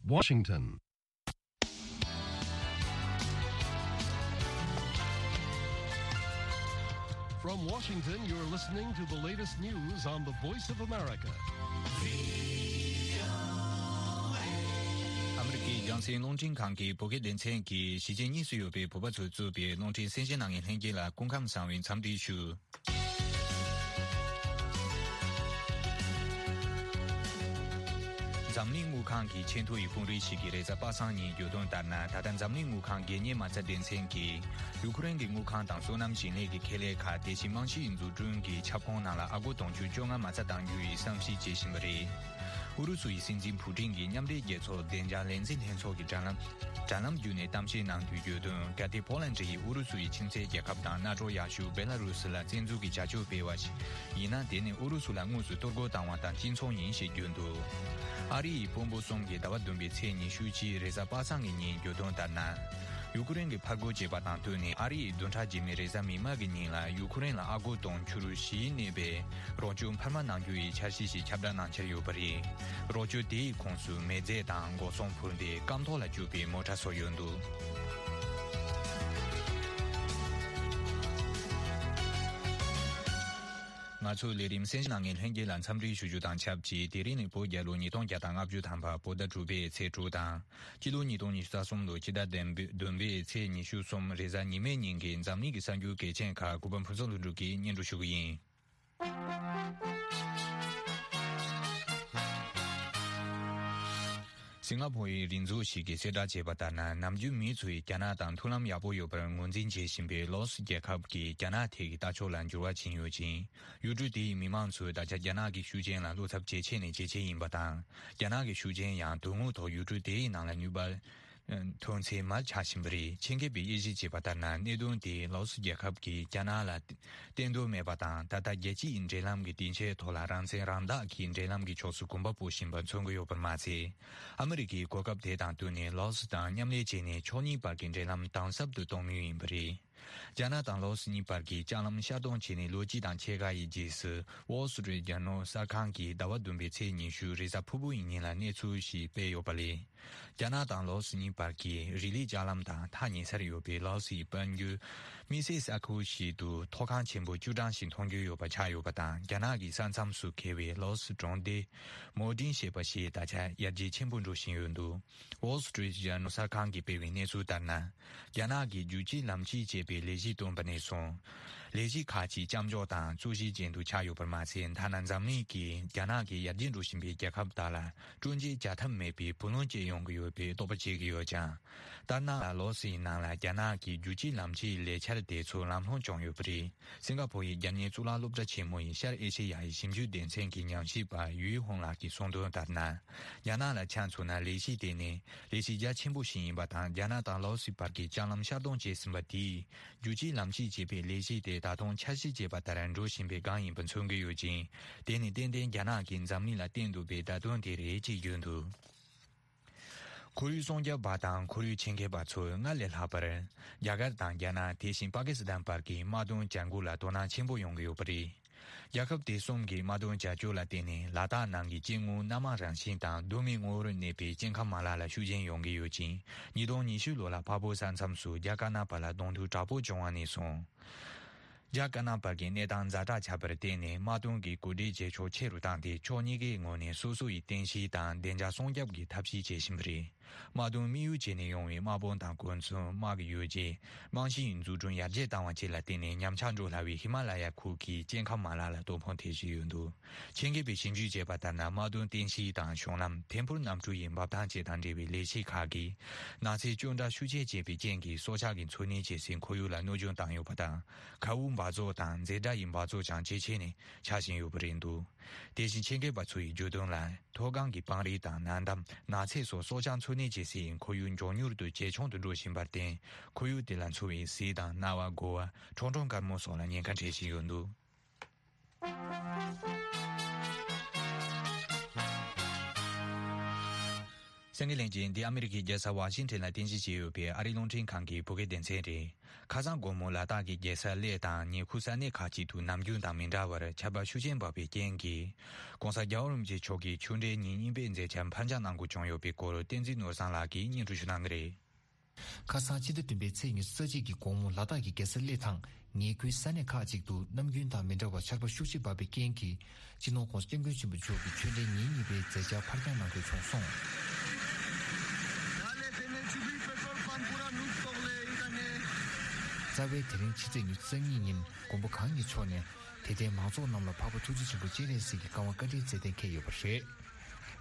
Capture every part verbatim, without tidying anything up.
Washington. From Washington, you're listening to the latest news on the Voice of America. ཨ་མི་རི་ཀའི་རྒྱང་སྲིང་རླུང་འཕྲིན་ཁང་གི་བོད་སྐད་སྡེ་ཚན་གྱིས་གཞིས་བྱེས་གཉིས་སུ་ཡོད་པའི་བོད་པ་ཚོས་གཙོས་པའི་རླུང་འཕྲིན་གསན་བཞེས་གནང་མཁན་ལྷན་རྒྱས་ལ་སྐུ་ཁམས་བཟང་བའི་འཚམས་འདྲི་ཞུ། འཛམ་གླིང་དངུལ་ཁང་གི་ཆེས་མཐོ་ཡི་དཔོན་རིགས་ཤིག་གིས་རེས་གཟའ་པ་སངས་ཉིན་བརྗོད་དོན་ལྟར་ན། ད་ལྟ་འཛམ་གླིང་དངུལ་ཁང་སྒེར་གཉེར་མ་རྩ་སྡེ་ཚན་གྱིས་ཡུ་ཁུ་རེན་གྱི་དངུལ་ཁང་དང་སོ་ནམ་ཞིང་ལས་ཀྱི་ཁེ་ལས་ཁག་དེ་བཞིན་རྨང་གཞིའི་འཛུགས་སྐྲུན་གྱི་ཁྱབ་ཁོངས་ནང་ལ་ཨ་སྒོར་དུང་ཕྱུར་བཅོ་ལྔ་མ་རྩ་གཏང་རྒྱུ་ཡི་བསམ་གཞིག་བྱེད་བཞིན་པ་རེད། ཨུ་རུ་སུ་ཡི་སྲིད་འཛིན་ཕུ་ཀྲིན་གྱིས་མཉམ་འབྲེལ་རྒྱལ་ཚོགས་བདེ་འཇགས་ལས་འཛིན་ལྷན་ཚོགས་ཀྱི་དྲ་ལམ་དྲ་ལམ་བརྒྱུད་ནས་གཏམ་བཤད་གནང་དུས་བརྗོད་དོན། གལ་ཏེ་ཕོ་ལན་ཌི་ཡིས་ཨུ་རུ་སུ་ཡི་ཁྱིམ་མཚེས་རྒྱལ་ཁབ་དང་མནའ་གྲོགས་ཡག་ཤོས་བེ་ལ་རུ་སི་ལ་བཙན་འཛུལ་གྱི་བྱ་སྤྱོད་སྤེལ་བ་ཞིག་ཡིན་ན། དེ་ནི་ཨུ་རུ་སུ་ལ་དངོས་སུ་གཏོར་རྒོལ་བཏང་བ་དང་གཅིག་མཚུངས་ཡིན་ཞེས་བརྗོད་འདུག་ཨ་རི་ཡི་དཔོན་པོ་གསུམ་གྱིས་ཟླ་བ་བདུན་པའི་ཚེས་ཉི་ཤུ་གཅིག་རེས་གཟའ་པ་སངས་ཀྱི་ཉིན་བརྗོད་དོན་ལྟར་ན། ཡུ་ཁུ་རེན་གྱིས་ཕར་རྒོལ་བྱས་པ་དང་བསྟུན་ནས་ཨ་རི་ཡིས་བདུན་ཕྲག་རྗེས་མའི་རེས་གཟའ་མིག་དམར་གྱི་ཉིན་ལ་ཡུ་ཁུ་རེན་ལ་ཨ་སྒོར་དུང་ཕྱུར་བཞིའི་གནས་པའི་རོགས་སྐྱོར་འཕར་མ་གནང་རྒྱུ་ཡི་འཆར་གཞི་ཞིག་ཁྱབ་བསྒྲགས་གནང་འཆར་ཡོད་པ་རེད། རོགས་སྐྱོར་དེའི་ཁོངས་སུ་མེ་རྫས་དང་འགོག་སྲུང་འཕུར་མདེལ། སྐམ་ཐོག་ལ་སྤྱོད་པའི་མོ་ཊ་སོགས་ཡོད་འདུག་ང་ཚོའི་ལས་རིམ་གསན་བཞེས་གནང་མཁན་ལྷན་རྒྱས་ལ་འཚམས་འདྲི་ཞུ་རྒྱུ་དང་ཆབས་ཅིག་དེ་རིང་ནི་བོད་རྒྱལ་ལོ་ཉིས་སྟོང་བརྒྱ་དང་ལྔ་བཅུ་ཐམ་པ་བོད་ཟླ་དྲུག་པའི་ཚེས་དྲུག་དང་། སྤྱི་ལོ་ཉིས་སྟོང་ཉི་ཤུ་རྩ་གསུམ་ལོའི་ཕྱི་ཟླ་བདུན་པའི་ཚེས་ཉི་ཤུ་གསུམ་རེས་གཟའ་ཉི་མའི་ཉིན་གྱི་འཛམ་གླིང་གི་གསར་འགྱུར་གལ་ཆེན་ཁག་གུས་པ་ཕུན་ཚོགས་ལྷུན་གྲུབ་ཀྱིས་སྙན་སྒྲོན་ཞུ་གི་ཡིན། སིང་ག་ཕོར་ཡི་རིག་མཛོད་ཞིག་གིས་གསལ་བསྒྲགས་བྱས་པ་ལྟར་ན། ནམ་རྒྱུན་མི་ཚོས་རྒྱ་ནག་དང་མཐུན་ལམ་ཡག་པོ་ཡོད་པར་ངོས་འཛིན་བྱེད་བཞིན་པའི་ལའོ་སི་རྒྱལ་ཁབ་ཀྱིས་རྒྱ་ནག་ཐད་ཀྱི་ལྟ་ཕྱོགས་ལ་འགྱུར་བ་ཕྱིན་ཡོད་ཅིང་། ཡུལ་གྲུ་དེའི་མི་མང་ཚོས་ད་ཆ་རྒྱ་ནག་གི་ཤུགས་རྐྱེན་ལ་བློ་འཚབ་ཇེ་ཆེ་ནས་ཇེ་ཆེ་ཡིན་པ་དང་། རྒྱ་ནག་གི་ཤུགས་རྐྱེན་ཡང་དོན་དངོས་ཐོག་ཡུལ་གྲུ་དེའི་ནང་ལ་ནུས་པ་ཐོན་ཚད་མར་ཆག་བཞིན་པ་རེད། ཆེད་མཁས་པས་དབྱེ་ཞིབ་བྱས་པ་ལྟར་ན། གནད་དོན་དེས་ལའོ་སི་རྒྱལ་ཁབ་ཀྱིས་རྒྱ་ནག་ལ་བརྟེན་འདོད་མེད་པ་དང་། ད་ལྟ་རྒྱལ་སྤྱིའི་འབྲེལ་ལམ་གྱི་སྡིངས་ཆའི་ཐོག་ལ་རང་བཙན་རང་བདག་གི་འབྲེལ་ལམ་གྱི་ཕྱོགས་སུ་གོམ་པ་སྤོ་བཞིན་པ་མཚོན་གྱི་ཡོད་པར་མ་ཟད། ཨ་མི་རི་ཀས་གོ་སྐབས་དེ་དང་བསྟུན་ནས་ལའོ་སི་དང་མཉམ་ལས་བྱས་ནས་ཕྱོགས་གཉིས་བར་གྱི་འབྲེལ་ལམ་དམ་ཟབ་ཏུ་གཏོང་མུས་ཡིན་པ་རེད། རྒྱ་ནག་དང་ལའོ་སི་གཉིས་བར་གྱི་ལྕགས་ལམ་ཤར་གཏོང་བྱས་ནས་ལོ་གཅིག་དང་ཕྱེད་ཀ་ཡི་རྗེས་སུ། Wall Street Journal གསར་ཁང་གིས་ཟླ་བ་བདུན་པའི་ཚེས་ཉི་ཤུ་རེས་གཟའ་ཕུར་བུ་ཡི་ཉིན་ལ་གནས་ཚུལ་ཞིག་སྤེལ་ཡོད་པ་ལས། རྒྱ་ནག་དང་ལའོ་སི་གཉིས་བར་གྱི་རི་ལི་ལྕགས་ལམ་དང་ཐག་ཉེ་སར་ཡོད་པའི་ལའོ་སིའི་དཔལ་འབྱོར་དམིགས་བསལ་ས་ཁུལ་ཞིག་ཏུ་མཐོ་སྒང་ཆེན་པོ་བཅུ་གྲངས་ཤིག་མཐོང་རྒྱུ་ཡོད་པ་ཆགས་ཡོད་པ་དང་། རྒྱ་ནག་གི་ས་མཚམས་སུ་འཁེལ་བའི་ལའོ་སི་གྲོང་སྡེ་མོ་ཏིན་ཞེས་པ་ཞིག་ད་ཆ་ཡར་རྒྱས་ཆེན་པོ་འགྲོ་བཞིན་ཡོད་འདུག Wall Street Journal གསར་ཁང་གིས་སྤེལ་བའི་གནས་ཚུལ་ལྟར་ན། རྒྱ་ནག་གིས་རྒྱུད་གཅིག་ལམ་གཅིག་ཅེས་པའི་ལས་གཞི་བཏོན་པ་ནས་བཟུང་། ལས་གཞི་ཁག་ཅིག་མཚམས་འཇོག་དང་རྩོད་གཞི་ཅན་དུ་ཆགས་ཡོད་པར་མ་ཟད། ཐ་ན་འཛམ་གླིང་གིས་རྒྱ་ནག་གིས་ཡར་རྒྱས་འགྲོ་བཞིན་པའི་རྒྱལ་ཁབ་དག་ལ་སྤྲོད་འཇལ་བྱ་ཐབས་མེད་པའི་བུ་ལོན་བཅད་ཡོང་གི་ཡོད་པའི་དོགས་པ་བྱེད་ཀྱི་ཡོད་ཀྱང་། ལྟར་སྣང་ལ་ལའོ་སིའི་ནང་ལ་རྒྱ་ནག་གི་རྒྱུད་གཅིག་ལམ་གཅིག་ལས་འཆར་དེ་ཚོ་ལམ་ལྷོང་བྱུང་ཡོད་པ་རེད། སིང་ག་ཕོར་ཡི་རྒྱལ་གཉེར་གཙུག་ལག་སློབ་གྲྭ་ཆེན་མོ་ཡི་ཤར་ཨེ་ཤེ་ཡ་ཡི་ཞིབ་འཇུག་སྡེ་ཚན་གྱི་ཉམས་ཞིབ་པ་ཡུའི་ཧུང་ལགས་ཀྱིས་གསུངས་དོན་ལྟར་ན། རྒྱ་ནག་ལ་ཆ་མཚོན་ན། ལས་གཞི་དེ་ནི་ལས་གཞི་རྒྱ་ཆེན་པོ་ཞིག་ཡིན་པ་དང་། རྒྱ་ནག་དང་ལའོ་སི་བར་གྱི་ལྕགས་ལམ་ཤར་གཏོང་བྱས་ཟིན་པ་དེས། རྒྱུད་གཅིག་ལམ་གཅིག་ཅེས་པའི་ལས་གཞི་དེ་ད་དུང་འཆར་གཞི་བྱས་པ་ལྟར་འགྲོ་བཞིན་པའི་སྒང་ཡིན་པ་མཚོན་གྱི་ཡོད་ཅིང་། དེ་ནི་ཏན་ཏན་རྒྱ་ནག་གིས་འཛམ་གླིང་ལ་བསྟན་འདུག་པའི་བརྡ་དོན་དེ་རེད་ཅེས་བརྗོད་འདུག་ཁོར་ཡུག་སྲུང་སྐྱོབ་པ་དང་ཁོར་ཡུག་ཆེད་མཁས་པ་ཚོས་སྔར་ལས་ལྷག་པར། རྒྱ་གར་དང་རྒྱ་ནག་དེ་བཞིན་པ་ཀི་སི་ཐན་བར་གྱི་དམག་དོན་བྱ་འགུལ་ལ་དོ་སྣང་ཆེན་པོ་ཡོང་གི་ཡོད་པ་རེད། རྒྱལ་ཁབ་དེ་གསུམ་གྱི་དམག་དོན་བྱ་སྤྱོད་ལ་བརྟེན་ནས། ལ་དྭགས་ནང་གི་སྐྱེ་དངོས་སྣ་མང་རང་བཞིན་དང་གདོད་མའི་ངོ་བོར་གནས་པའི་སྐྱེ་ཁམས་མ་ལག་ལ་ཤུགས་རྐྱེན་ཡོང་གི་ཡོད་ཅིང་། ཉིས་སྟོང་ཉི་ཤུ་ལོ་ལ་འཕགས་བོད་ས་མཚམས་སུ་རྒྱ་དཀར་ནག་བར་ལ་གདོང་ཐུག་དྲག་པོ་བྱུང་བ་ནས་བཟུང་། རྒྱ་དཀར་ནག་བར་གྱི་གནས་སྟངས་ཛ་དྲག་ཆགས་པར་བརྟེན་ནས། དམག་དོན་གྱི་གོ་སྒྲིག་བྱེད་ཕྱོགས་ཆེ་རུ་བཏང་སྟེ། ཕྱོགས་གཉིས་ཀའི་ངོས་ནས་སོ་སོ་ཡི་རྟེན་གཞི་དང་བདེ་འཇགས་སྲུང་སྐྱོབ་ཀྱི་ཐབས་ཤེས་བྱེད་བཞིན་པ་རེད། དམག་དོན་དམིགས་ཡུལ་བྱས་ནས་ཡོང་བའི་དམག་དཔུང་དང་གོ་མཚོན། དམག་གི་ཡོ་བྱད། རྨང་གཞིའི་འཛུགས་སྐྲུན་ཡར་རྒྱས་བཏང་བ་བཅས་ལ་བརྟེན་ནས། ཉམས་ཆག་འགྲོ་སླ་བའི་ཧི་མ་ལ་ཡ་ཁུལ་གྱི་སྐྱེ་ཁམས་མ་ལག་ལ་གཏོར་ཕོག་ཐེབས་བཞིན་ཡོད་འདུག་ཆེད་མཁས་པས་ཞིབ་འཇུག་བྱས་པ་ལྟར་ན། དམག་དོན་རྟེན་གཞི་དང་གཞུང་ལམ། ཐད་འཕུར་གནམ་གྲུ་ཡི་འབབ་ཐང་བཅས་དང་འབྲེལ་བའི་ལས་གཞི་ཁག་གིས། ནགས་ཚལ་གཅོད་འབྲེག་ཤུགས་ཆེ་བྱས་པའི་རྐྱེན་གྱིས། སྲོག་ཆགས་ཀྱི་འཚོ་གནས་བྱེད་སའི་ཁོར་ཡུག་ལ་གནོད་སྐྱོན་བཏང་ཡོད་པ་དང་། མཁའ་དབུགས་འབག་བཙོག་དང་འཛེར་སྒྲ་ཡི་འབག་བཙོག་ཀྱང་ཇེ་ཆེ་ནས་ཆགས་བཞིན་ཡོད་པ་རེད་འདུག་དེ་བཞིན་ཆེད་མཁས་པ་ཚོ་ཡིས་བརྗོད་དོན་ལ། མཐོ་སྒང་གི་སྤང་རི་དང་ན་འདམ། ནགས་ཚལ་སོགས་སྲོག་ཆགས་འཚོ་གནས་བྱེད་སའི་ཁོར་ཡུག་མགྱོགས་མྱུར་དུ་ཇེ་ཆུང་དུ་འགྲོ་བཞིན་པར་བརྟེན། ཁོར་ཡུག་དེ་ལ་འཚོ་བའི་གཟིག་དང་གནའ་བ། དགོ་བ། ཁྲོང་ཁྲོང་དཀར་མོ་སོགས་ལ་ཉེན་ཁ་འཕྲད་བཞིན་ཡོད་འདུག་གསན་མཁན་ལྷན་རྒྱས། འདི་ཨ་མི་རི་ཀའི་རྒྱལ་ས་ཝ་ཤིང་ཊོན་ལ་རྟེན་གཞི་བྱས་ཡོད་པའི་ཨ་རིའི་རླུང་འཕྲིན་ཁང་གི་བོད་སྐད་སྡེ་ཚན་རེད། ཁ་སང་དགོང་མོ་ལ་དྭགས་ཀྱི་རྒྱལ་ས་གླེ་དང་ཉེ་ཁུལ་ས་གནས་ཁག་ཅིག་ཏུ་ནམ་རྒྱུན་དང་མི་འདྲ་བར་ཆར་པ་ཤུགས་ཆེན་བབས་པའི་རྐྱེན་གྱིས། ྋགོང་ས་རྒྱལ་བ་རིན་པོ་ཆེ་མཆོག་གི་ཆོས་འབྲེལ་ཉིན་གཉིས་པའི་མཛད་འཆར་ཕར་འགྱངས་གནང་དགོས་བྱུང་ཡོད་པའི་སྐོར། བསྟན་འཛིན་ནོར་བཟང་ལགས་ཀྱིས་སྙན་སྒྲོན་ཞུ་གནང་གི་རེད། ཁ་སང་ཕྱི་ཟླ་བདུན་པའི་ཚེས་ཉི་ཤུ་རྩ་གཅིག་གི་དགོང་མོ་ལ་དྭགས་ཀྱི་རྒྱལ་ས་གླེ་དང་ཉེ་ཁུལ་ས་གནས་ཁག་ཅིག་ཏུ་ནམ་རྒྱུན་དང་མི་འདྲ་བར་ཆར་པ་ཤུགས་ཆེ་བབས་པའི་རྐྱེན་གྱིས། སྤྱི་ནོར་ྋགོང་ས་ྋསྐྱབས་མགོན་ཆེན་པོ་མཆོག་གི་ཆོས་འབྲེལ་ཉིན་གཉིས་པའི་མཛད་འཆར་ཕར་འགྱངས་གནང་དགོས་བྱུང་སོང་། རྩ་བའི་དེ་རིང་ཕྱི་ཚེས་ཉི་ཤུ་རྩ་གཉིས་ཉིན་མགོན་པོ་གང་ཉིད་མཆོག་ནས་དད་ལྡན་མང་ཚོགས་རྣམས་ལ་འཕགས་པ་ཐུགས་རྗེ་ཆེན་པོ་སྤྱན་རས་གཟིགས་ཀྱི་བཀའ་དབང་བཀའ་དྲིན་སྩལ་གཏན་འཁེལ་ཡོད་པ་རེད།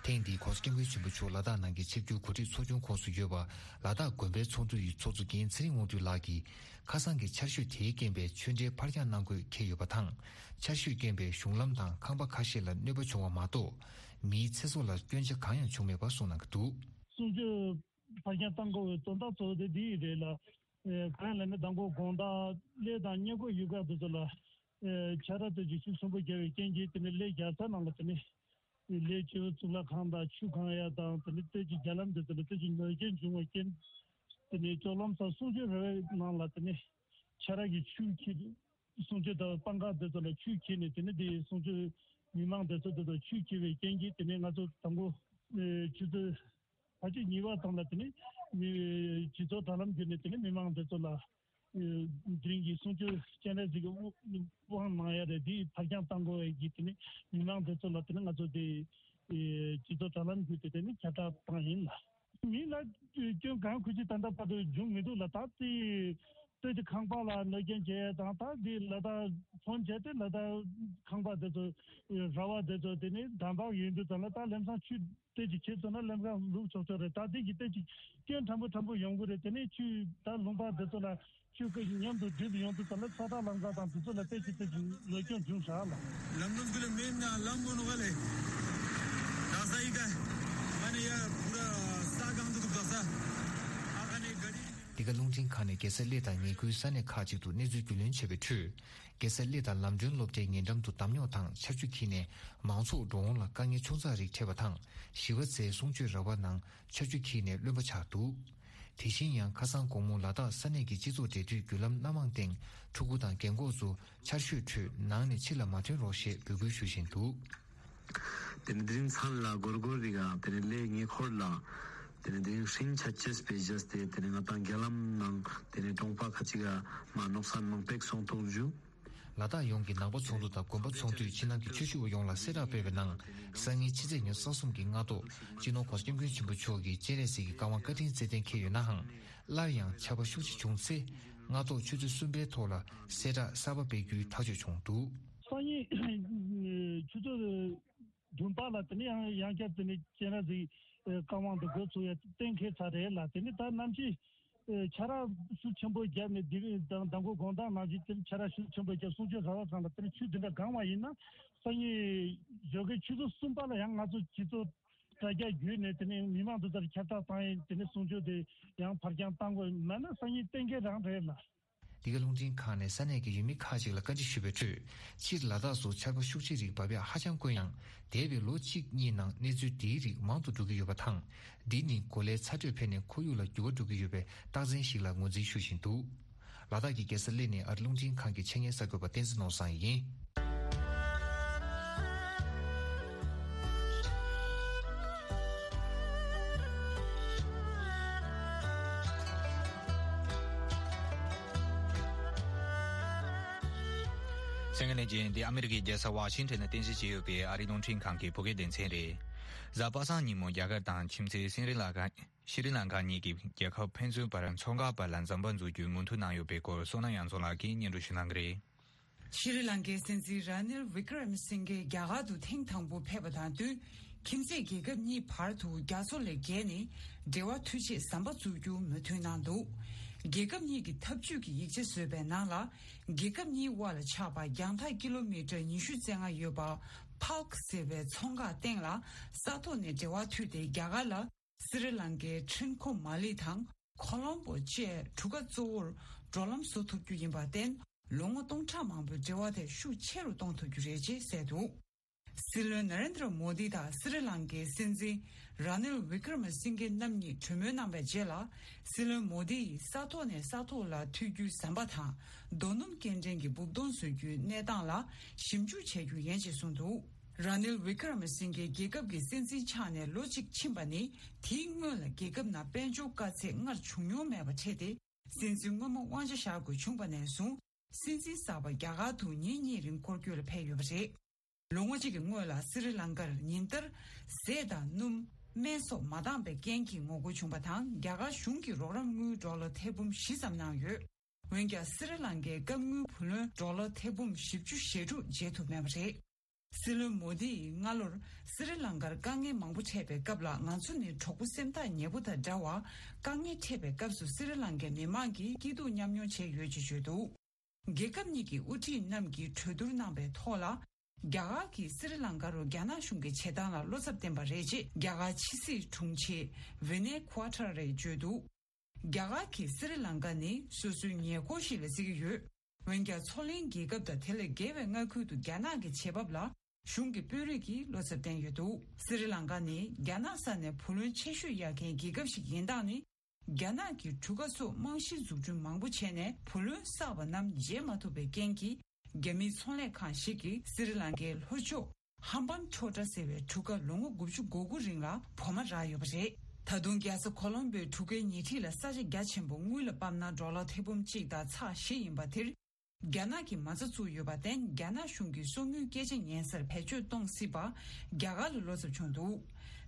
ཐེངས་འདིའི་ྋགོང་ས་ྋསྐྱབས་མགོན་ཆེན་པོ་མཆོག་ལ་དྭགས་ནང་གི་ཆིབས་བསྒྱུར་གོ་སྒྲིག་ཚོགས་ཆུང་ཁོངས་སུ་ཡོད་པ། ལ་དྭགས་དགོན་པའི་ཚོགས་འདུ་ཡི་ཚོགས་གཙོ་རྒན་ཚེ་རིང་དབང་འདུས་ལགས་ཀྱིས། ཁ་སང་གི་ཆར་ཞོད་དེའི་རྐྱེན་པས་ཆོས་འབྲེལ་ཕར་འགྱངས་གནང་དགོས་འཁེལ་ཡོད་པ་དང་། ཆར་ཞོད་རྐྱེན་པས་གཞུང་ལམ་དང་ཁང་པ་ཁ་ཤས་ལ་གནོད་པ་བྱུང་བ་མ་གཏོགས། མིའི་ཚེ་སྲོག་ལ་སྐྱོན་ཆ་གང་ཡང་བྱུང་མེད་པ་གསུངས་གནང་གི་འདུག། གསུང་ཆོས་ཕར་འགྱངས་གཏང་དགོས་པའི་དོན་དག་གཙོ་བོ་དེ་འདི་ཡིན་རེད་ལ། ཨེ། གང་ཡིན་ལབ་ན་མདང་དགོང་དགོང་དག་གླེ་དང་ཉེ་འཁོར་ཡུལ་ཁག་དེ་ཚོ་ལ། ཨེ། ཆར་པ་དེ་ཚོས་ཤུགས་ཆེན་པོ་བརྒྱབ་པའི་རྐྱེན་གྱིས་དེ་ནས་གླེ་རྒྱལ་ས་ནང་ལ་དེ་ནས། གླེ་སྤྱི་བོ་གཙུག་ལག་ཁང་དང་ཆུ་གང་ཡ་དང་དེ་ནས་སྟོད་ཀྱི་རྒྱ་ལམ་དེ་ཚོ་ལ་སྟོད་ཀྱི་གནོད་སྐྱོན་བྱུང་བའི་རྐྱེན། དེ་ནས་ལྕོག་ལམ་སོགས་གསུང་ཆོས་ར་བའི་ནང་ལ་དེ་ནས་ཆར་པ་གིས་ཆུ་འཁྱེར། གསུང་ཆོས་དང་སྤང་ཁ་དེ་ཚོ་ལ་ཆུ་འཁྱེར་ནས་དེ་ནས་དེ་གསུང་ཆོས་མི་མང་དེ་ཚོ་དེ་ཚོ་ཆུ་འཁྱེར་བའི་རྐྱེན་གྱིས་དེ་ནས་ང་ཚོ་དང་པོ་ཆུ་ཚོད་ཕལ་ཆེར་གཉིས་པ་ཙམ་ལ་དེ་ནས་མི་སྤྱི་ཚོགས་དྲ་ལམ་བརྒྱུད་ནས་དེ་ནས་མི་མང་དེ་ཚོ་ལ། དེ་རིང་གི་གསུང་ཆོས་སྤྱན་རས་གཟིགས་ཀྱི་དབང་གནང་ཡ་རེད། དེ་ཕར་འགྱངས་གཏང་དགོས་པའི་གི་དེ་ནི་མི་མང་དེ་ཚོ་ལ་དེ་ནི་ང་ཚོ་དེ་སྤྱི་ཚོགས་དྲ་ལམ་བརྒྱུད་དེ་དེ་ནི་ཁྱབ་བསྒྲགས་བཏང་ཡིན་ལ། མི་ལ་སྐྱོན་གང་ཁུལ་གྱིས་ད་ལྟ་བར་དུ་བྱུང་མི་འདུག་ལ། ད་དེ་སྟོད་ཀྱི་ཁང་པ་ལ་གནོད་སྐྱོན་བྱས་དང་། ད་དེ་ལ་ད་ཕོན་བྱས་ཏེ་ལ་ད་ཁང་པ་དེ་ཚོ་ར་བ་དེ་ཚོ་དེ་ནི་འདམ་བག་ཡོད་འདུག་ཙང་ལ། ད་ལམ་སང་ཆུ་དེ་ཅིག་ཁྱེར་སོང་ན་ལམ་ཁ་ལུག་ཆོག་ཆོག་རེད། ད་དེ་གི་དེ་ཅིག་སྐྱོན་ཕྲན་བུ་ཕྲན་བུ་ཡོང་གི་རེད། དེ་ནས་ཆུ་ད་ལུང་པ་འདི་ཚོ་ལ་ཆུ་ཀ་མཉམ་དུ་སྒྲིལ་ཡོང་དུས་ཙམ་ལ་ཚ་ཐག་ལམ་ཁ་དང་དེ་ཚོ་ལ་དེ་ཅིག་དེ་ཅིག་གནོད་སྐྱོན་བྱུང་ཤག་ལ། ལམ་ནང་ཁུལ་མེད་ན་ལམ་མོ་ནོ་ག་ལེ། ད་ས་ཡི་ག་ཨ་ནི་ཡ་པུ་ར་ས་གང་དུ་འདུག་ད་ས་ཨ་ཁ་ནི་ག་རི། འདི་ག་རླུང་འཕྲིན་ཁང་ནས་རྒྱལ་ས་གླེ་དང་ཉེ་ཁུལ་ས་གནས་ཁག་ཅིག་ཏུ་གནས་ཚུལ་རྒྱུས་ལོན་བྱས་པའི་ཁྲོད། རྒྱལ་ས་གླེ་དང་ལམ་སྒྲོན་སློབ་གྲྭའི་ཉེ་འགྲམ་དུ་འདམ་རྙོག་དང་ཆར་ཆུ་འཁྱིལ་ནས་མང་ཚོགས་འགྲོ་འོང་ལ་དཀའ་ངལ་ཆུང་ཙག་རིགས་འཕྲད་པ་དང་། བཞི་པ་ཚེས་གསུང་ཆོས་ར་བ་ནང་ཆར་ཆུ་འཁྱིལ་ནས་རློན་པ་ཆགས་འདུག། དེ་བཞིན་ཡང་ཁ་སང་དགོང་མོ་ལ་དྭགས་ས་གནས་ཀྱི་སྤྱི་ཚོགས་འབྲེལ་མཐུད་བརྒྱུད་ལམ་སྣ་མང་སྟེང་ཕྲུ་གུ་དང་རྒན་འཁོགས་ཚོ་ཆར་ཞོད་ཁྲོད་ནང་ནས་ཕྱི་ལ་མ་ཐོན་རོགས་ཞེས་འབོད་སྐུལ་ཞུ་བཞིན་འདུག། དེ་ནས་དེ་རིང་མཚན་ལ་སྒོར་སྒོར་རི་ག་དེ་ནས་གླེ་ཉེ་འཁོར་ལ་དེ་ནས་དེ་རིང་ཧྲིན་ཆ་ཅེས་པའི་བཞེས་ཏེ་དེ་ནས་ང་དང་རྒྱ་ལམ་ནང་དེ་ནས་གྲོང་པ་ཁ་ཅིག་ག་མ་ནོག་སན་མང་པེག་སོང་ཐོག་ཇུ། ལ་དྭགས་ཡོངས་ཀྱི་ནང་པ་ཚོགས་འདུ་དང་དགོན་པ་ཚོགས་འདུས་ཕྱི་ནང་གི་ཆོས་ཞུ་བ་ཡོངས་ལ་གསལ་བསྒྲགས་སྤེལ་བའི་ནང་། སང་ཉིན་ཕྱི་ཚེས་ཉེར་གསུམ་གྱི་སྔ་དྲོ་སྤྱི་ནོར་ྋགོང་ས་ྋསྐྱབས་མགོན་ཆེན་པོ་མཆོག་གིས་སྤྱན་རས་གཟིགས་ཀྱི་བཀའ་དབང་བཀའ་དྲིན་སྩལ་གཏན་འཁེལ་ཡོད་ནའང་། སླར་ཡང་ཆར་པ་ཤུགས་ཆེ་བྱུང་ཚེ། སྔ་དྲོ་ཆུ་ཚོད་གསུམ་པའི་ཐོག་ལ་གསལ་བསྒྲགས་གསར་པ་སྤེལ་རྒྱུའི་ཐག་གཅོད་བྱུང་འདུག། སང་ཉིན་ཆུ་ཚོད་བདུན་པ་ལ་དེ་ནས་ཡང་ཡང་བསྐྱར་དེ་ནས་སྤྱན་རས་གཟིགས་བཀའ་དབང་དུ་འགོ་ཚུགས་ཡ་གཏན་འཁེལ་ཚར་རེད་ལ། དེ་ནས་ད་གནམ་གཤིས་ཆར་པ་ཤུགས་ཆེན་པོ་བརྒྱབ་ནས་དེ་རིང་དང་མདང་དགོང་དགོང་དག་ནང་བཞིན་དེ་ཆར་པ་ཤུགས་ཆེན་པོ་བརྒྱབ། གསུང་ཆོས་ར་བ་ཚང་ལ་དེ་ནས་ཆུ་དེ་འདྲ་གང་བ་ཡིན་ན། སང་ཉིན་ཞོགས་ཀའི་ཆུ་ཚོད་གསུམ་པ་ལ་ཡང་ང་ཚོ་སྤྱི་ཚོགས་དྲ་རྒྱ་བརྒྱུད་ནས་དེ་ནས་མི་མང་དེ་ཚོར་ཁྱབ་བསྒྲགས་བཏང་ཡིན། དེ་ནས་གསུང་ཆོས་དེ་ཡང་ཕར་འགྱངས་བཏང་དགོས་མེད་ན་སང་ཉིན་གཏན་འཁེལ་རང་རེད་ལ། འདི་ག་རླུང་འཕྲིན་ཁང་ནས་ས་གནས་ཀྱི་ཡུལ་མི་ཁག་ཅིག་ལ་བཀའ་འདྲི་ཞུས་པའི་ཁྲོད། སྤྱིར་ལ་དྭགས་སུ་ཆར་པ་ཤུགས་ཆེ་རིགས་བབས་ཡག་ཧ་ཅང་དཀོན་ཡང་། འདས་པའི་ལོ་གཅིག་གཉིས་ནང་གནས་ཚུལ་འདིའི་རིགས་མང་དུ་འགྲོ་གི་ཡོད་པ་དང་། འདི་ནི་གོ་ལའི་ཚ་དྲོད་འཕེལ་ནས་ཁོར་ཡུག་ལ་འགྱུར་བ་འགྲོ་གི་ཡོད་པའི་རྟགས་མཚན་ཞིག་ལ་ངོས་འཛིན་ཞུ་བཞིན་འདུག། ལ་དྭགས་ཀྱི་རྒྱལ་ས་གླེ་ནས་ཨ་རི་རླུང་འཕྲིན་ཁང་གི་ཆེད་གཉེར་གསར་འགོད་པ་བསྟན་འཛིན་ནོར་བཟང་ཡིན། གསན་མཁན་ལྷན་རྒྱས། འདི་ཨ་མི་རི་ཀའི་རྒྱལ་ས་ཝ་ཤིང་ཊོན་ནས་རྟེན་གཞི་བྱས་ཡོད་པའི་ཨ་རིའི་རླུང་འཕྲིན་ཁང་གི་བོད་སྐད་སྡེ་ཚན་རེད། གཟའ་པ་སངས་ཉིན་མོ་རྒྱ་གར་དང་ཁྱིམ་མཚེས་སི་རི་ལ་ཀ་ཤི་རི་ལང་ཀ་གཉིས་ཀྱིས་རྒྱལ་ཁབ་ཕན་ཚུན་བར་མཚོ་འགག་པ་ལ་ཟམ་པ་འཛུགས་རྒྱུའི་མོས་མཐུན་གནང་ཡོད་པའི་སྐོར། བསོད་ནམས་དབྱངས་འཛོམས་ལགས་ཀྱིས་སྙན་སྒྲོན་ཞུ་གནང་གི་རེད། ཤི་རི་ལང་ཀའི་སྲིད་འཛིན་ར་ནིལ་ཝི་ཀྲ་མི་སིང་གེ་རྒྱ་གར་དུ་ཐེངས་དང་པོ་ཕེབས་པ་དང་བསྟུན། ཁྱིམ་མཚེས་རྒྱལ་ཁབ་གཉིས་བར་དུ་རྒྱ་མཚོ་ལས་བརྒལ་ནས་འབྲེལ་བ་མཐུད་ཆེད་ཟམ་པ་འཛུགས་རྒྱུ་མོས་མཐུན་གནང་འདུག། རྒྱལ་ཁབ་གཉིས་ཀྱི་འཐབ་ཇུས་ཀྱི་ཡིག་ཆ་བཟོས་པའི་ནང་ལ། རྒྱལ་ཁབ་གཉིས་དབར་ལ་ཆགས་པ་རྒྱང་ཐག་ཀི་ལོ་མི་ཊར་ཉི་ཤུ་རྩ་ལྔ་ཡོད་པ་ཕཱལ་ཀི་ཟེར་བའི་མཚོ་འགག་སྟེང་ལ་ས་ཐོག་ནས་འབྲེལ་བ་མཐུད་དེ། རྒྱ་གར་ལ་སི་རི་ལང་ཀའི་ཁྲིན་ཁོ་མ་ལི་དང་ཁོ་ལོམ་པོ་བཅས་གྲུ་ཁ་གཙོ་བོར་འགྲོ་ལམ་བཟོ་ཐུབ་རྒྱུ་ཡིན་པར་བརྟེན། ལོ་ངོ་སྟོང་ཕྲག་མང་པོའི་འབྲེལ་བ་དེ་ཤུགས་ཆེ་རུ་གཏོང་ཐུབ་རྒྱུ་རེད་ཅེས་གསལ་འདུག། སྲིད་བློན་ན་རེན་དྲ་མོ་དི་དང་སི་རི་ལང་ཀའི་སྲིད་འཛིན་ ར་ནིལ་ཝི་ཀྲ་མ་སིང་གེ་རྣམ་གཉིས་གྲོས་མོལ་གནང་བའི་རྗེས་ལ། སྲིད་བློན་མོ་དི་ཡིས་ས་ཐོག་ནས་ས་ཐོག་ལ་མཐུད་རྒྱུའི་ཟམ་པ་དང་། རྡོ་སྣུམ་སྐྱེལ་འདྲེན་གྱི་སྦུབས་དོང་བཟོ་རྒྱུའི་གནས་སྟངས་ལ་ཞིབ་འཇུག་བྱ་རྒྱུ་ཡིན་ཅེས་གསུངས་འདུག་ར་ནིལ་ཝི་ཀྲ་མ་སིང་གེ་རྒྱལ་ཁབ་ཀྱི་སྲིད་འཛིན་ཆགས་ནས་ལོ་གཅིག་ཕྱིན་པ་ནི། དེའི་སྔོན་ལ་རྒྱལ་ཁབ་ནང་དཔལ་འབྱོར་དཀའ་ཚེགས་སྔར་བྱུང་མྱོང་མེད་པ་འཕྲད་དེ། སྲིད་འཛིན་སྔོན་མ་དབང་ཆ་བཞག་དགོས་བྱུང་བ་ནས་བཟུང་། སྲིད་འཛིན་གསར་པ་རྒྱ་གར་དུ་ཉིན་གཉིས་རིང་སྐོར་སྐྱོད་ལ་ཕེབས་ཡོད་པ་རེད། ལོ་ངོ་གཅིག་གི་སྔོན་ལ་སི་རི་ལང་ཀར་ཉིན་ལྟར་ཟས་དང་སྣུམ། སྨན་སོགས་མ་འདང་བའི་རྐྱེན་གྱིས་ངོ་རྒོལ་བྱུང་བ་དང་། རྒྱ་གར་གཞུང་གིས་རོགས་རམ་དངུལ་ཌོ་ལར་ཐེར་འབུམ་བཞི་ཙམ་གནང་ཡོད། འོན་ཀྱང་། སི་རི་ལང་ཀའི་སྐབས་དངུལ་བུ་ལོན་ཌོ་ལར་ཐེར་འབུམ་བཞི་བཅུ་ཞེ་དྲུག་འཇལ་ཐུབ་མེད་པ་རེད། སྲིད་བློན་མོ་དི་ཡིས་སྔ་ལོར་སི་རི་ལང་ཀར་དཀའ་ངལ་མང་པོ་འཕྲད་པའི་སྐབས་ལ། ང་ཚོ་ནི་གྲོགས་པོ་སེམས་ཐག་ཉེ་པོ་དང་འདྲ་བར། དཀའ་ངལ་འཕྲད་པའི་སྐབས་སུ་སི་རི་ལང་ཀའི་མི་མང་གིས་སྐྱིད་སྡུག་མཉམ་མྱོང་བྱས་ཡོད་ཅེས་བརྗོད་འདུག་རྒྱལ་ཁབ་གཉིས་ཀྱི་དབུ་ཁྲིད་རྣམས་ཀྱིས་གྲོས་བསྡུར་གནང་བའི་ཐོག་ལ། རྒྱ་གར་གྱིས་སི་རི་ལང་ཀ་རུ་རྒྱ་ནག་གཞུང་གི་བྱེད་སྟངས་ལ་བློ་འཚབ་བསྟན་པ་རེད་ཅེས་རྒྱ་གར་ཕྱི་སྲིད་དྲུང་ཆེ་ཝི་ནེ་ཁུ་ཨ་ཐར་རེས་བརྗོད་འདུག་རྒྱ་གར་གྱིས་སི་རི་ལང་ཀ་ནི་སོ་སོའི་ཉེ་འཁོར་ཞིག་ལ་བརྩི་གི་ཡོད། འོན་ཀྱང་། མཚོ་གླིང་རྒྱལ་ཁབ་དང་དེ་ལས་བརྒལ་བའི་མངའ་ཁུལ་དུ་རྒྱ་ནག་གི་བྱེད་བབ་ལ། གཞུང་གི་དཔོན་རིགས་ཀྱིས་བློ་འཚབ་བསྟན་ཡོད་འདུག་སི་རི་ལང་ཀ་ནི་རྒྱ་ནག་ས་ནས་བུ་ལོན་ཆེ་ཤོས་གཡར་མཁན་རྒྱལ་ཁབ་ཞིག་ཡིན་སྟངས་ནི། རྒྱ་ནག་གིས་གྲུ་ཁ་སོགས་རྨང་གཞི་འཛུགས་སྐྲུན་མང་པོ་བྱས་ནས། བུ་ལོན་བསགས་པ་རྣམས་འཇལ་མ་ཐུབ་པའི་རྐྱེན་གྱིས། རྒྱ་མིའི་ཚོང་ལས་ཁང་ཞིག་གིས་སི་རི་ལང་ཀའི་ལྷོ་ཕྱོགས་ཧམ་བན་ཊོ་ཊ་ཟེར་བའི་གྲུ་ཁ་ལོ་ངོ་དགུ་བཅུ་གོ་དགུ་རིང་ལ་བོགས་མ་རག་ཡོད་པ་རེད། ད་དུང་རྒྱལ་ས་ཁོ་ལོམ་བྷོའི་གྲུ་ཁའི་ཉེ་འཁྲིས་ལ་ས་ཆ་རྒྱ་ཆེན་པོ་དངུལ་ལ་དཔག་ན་ཌོ་ལར་ཐེར་འབུམ་གཅིག་དང་ཚེག་བཞི་ཡིན་པ་དེར། རྒྱ་ནག་གིས་མ་རྩ་བཙུགས་ཡོད་པར་བརྟེན། རྒྱ་ནག་གཞུང་གིས་གསོག་དངུལ་སྐད་ཆ་ཉན་སར་བེད་སྤྱོད་གཏོང་སྲིད་པ་རྒྱ་གར་ལ་བློ་འཚབ་བྱུང་འདུག་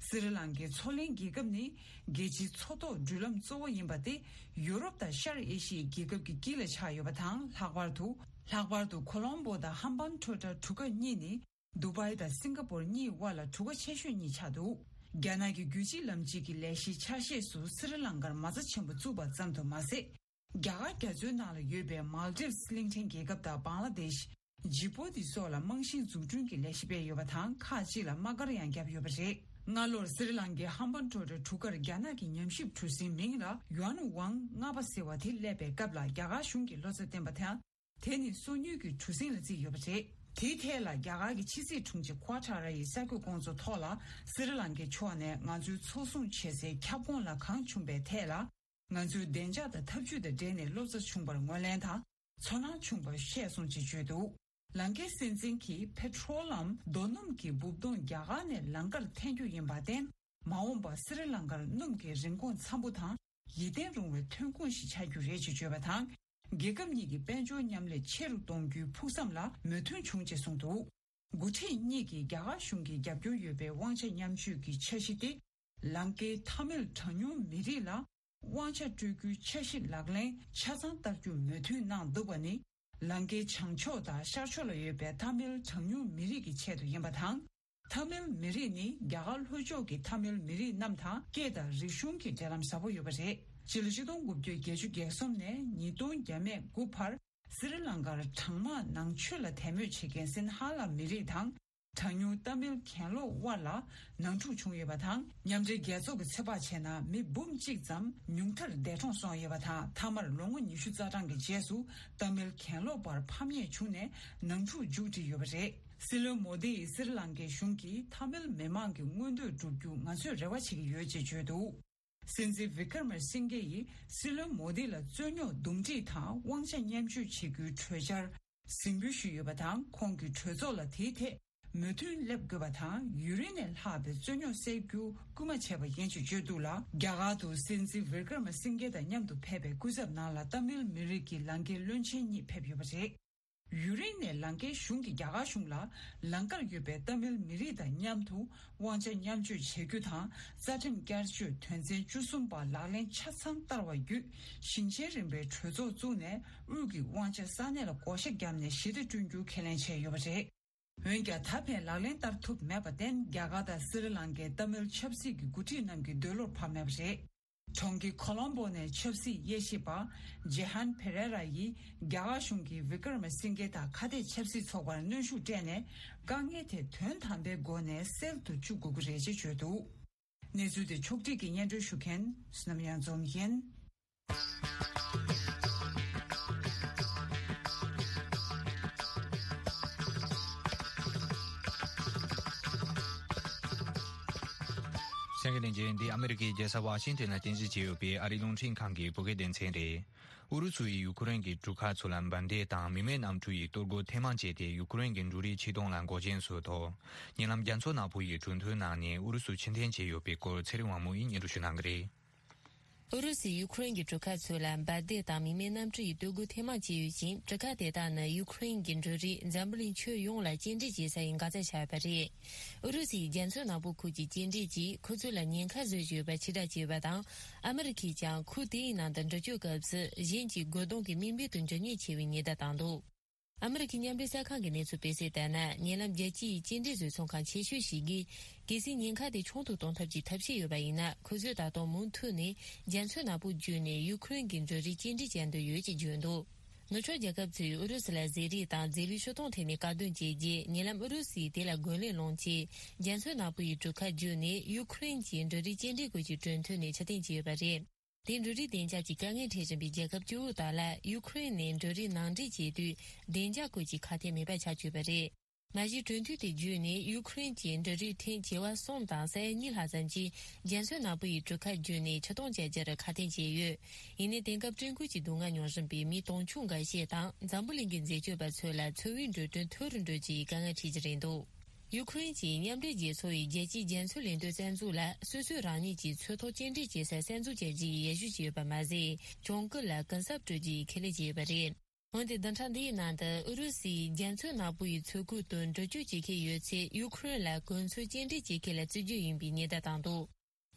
སི་རི་ལང་ཀའི་མཚོ་གླིང་རྒྱལ་ཁབ་ནི་རྒྱལ་སྤྱིའི་མཚོ་ཐོག་འགྲུལ་ལམ་གཙོ་བོ་ཡིན་པ་སྟེ། ཡུ་རོབ་དང་ཤར་ཨེ་ཤི་ཡའི་རྒྱལ་ཁབ་ཀྱི་དཀྱིལ་ལ་ཆགས་ཡོད་པ་དང་། ལྷག་པར་དུ། ལྷག་པར་དུ་ཁོ་ལོམ་བྷོ་དང་ཧམ་བན་ཊོ་ཊ་གྲུ་ཁ་གཉིས་ནི། དུ་བྷའི་དང་སིང་ག་པོར་གཉིས་དབར་ལ་གྲུ་ཁ་ཆེ་ཤོས་གཉིས་ཆགས་འདུག་རྒྱ་ནག་གི་རྒྱུད་གཅིག་ལམ་གཅིག་གི་ལས་གཞིའི་ཆ་ཤས་སུ་སི་རི་ལང་ཀར་མ་རྩ་ཆེན་པོ་བཙུགས་པ་ཙམ་དུ་མ་ཟད། རྒྱ་གར་རྒྱ་མཚོའི་ནང་ལ་ཡོད་པའི་མཱལ་ཏིབ་སི་གླིང་ཕྲན་རྒྱལ་ཁབ་དང་། བང་ལ་དེཤ། ཇི་པོ་ཏི་སོགས་ལ་རྨང་གཞིའི་འཛུགས་སྐྲུན་གྱི་ལས་གཞི་སྤེལ་ཡོད་པ་དང་། ཁག་ཅིག་ལ་དམག་སྒར་ཡང་བརྒྱབ་ཡོད་པ་རེད། སྔ་ལོར་སི་རི་ལང་ཀའི་ཧམ་བན་ཊོ་ཊ་གྲུ་ཁར་རྒྱ་ནག་གི་ཉམས་ཞིབ་གྲུ་གཟིངས་མིང་ལ་ཡུའན་ཝང་ལྔ་པ་ཟེར་བ་དེ་སླེབས་པའི་སྐབས་ལ། རྒྱ་གར་གཞུང་གིས་བློ་འཚབ་བསྟན་པ་དང་། དེ་ནི་སོ་ཉུལ་གྱི་གྲུ་གཟིངས་ལ་བརྩིས་ཡོད་པ་རེད། དེའི་ཐད་ལ་རྒྱ་གར་གྱི་ཕྱི་སྲིད་དྲུང་ཆེ་ཁུ་ཨ་ཊ་ར་ཡིས་གསར་འགོད་སྐོང་ཚོགས་ཐོག་ལ། སི་རི་ལང་ཀའི་ཕྱོགས་ནས་ང་ཚོའི་འཚོ་སྲུང་བྱེད་སའི་ཁྱབ་ཁོངས་ལ་གང་བྱུང་བའི་ཐད་ལ། ང་ཚོའི་བདེ་འཇགས་དང་འཐབ་ཇུས་དང་འབྲེལ་ནས་བློ་འཚབ་བྱུང་བར་ངོས་ལེན་དང་ཚོར་སྣང་བྱུང་བར་ཤེས་སོང་ཅེས་བརྗོད་འདུག་ལང་ཀའི་སྲིད་འཛིན་གྱིས་པེ་ཊྲོལ་ལམ་རྡོ་སྣུམ་གྱི་སྦུབས་དོང་རྒྱ་གར་ནས་ལང་ཀར་འཐེན་རྒྱུ་ཡིན་པར་བརྟེན། མ་འོངས་པར་སི་རི་ལང་ཀར་སྣུམ་གྱི་རིན་གོང་འཚམ་པོ་དང་། ཡིད་བརྟན་རུང་བའི་ཐོན་ཁུངས་ཤིག་ཆགས་རྒྱུ་རེད་ཅེས་བརྗོད་པ་དང་། རྒྱལ་ཁབ་གཉིས་ཀྱི་དཔལ་འབྱོར་མཉམ་ལས་ཆེ་རུ་གཏོང་རྒྱུའི་ཕུགས་བསམ་ལ་མོས་མཐུན་བྱུང་ཅེས་གསུངས་འདུག་འགོ་ཁྲིད་གཉིས་ཀྱིས་རྒྱ་གར་གཞུང་གིས་རྒྱབ་སྐྱོར་ཡོད་པའི་དབང་ཆ་མཉམ་སྤྱོད་ཀྱི་འཆར་གཞི་སྟེ། ལང་ཀའི་ཐ་མིལ་གྲངས་ཉུང་མི་རིགས་ལ་དབང་ཆ་སྤྲོད་རྒྱུའི་འཆར་གཞི་ལག་ལེན་ཆ་ཚང་བསྟར་རྒྱུར་མོས་མཐུན་གནང་འདུག་པ་ནི། ལང་ཀའི་བྱང་ཕྱོགས་དང་ཤར་ཕྱོགས་ལ་ཡོད་པའི་ཐ་མིལ་གྲངས་ཉུང་མི་རིགས་ཀྱི་ཆེད་དུ་ཡིན་པ་དང་། ཐ་མིལ་མི་རིགས་ནི་རྒྱ་གར་ལྷོ་ཕྱོགས་ཀྱི་ཐ་མིལ་མི་རིགས་རྣམས་དང་སྐད་དང་རིག་གཞུང་གི་འབྲེལ་ལམ་ཟབ་པོ་ཡོད་པ་རེད། སྤྱི་ལོ་ཆིག་སྟོང་དགུ་བརྒྱ་བརྒྱད་ཅུ་གྱ་གསུམ་ནས་ཉིས་སྟོང་བརྒྱ་མེད་དགུ་བར། སི་རི་ལང་ཀར་གྲངས་མང་ནང་ཆོས་ལ་དད་མོས་བྱེད་མཁན་སིན་ཧ་ལ་མི་རིགས་དང་། གྲངས་ཉུང་ཏཱ་མིལ་གྱེན་ལོག་དབར་ལ་ནང་འཁྲུག་བྱུང་ཡོད་པ་དང་། མཉམ་འབྲེལ་རྒྱལ་ཚོགས་ཀྱི་ཚོད་དཔག་བྱས་ན། མི་འབུམ་གཅིག་ཙམ་ཉུང་མཐར་འདས་གྲོངས་སོང་ཡོད་པ་དང་། མཐའ་མར་ལོ་ངོ་ཉི་ཤུ་རྩ་གྲངས་ཀྱི་རྗེས་སུ་ཏཱ་མིལ་གྱེན་ལོག་པར་ཕམ་ཉེས་བྱུང་ནས་ནང་འཁྲུག་མཇུག་བསྒྲིལ་ཡོད་པ་རེད། སྲིད་བློན་མོ་དི་ཡིས་སི་རི་ལང་ཀའི་གཞུང་གིས་ཐ་མིལ་མི་མང་གི་མངོན་འདོད་བསྒྲུབ་རྒྱུ་ང་ཚོས་རེ་བ་བྱེད་ཀྱི་ཡོད་ཅེས་བརྗོད་འདུག་སྲིད་འཛིན་བི་ཀར་མ་སིང་གེ་ཡིས་སྲིད་བློན་མོ་དི་ལ་རྩོད་རྙོག་འདུམ་འགྲིག་དང་དབང་ཆ་མཉམ་སྤྱོད་བྱེད་རྒྱུའི་གྲོས་འཆར་གཟིགས་འབུལ་ཞུས་ཡོད་པ་དང་། ཁོང་གིས་གྲོས་ཚོགས་ལ་དེའི་ཐད་མོས་མཐུན་སླེབས་དགོས་པ་དང་། ཡུན་རིང་ནས་ལྷག་པའི་རྩོད་རྙོག་སེལ་རྒྱུ་སྐུལ་མ་བྱས་པ་ཡིན་ཞེས་བརྗོད་འདུག་ལ། རྒྱ་གར་དུ་སྲིད་འཛིན་བི་ཀར་མ་སིང་གེ་དང་མཉམ་དུ་ཕེབས་པའི་སྐུ་ཚབ་ནང་ལ་ཏཱ་མིལ་མི་རིགས་ཀྱི་ལང་ཀའི་བློན་ཆེན་གཉིས་ཕེབས་ཡོད་པ་རེད། ཡུན་རིང་ནས་ལང་ཀའི་གཞུང་གིས་རྒྱ་གར་གཞུང་ལ་ལང་ཀར་ཡོད་པའི་ཏཱ་མིལ་མི་རིགས་དང་མཉམ་དུ་དབང་ཆ་མཉམ་སྤྱོད་བྱེད་རྒྱུ་དང་། རྩ་ཁྲིམས་བསྐྱར་བཅོས་དོན་ཚན་བཅུ་གསུམ་པ་ལག་ལེན་ཆ་ཚང་བསྟར་བ་བརྒྱུད། ཞིང་ཆེན་རིམ་པའི་གྲོས་ཚོགས་བཙུགས་ནས་དབུས་ཀྱི་དབང་ཆ་ས་གནས་ལ་བགོ་བཤའ་བརྒྱབ་ནས་ཞི་བདེ་བསྐྲུན་རྒྱུ་ཁས་ལེན་བྱས་ཡོད་པ་རེད། འོན་ཀྱང་། ད་ཕན་ལག་ལེན་བསྟར་ཐུབ་མེད་པར་བརྟེན། རྒྱ་གར་དང་སི་རི་ལང་ཀའི་ཏཱ་མིལ་ཆབ་སྲིད་ཀྱི་འགོ་ཁྲིད་རྣམས་ཀྱི་འདོད་བློར་བབས་མེད་པ་རེད། གྲོང་ཁྱེར་ཁོ་ལོམ་བོ་ནས་ཆབ་སྲིད་དབྱེ་ཞིབ་པ་ཇེ་ཧན་ཕེ་རེ་ར་ཡིས་རྒྱ་གར་གཞུང་གིས་བི་ཀར་མ་སིང་གེ་དང་ཁ་གཏད་ཆབ་སྲིད་ཚོགས་པར་གནོན་ཤུགས་སྤྲད་ནས། དཀའ་ངལ་དེ་དོན་དམ་པའི་སྒོ་ནས་སེལ་དུ་བཅུག་དགོས་ཀྱི་རེད་ཅེས་བརྗོད་འདུག་གནས་ཚུལ་དེ་ཕྱོགས་སྒྲིག་གིས་སྙན་སྒྲོན་ཞུ་མཁན་བསོད་ནམས་གཡང་འཛོམས་ཡིན། གསན་མཁན་ རྗེས་འདི་ཨ་མི་རི་ཀའི་རྒྱལ་ས་ཝ་ཤིང་ཏོན་ལ་རྟེན་གཞི་བྱས་ཡོད་པའི་ཨ་རིའི་རླུང་འཕྲིན་ཁང་གི་བོད་སྐད་སྡེ་ཚན་རེད། ཨུ་རུ་སུ་ཡིས་ཡུ་ཁུ་རེན་གྱི་གྲུ་ཁ་ཚོ་ལ་འབར་མདེལ་དང་མི་མེད་གནམ་གྲུ་ཡི་གཏོར་རྒོལ་ཐེངས་མང་བྱས་ཏེ། ཡུ་ཁུ་རེན་གྱི་འབྲུ་རིགས་ཕྱིར་གཏོང་ལ་འགོག་རྐྱེན་བཟོས་ཐོག་ཉེ་ལམ་རྒྱ་མཚོ་ནག་པོ་ཡི་གྲོས་མཐུན་ནང་ནས་ཨུ་རུ་སུ་ཕྱིར་འཐེན་བྱས་ཡོད་པའི་སྐོར་ཚེ་རིང་དབང་མོ་ཡིས་སྙན་སྒྲོན་ཞུ་གནང་གི་རེད། ཨུ་རུ་སུས་ཡུ་ཁུ་རེན་གྱི་གྲུ་ཁ་ཚོ་ལ་འབར་མདེལ་དང་མི་མེད་གནམ་གྲུ་ཡི་གཏོར་རྒོལ་ཐེངས་མང་བྱས་ཡོད་ཅིང་། གྲུ་ཁ་དེ་དག་ནི་ཡུ་ཁུ་རེན་གྱི་འབྲུ་རིགས་འཛམ་བུ་གླིང་ཁྱོན་ཡོངས་ལ་སྐྱེལ་འདྲེན་བྱེད་ས་ཡི་འགག་རྩ་ཆགས་ཡོད་པ་རེད། ཨུ་རུ་སུའི་རྒྱ་མཚོ་ནག་པོ་ཁུལ་གྱི་སྐྱེལ་འདྲེན་གྱིས་ཁོ་ཚོ་ལ་ཉེན་ཁ་བཟོས་ཡོད་པ་ཕྱིར་བསྒྲགས་བྱས་ཡོད་པ་དང་། ཨ་མི་རི་ཁས་ཀྱང་ཁུལ་དེའི་ནང་དུ་འགྲུལ་སྐྱོད་སྐབས་སུ་གཞན་གྱི་རྒོལ་རྡུང་གི་དམིགས་འབེན་དུ་འགྱུར་ཉེན་ཆེ་བའི་ཉེན་བརྡ་བཏང་འདུག་ཨ་མི་རི་ཁའི་མཉམ་འབྲེལ་གསར་ཁང་གི་གནས་ཚུལ་སྤེལ་གསལ་ལྟར་ན། ཉེ་ལམ་རྒྱལ་སྤྱིའི་སྐྱེལ་འདྲེན་བཟོ་ཚོང་ཁང་ཆེ་ཤོས་ཤིག་གིས་གལ་སྲིད་ཉེན་ཁ་དེ་ཆུང་དུ་གཏོང་ཐབས་ཀྱི་ཐབས་ཤེས་ཡོད་པ་ཡིན་ན། ཁོ་ཚོས་ད་དུང་མུ་མཐུད་ནས་རྒྱ་མཚོ་ནག་པོ་བརྒྱུད་ནས་ཡུ་ཁུ་རེན་གྱི་འབྲུ་རིགས་སྐྱེལ་འདྲེན་བྱ་འདོད་ཡོད་ཅེས་བརྗོད་འདུག་ནུབ་ཕྱོགས་རྒྱལ་ཁབ་ཚོས་ཨུ་རུ་སུ་ལ་ཟས་རིགས་དང་རྫས་ལུད་ཕྱིར་གཏོང་ཐད་ནས་བཀག་སྡོམ་བྱས་རྗེས། ཉེ་ལམ་ཨུ་རུ་སུས་དེ་ལ་རྒོལ་ལན་སློང་ཆེད། རྒྱ་མཚོ་ནག་པོ་ཡི་གྲུ་ཁ་བརྒྱུད་ནས་ཡུ་ཁུ་རེན་གྱི་འབྲུ་རིགས་སྐྱེལ་འདྲེན་སྐོར་གྱི་གྲོས་མཐུན་ནས་ཕྱིར་འཐེན་བྱས་ཡོད་པ་རེད། དེ་འབྲུ་རིགས་བདེ་འཇགས་ཀྱི་དཀའ་ངལ་འཕྲད་བཞིན་པའི་རྒྱལ་ཁབ་བཅུ་དག་ལ། ཡུ་ཁུ་རེན་ནས་འབྲུ་རིགས་ནང་འདྲེན་བྱེད་དུས་བདེ་འཇགས་སྐོར་གྱི་ཁ་གཏད་མེད་པ་ཆགས་ཡོད་པ་རེད། མ་གཞི་གྲོས་མཐུན་དེ་བརྒྱུད་ནས་ཡུ་ཁུ་རེན་གྱི་འབྲུ་རིགས་ཐོན་བྱེ་བ་གསུམ་དང་ས་ཡ་གཉིས་ལྷག་ཙམ་གྱིས་རྒྱ་མཚོ་ནག་པོ་ཡི་གྲུ་ཁ་བརྒྱུད་ནས་ཕྱིར་གཏོང་བྱ་རྒྱུར་ཁ་གཏད་བྱས་ཡོད། ཡིན་ནའི་དེང་སྐབས་སྤྲོད་འགུལ་གྱི་སྡུག་བསྔལ་མྱོང་བཞིན་པའི་མི་དུང་ཕྱུར་འགའ་ཤས་དང་། འཛམ་བུ་གླིང་གི་འཛད་སྤྱོད་པ་ཚོ་ལ་འཚོ་བའི་འགྲོ་གྲོན་མཐོ་རུ་འགྲོ་རྒྱུའི་དཀའ་ངལ་འཕྲད་ཀྱི་རེད་འདུག་ཡུ་ཁུ་རེན་གྱིས་མཉམ་འབྲེལ་རྒྱལ་ཚོགས་ཡི་རྒྱལ་སྤྱིའི་རྒྱ་མཚོའི་ལས་དོན་རྩ་འཛུགས་ལ་སོ་སོས་རང་ཉིད་ཀྱི་མཚོ་ཐོག་སྐྱེལ་འདྲེན་བྱེད་ས་གསར་འཛུགས་བྱ་རྒྱུའི་ཡར་ཞུ་བྱས་ཡོད་པ་མ་ཟད། གྱོང་གུན་ལ་གུན་གསབ་སྤྲོད་རྒྱུའི་ཁས་ལེན་བྱས་ཡོད་པ་རེད། འོན་ཏེ་བདུན་ཕྲག་འདིའི་ནང་དུ་ཨུ་རུ་སུས་རྒྱ་མཚོ་ནག་པོ་ཡི་མཚོ་ཁུལ་དུ་འགྲུལ་སྐྱོད་བྱེད་མཁན་ཡོད་ཚེ། ཡུ་ཁུ་རེན་ལ་གོ་མཚོན་སྐྱེལ་འདྲེན་བྱེད་མཁན་ལ་བརྩི་རྒྱུ་ཡིན་པའི་ཉེན་བརྡ་བཏང་འདུག་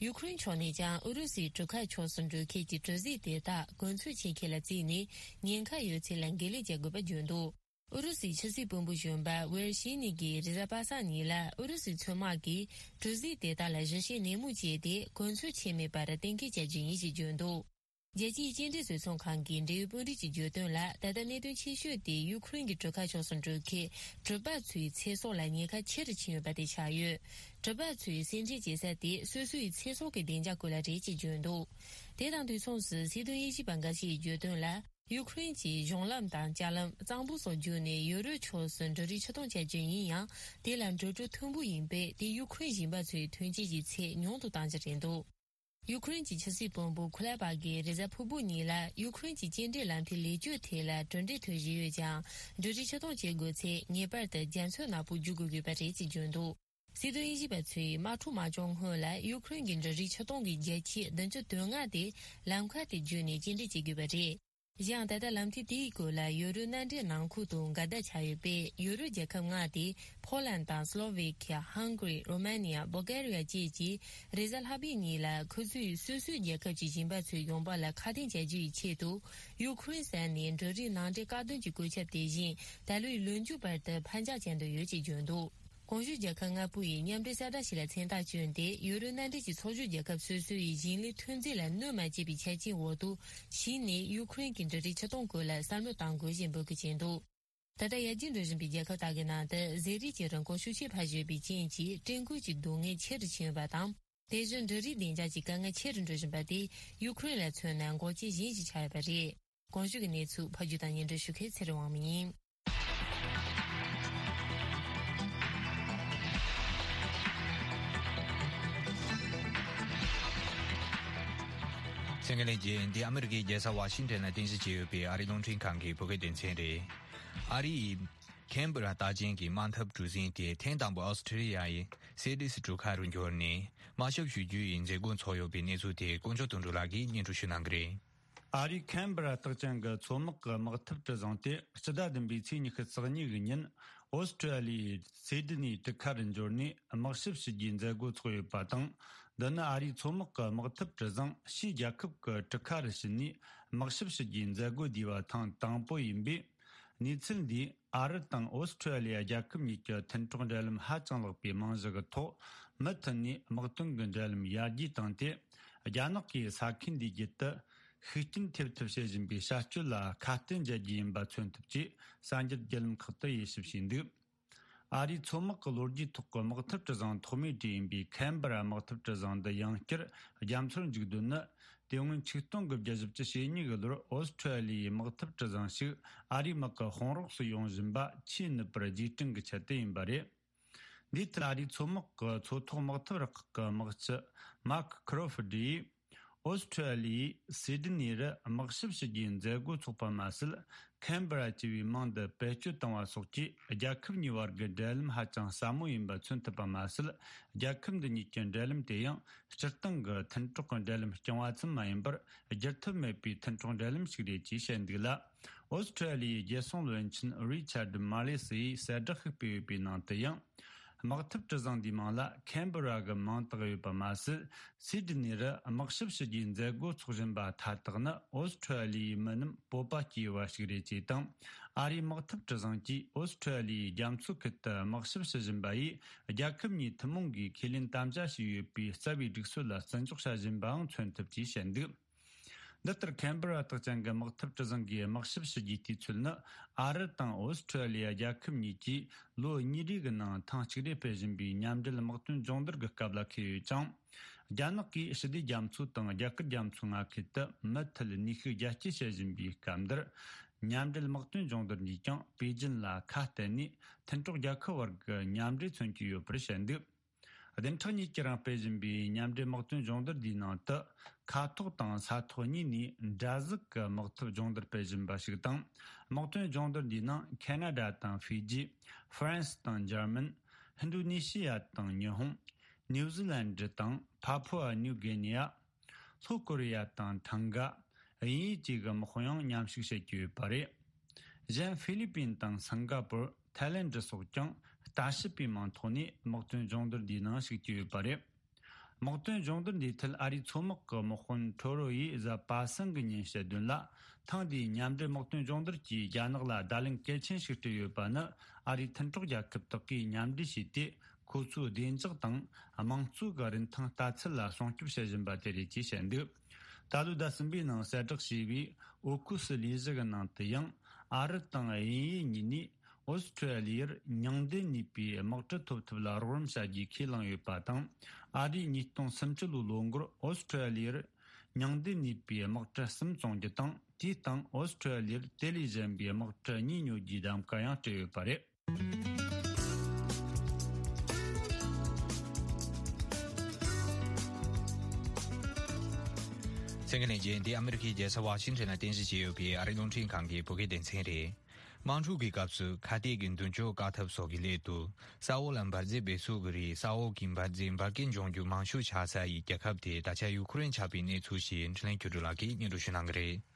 ཡུ་ཁུ་རེན་ཕྱོགས་ནས་ཀྱང་ཨུ་རུ་སུའི་གྲུ་ཁ་ཕྱོགས་སུ་འགྲོ་མཁན་གྱི་གྲུ་གཟིངས་དེ་དག་གོ་མཚོན་ཆེད་མཁན་ལ་བརྩིས་ནས། ཉེན་ཁ་ཡོད་ཚད་ལ་འགན་ལེན་བྱ་དགོས་པ་བརྗོད་འདུག་ཨུ་རུ་སུའི་ཕྱི་སྲིད་བློན་པོ་གཞོན་པ་ཝེར་ཤི་ནི་གིས་རེས་གཟའ་པ་སངས་ཉིན་ལ། ཨུ་རུ་སུའི་མཚོ་དམག་གིས་གྲུ་གཟིངས་དེ་དག་ལ་ཞིབ་བཤེར་ནན་མོ་བྱས་ཏེ། གོ་མཚོན་ཆད་མེད་པར་གཏན་འཁེལ་བྱ་རྒྱུ་ཡིན་ཞེས་བརྗོད་འདུག་རྒྱལ་སྤྱིའི་སྐྱེལ་འདྲེན་བཟོ་ཚོང་ཁང་གི་འབྲེལ་ཡོད་དཔོན་རིགས་ཀྱིས་བརྗོད་དོན་ལ། ད་ལྟ་གནད་དོན་ཆེ་ཤོས་དེ་ཡུ་ཁུ་རེན་གྱི་གྲུ་ཁ་ཕྱོགས་སུ་འགྲོ་མཁན་གྲུ་པ་ཚོའི་ཚེ་སྲོག་ལ་ཉེན་ཁ་ཆེ་རུ་ཕྱིན་ཡོད་པ་དེ་ཆགས་ཡོད། གྲུ་པ་ཚོས་སེམས་ཁྲལ་བྱེད་ས་དེ་སོ་སོའི་ཚེ་སྲོག་གི་བདེ་འཇགས་སྐོར་ལ་རེད་ཅེས་བརྗོད་འདུག་དེ་དང་དུས་མཚུངས་སུ་སྲིད་དོན་དབྱེ་ཞིབ་པ་འགའ་ཞིག་གིས་བརྗོད་དོན་ལ། ཡུ་ཁུ་རེན་གྱིས་གཞུང་ལམ་དང་ལྕགས་ལམ། གཙང་པོ་སོགས་བརྒྱུད་ནས་ཡོ་རོབ་ཕྱོགས་སུ་འབྲུ་རིགས་ཕྱིར་གཏོང་བྱ་རྒྱུ་ཡིན་ཡང་། དེ་ལ་འགྲོ་གྲོན་མཐོན་པོ་ཡིན་པས། དེས་ཡུ་ཁུ་རེན་ཞིང་པ་ཚོའི་ཐོན་སྐྱེད་ཀྱི་ཚད་ཉུང་དུ་གཏང་རྒྱུ་རེད་འདུག་ཡུ་ཁུ་རེན་གྱི་ཕྱི་སྲིད་བློན་པོ་ཁུ་ལེ་པ་གིས་རེས་གཟའ་ཕུར་བུ་ཉིན་ལ། ཡུ་ཁུ་རེན་གྱི་སྐྱེལ་འདྲེན་ལམ་ཐིག་ལེགས་བཅོས་ཐད་ལ་གྲུབ་འབྲས་ཐོན་བཞིན་ཡོད་ཀྱང་། འབྲུ་རིགས་ཕྱིར་གཏོང་བྱེད་དགོས་ཚེ། ངེས་པར་དུ་རྒྱ་མཚོ་ནག་པོ་བརྒྱུད་དགོས་ཀྱི་ཡོད་པ་རེད་ཅེས་བརྗོད་འདུག་སྲིད་དོན་དབྱེ་ཞིབ་པ་ཚོས་དམག་འཁྲུག་མ་བྱུང་སྔོན་ལ་ཡུ་ཁུ་རེན་གྱི་འབྲུ་རིགས་ཕྱིར་གཏོང་གི་བརྒྱ་ཆ་བདུན་ཅུ་དོན་ལྔ་དེ་ལམ་ཁ་དེ་བརྒྱུད་ནས་སྐྱེལ་འདྲེན་བྱེད་དགོས་པ་རེད། གཞན་ཡང་། ད་ལྟ་ལམ་ཐིག་དེའི་སྐོར་ལ་ཡོ་རོབ་མནའ་འབྲེལ་ནང་ཁུལ་དུ་འགལ་ཟླ་ཆགས་ཡོད་པས། ཡོ་རོབ་རྒྱལ་ཁབ་ལྔ་སྟེ། ཕོ་ལན་དང་། སློ་ཝེ་ཁི་ཡ། ཧང་གྷ་རི། རོ་མ་ནི་ཡ། སྦོལ་གྷ་རི་ཡ་བཅས་ཀྱིས་རེས་གཟའ་ལྷག་པའི་ཉིན་ལ། ཁོ་ཚོས་སོ་སོའི་རྒྱལ་ཁབ་ཀྱི་ཞིང་པ་ཚོའི་ཡོང་འབབ་ལ་ཁ་གཏད་བྱ་རྒྱུ་ཡི་ཆེད་དུ། ཡུ་ཁུ་རེན་ས་ནས་འབྲུ་རིགས་ནང་འདྲེན་བཀག་སྡོམ་གྱི་བཀོད་ཁྱབ་དེ་བཞིན། ད་ལོའི་ལོ་མཇུག་བར་དུ་ཕར་འགྱངས་བྱ་འདོད་ཡོད་ཅེས་བརྗོད་འདུག་གོང་ཞུས་རྒྱལ་ཁབ་ལྔ་པོ་ཡིས་མཉམ་འབྲེལ་གསལ་བསྒྲགས་ཤིག་ལ་མཚན་རྟགས་བསྐྱོན་ཏེ། ཡུ་རོབ་མནའ་འབྲེལ་གྱི་ཚོགས་ཞུགས་རྒྱལ་ཁབ་སོ་སོ་ཡི་ཞིང་ལས་ཐོན་རྫས་ལ་གནོད་མ་བྱེད་པའི་ཆ་རྐྱེན་འོག་ཏུ་ཕྱིན་ནས། ཡུ་ཁུ་རེན་གྱི་འབྲུ་རིགས་ཕྱིར་གཏོང་སྐོར་ལ་བསམ་བློ་གཏང་དགོས་ཞེས་འབོད་སྐུལ་བྱས་འདུག་ད་ལྟ་ཡར་རྒྱས་འགྲོ་བཞིན་པའི་རྒྱལ་ཁབ་དག་གི་ནང་དུ་ཟས་རིགས་ཀྱི་རིན་གོང་ཤུགས་ཆེ་འཕར་བཞིན་པའི་རྐྱེན་གྱིས། སྤྲད་འགུལ་གྱི་སྡུག་བསྔལ་ཆེ་རུ་ཕྱིན་ཡོད་པ་དང་། དེ་བཞིན་འབྲུ་རིགས་བདེ་འཇགས་ཀྱི་དཀའ་ངལ་ཆེ་རུ་འགྲོ་བཞིན་པ་དེ་ཡུ་ཁུ་རེན་ལ་མཚོན་ན་འགོག་རྐྱེན་གཞན་ཞིག་ཆགས་ཡོད་པ་རེད། གོང་ཞུས་ཀྱི་གནས་ཚུལ་ཕབ་སྒྱུར་དང་སྙན་སྒྲོན་ཞུ་མཁན་ཚེ་རིང་དབང་མོ་ཡིན། གསན་མཁན་ལྷན་རྒྱས། འདི་ཨ་མི་རི་ཀའི་རྒྱལ་ས་ཝ་ཤིང་ཏོན་ལ་རྟེན་གཞི་བྱས་ཡོད་པའི་ཨ་རིའི་རླུང་འཕྲིན་ཁང་གི་བོད་སྐད་སྡེ་ཚན་རེད། ཨ་རི་ཡི་ཁེན་བྷ་ར་རྟགས་ཅན་གྱི་དམག་འཐབ་གྲུ་གཟིངས་དེ་ཐེངས་དང་པོ་ཨོ་སི་ཁྲི་ལི་ཡ་ཡི་སེ་ཏིས་གྲུ་ཁ་རུ་འབྱོར་ནས་དམག་ཞབས་ཞུ་རྒྱུ་ཡི་མཛད་སྒོ་འཚོགས་ཡོད་པའི་གནས་ཚུལ་དེ་དཀོན་མཆོག་དོན་གྲུབ་ལགས་ཀྱིས་སྙན་སྒྲོན་ཞུ་གནང་གི་རེད། ཨ་རིའི་ཁེན་བྷ་ར་རྟགས་ཅན་གྱི་མཚོ་དམག་གི་དམག་འཐབ་གྲུ་གཟིངས་དེ་སྤྱི་ཟླ་བདུན་པའི་ཚེས་ཉི་ཤུ་རྩ་གཉིས་ཀྱི་ཉིན་ཨོ་སི་ཁྲི་ལི་ཡའི་སེ་ཏི་ནི་གྲུ་ཁ་རུ་འབྱོར་ནས་དམག་ཞབས་ཞུ་རྒྱུའི་མཛད་སྒོ་འཚོགས་ཡོད་པ་དང་། འདི་ནི་ཨ་རིའི་མཚོ་དམག་གི་དམག་འཐབ་གྲུ་གཟིངས་ཕྱིའི་རྒྱལ་ཁབ་ཀྱི་གྲུ་ཁ་རུ་ཕྱིན་ནས་དམག་ཞབས་ཞུ་རྒྱུའི་མཛད་སྒོ་བསྡུས་པ་ཐེངས་དང་པོ་ཡིན་པས། གནས་ཚུལ་འདིས་ཨ་རི་དང་ཨོ་སི་ཁྲི་ལི་ཡ་རྒྱལ་ཁབ་གཉིས་ཀྱི་མཐུན་གྲོགས་འབྲེལ་ལམ་ཧ་ཅང་ལེགས་པའི་རྨང་གཞི་གི་ཐོག་མུ་མཐུད་ནས་དམག་དོན་གྱི་འབྲེལ་ལམ་ཡར་རྒྱས་བཏང་སྟེ། རྒྱ་ནག་གིས་ས་ཁུལ་འདིའི་རྒྱུད་དུ་ཤུགས་རྐྱེན་ཐེབས་ཐབས་བྱེད་བཞིན་པའི་བྱ་སྤྱོད་ལ་ཁ་གཏད་འཇལ་རྒྱུ་ཡིན་པ་མཚོན་ཐུབ་ཅེས་གསར་འགྱུར་བརྒྱུད་ལམ་ཁག་ཏུ་དབྱེ་ཞིབ་བྱས་འདུག་ཨ་རིའི་མཚོ་དམག་གི་ལོ་རྒྱུས་ཐོག་གི་དམག་འཐབ་གྲུ་གཟིངས་ཐོག་མའི་གྲས་ཡིན་པའི་ཁེན་བྷ་ར་དམག་འཐབ་གྲུ་གཟིངས་འདི་ཡང་བསྐྱར་རྒྱ་མཚོར་འཇུག་དོན་ནི། དེ་སྔོན་ཆིག་སྟོང་དགུ་བརྒྱ་བཞི་བཅུ་ཞེ་གཉིས་ཀྱི་ལོར་ཨོ་སི་ཁྲི་ལི་ཡའི་དམག་འཐབ་གྲུ་གཟིངས་ཤིག་ཨ་རིའི་དམག་གི་དཔུང་རོགས་སུ་ཡོང་བཞིན་པ་ཆེས་ནུབ་པར་རྗེས་དྲན་གྱི་ཆེད་དུ་ཡིན་པ་རེད། འདིའི་ཐད་ཨ་རིའི་མཚོ་དམག་གི་མཚོ་ཐོག་དམག་འཐབ་རུ་ཁག་གི་དམག་སྤྱི་Mark Crawford ཡིས། ཨོ་སི་ཁྲུ་ཨ་ལི་ཡིས་སི་ཌི་ནི་རུ་དམག་ཞིབ་ཞུ་རྒྱུའི་མཛད་སྒོ་འཚོགས་པ་མ་ཟད། ཁན་བྷེ་ར་བཅས་པའི་མིང་འདི་བེད་སྤྱོད་བཏང་བ་སོགས་ཀྱིས་རྒྱལ་ཁབ་གཉིས་བར་གྱི་འབྲེལ་ལམ་ཧ་ཅང་ཟབ་མོ་ཡིན་པ་མཚོན་ཐུབ་པ་མ་ཟད། རྒྱལ་ཁབ་འདི་གཉིས་ཀྱི་འབྲེལ་ལམ་དེ་ཡང་སྤྱིར་བཏང་གི་མཐུན་གྲོགས་ཀྱི་འབྲེལ་ལམ་རྐྱང་བ་ཙམ་མ་ཡིན་པར། བསྒྱུར་ཐབས་མེད་པའི་མཐུན་གྲོགས་འབྲེལ་ལམ་ཞིག་རེད་ཅེས་བཤད་འདུག་ལ། ཨོ་སི་ཁྲུ་ཨ་ལི་ཡི་རྒྱལ་སྲུང་བློན་ཆེན་རི་ཆར་མ་ལེ་སི་ཡིས་གསལ་བསྒྲགས་ཤིག་སྤེལ་ཡོད་པའི་ནང་དུ་ཡང་། དམག་འཐབ་གྲུ་གཟིངས་འདིའི་མིང་ལ་ཁན་བྷེ་ར་གི་མིང་བཏགས་ཡོད་པ་མ་ཟད། སི་ཌི་ནི་རུ་དམག་ཞབས་ཞུ་རྒྱུའི་མཛད་སྒོ་འཚོགས་བཞིན་པ་མཐའ་དག་ནི་ཨོ་སི་ཁྲུ་ཨ་ལི་ཡི་མི་རྣམས་སྤོབས་པ་སྐྱེ་ཡོད་པ་ཞིག་རེད་ཅེས་དང་། ཨ་རིའི་དམག་འཐབ་གྲུ་གཟིངས་ཀྱིས་ཨོ་སི་ཁྲུ་ཨ་ལི་ཡི་རྒྱ་མཚོ་ཁུལ་དུ་དམག་ཞབས་ཞུ་བཞིན་པ་ཡིས། རྒྱལ་ཁབ་གཉིས་ཐུན་མོང་གིས་ཁས་ལེན་དམ་བཅའ་བྱས་ཡོད་པའི་རྩ་བའི་སྒྲིག་སྲོལ་ལ་བརྩི་འཇོག་བྱ་བཞིན་པའང་མཚོན་ཐུབ་ཅེས་བཤད་འདུག་འདི་ལྟར་ཁན་བྷེ་ར་དག་ཅན་གྱི་དམག་འཐབ་གྲུ་གཟིངས་ཀྱི་དམག་ཞབས་ཞུ་རྒྱུའི་དུས་ཚོད་ནི། ཨ་རི་དང་ཨོ་སི་ཁྲུ་ཨ་ལི་ཡ་རྒྱལ་ཁབ་གཉིས་ཀྱིས་ལོ་གཉིས་རེ་གི་ནང་ཐེངས་གཅིག་རེ་སྤེལ་བཞིན་པའི་མཉམ་འབྲེལ་དམག་དོན་སྦྱོང་བརྡར་གྱི་སྐབས་ལ་འཁེལ་ཡོད་ཅིང་། རྒྱ་ནག་གིས་ཞི་བདེ་རྒྱ་མཚོ་དང་རྒྱ་གར་རྒྱ་མཚོའི་མངའ་ཁུལ་དུ་མུ་མཐུད་ནུས་ཤུགས་རྒྱ་སྐྱེད་བྱེད་བཞིན་པའི་སྐབས་འདིར། མཉམ་འབྲེལ་དམག་དོན་སྦྱོང་བརྡར་འདིས་ཀྱང་པེ་ཅིན་ལ་ཁ་གཏད་ནས་མཐུན་གྲོགས་རྒྱལ་ཁབ་བར་གྱི་མཉམ་འབྲེལ་མཚོན་གྱི་ཡོད་པར་བཤད་འདུག་བདུན་ཕྲག་གཉིས་ཀྱི་རིང་སྤེལ་བཞིན་པའི་མཉམ་འབྲེལ་དམག་དོན་སྦྱོང་བརྡར་འདིའི་ནང་དུ། མཁའ་ཐོག་དང་ས་ཐོག་གཉིས་ནས་འདྲ་གཟུགས་ཀྱི་དམག་འཐབ་སྦྱོང་བརྡར་སྤེལ་བཞིན་པ་ཞིག་དང་། དམག་དོན་སྦྱོང་བརྡར་འདིའི་ནང་ཁེ་ན་ཌ་དང་ཧྥི་ཇི། ཧྥ་རན་སི་དང་འཇར་མན། ཧིན་རྡུ་ནི་ཤི་ཡ་དང་ཉི་ཧོང་། ནིའུ་ཛི་ལན་ཌི་དང་ཕ་ཕུ་ཨ་ནིའུ་གྷི་ནི་ཡ། ལྷོ་ཀོ་རི་ཡ་དང་ཐང་ག། དབྱིན་ཡུལ་བཅས་ཀྱི་དམག་དཔུང་ཡང་མཉམ་ཞུགས་བྱེད་ཀྱི་ཡོད་པ་རེད། གཞན་ཧྥི་ལི་པིན་དང་སིང་ག་པུར། ཐའི་ལེན་ཌི་སོགས་ཀྱང་ལྟ་ཞིབ་པའི་མིང་ཐོག་ནས་དམག་དོན་སྦྱོང་བརྡར་འདིའི་ནང་ཞུགས་ཀྱི་ཡོད་པ་རེད། དམག་དོན་སྦྱོང་བརྡར་འདིའི་ཐད་ཨ་རིའི་མཚོ་དམག་གི་དམག་དཔོན་ཁྲོ་རོ་ཡིས་གཟའ་པ་སངས་ཀྱི་ཉིན་བཤད་དོན་ལ། ཐེངས་འདིའི་མཉམ་འབྲེལ་དམག་དོན་སྦྱོང་བརྡར་གྱིས་རྒྱ་ནག་ལ་བརྡ་ལན་གལ་ཆེན་ཞིག་སྤྲད་ཡོད་པ་ནི། ཨ་རིའི་མཐུན་གྲོགས་རྒྱལ་ཁབ་དག་གིས་མཉམ་འབྲེལ་བྱས་ཏེ། ཁོ་ཚོའི་བདེ་འཇགས་དང་དམངས་གཙོ་གི་རིན་ཐང་ལྟ་ཚུལ་ལ་སྲུང་སྐྱོབ་བྱེད་བཞིན་པ་དེ་རེད་ཅེས་བཤད་འདུག་ད་ལོའི་ཟླ་གསུམ་པའི་ནང་གསལ་བསྒྲགས་བྱས་པའི་ཨོ་ཁུ་སི་ལས་གཞི་གི་ནང་དུ་ཡང་། ཨ་རི་དང་དབྱིན་ཡུལ་གཉིས་ནས་ཨོ་སི་ཁྲུ་ཨ་ལི་ཡར་མྱང་འདས་ནུས་པའི་དམག་གྲུ་ཐོབ་ཐབས་ལ་རོགས་རམ་བྱ་རྒྱུའི་ཁས་བླངས་ཡོད་པ་དང་། ཨ་རིས་ཉིས་སྟོང་སུམ་ཅུ་ལོའི་ལོ་འགོར་ཨོ་སི་ཁྲུ་ཨ་ལི་ཡར་མྱང་འདས་ནུས་པའི་དམག་གྲུ་གསུམ་བཙོང་རྒྱུ་དང་། དེའི་སྟེང་ཨོ་སི་ཁྲུ་ཨ་ལི་ཡར་དེ་ལས་གཞན་པའི་དམག་གྲུ་གཉིས་ཉོ་རྒྱུའི་གདམ་ག་ཡང་སྤྲད་ཡོད་པ་རེད། གསན་མཁན་ལྷན་རྒྱས། འདི་ཨ་མི་རི་ཀའི་རྒྱལ་ས་ཝ་ཤིང་ཊོན་ལ་རྟེན་གཞི་བྱས་ཡོད་པའི་ཨ་རིའི་རླུང་འཕྲིན་ཁང་གི་བོད་སྐད་སྡེ་ཚན་རེད། དམག་འཁྲུག་གི་སྐབས་སུ་ཁ་གཏད་ཀྱི་མདུན་སྐྱོད་བཀག་ཐབས་སོགས་ཀྱི་སླད་དུ། ས་འོག་ལ་འབར་རྫས་སྦས་གསོག་གི་རིགས་ས་འོག་གི་འབར་རྫས་འབར་གས་འབྱུང་རྒྱུ་མང་ཤོས་ཆགས་ས་ཡི་རྒྱལ་ཁབ་དེ་ད་ཆ་ཡུ་ཁུ་རེན་ཆགས་པའི་གནས་ཚུལ་ཞིག་འཕྲིན་ལས་ཆོས་སྒྲོན་ལགས་ཀྱིས་སྙན་སྒྲོན་ཞུ་གནང་གི་རེད།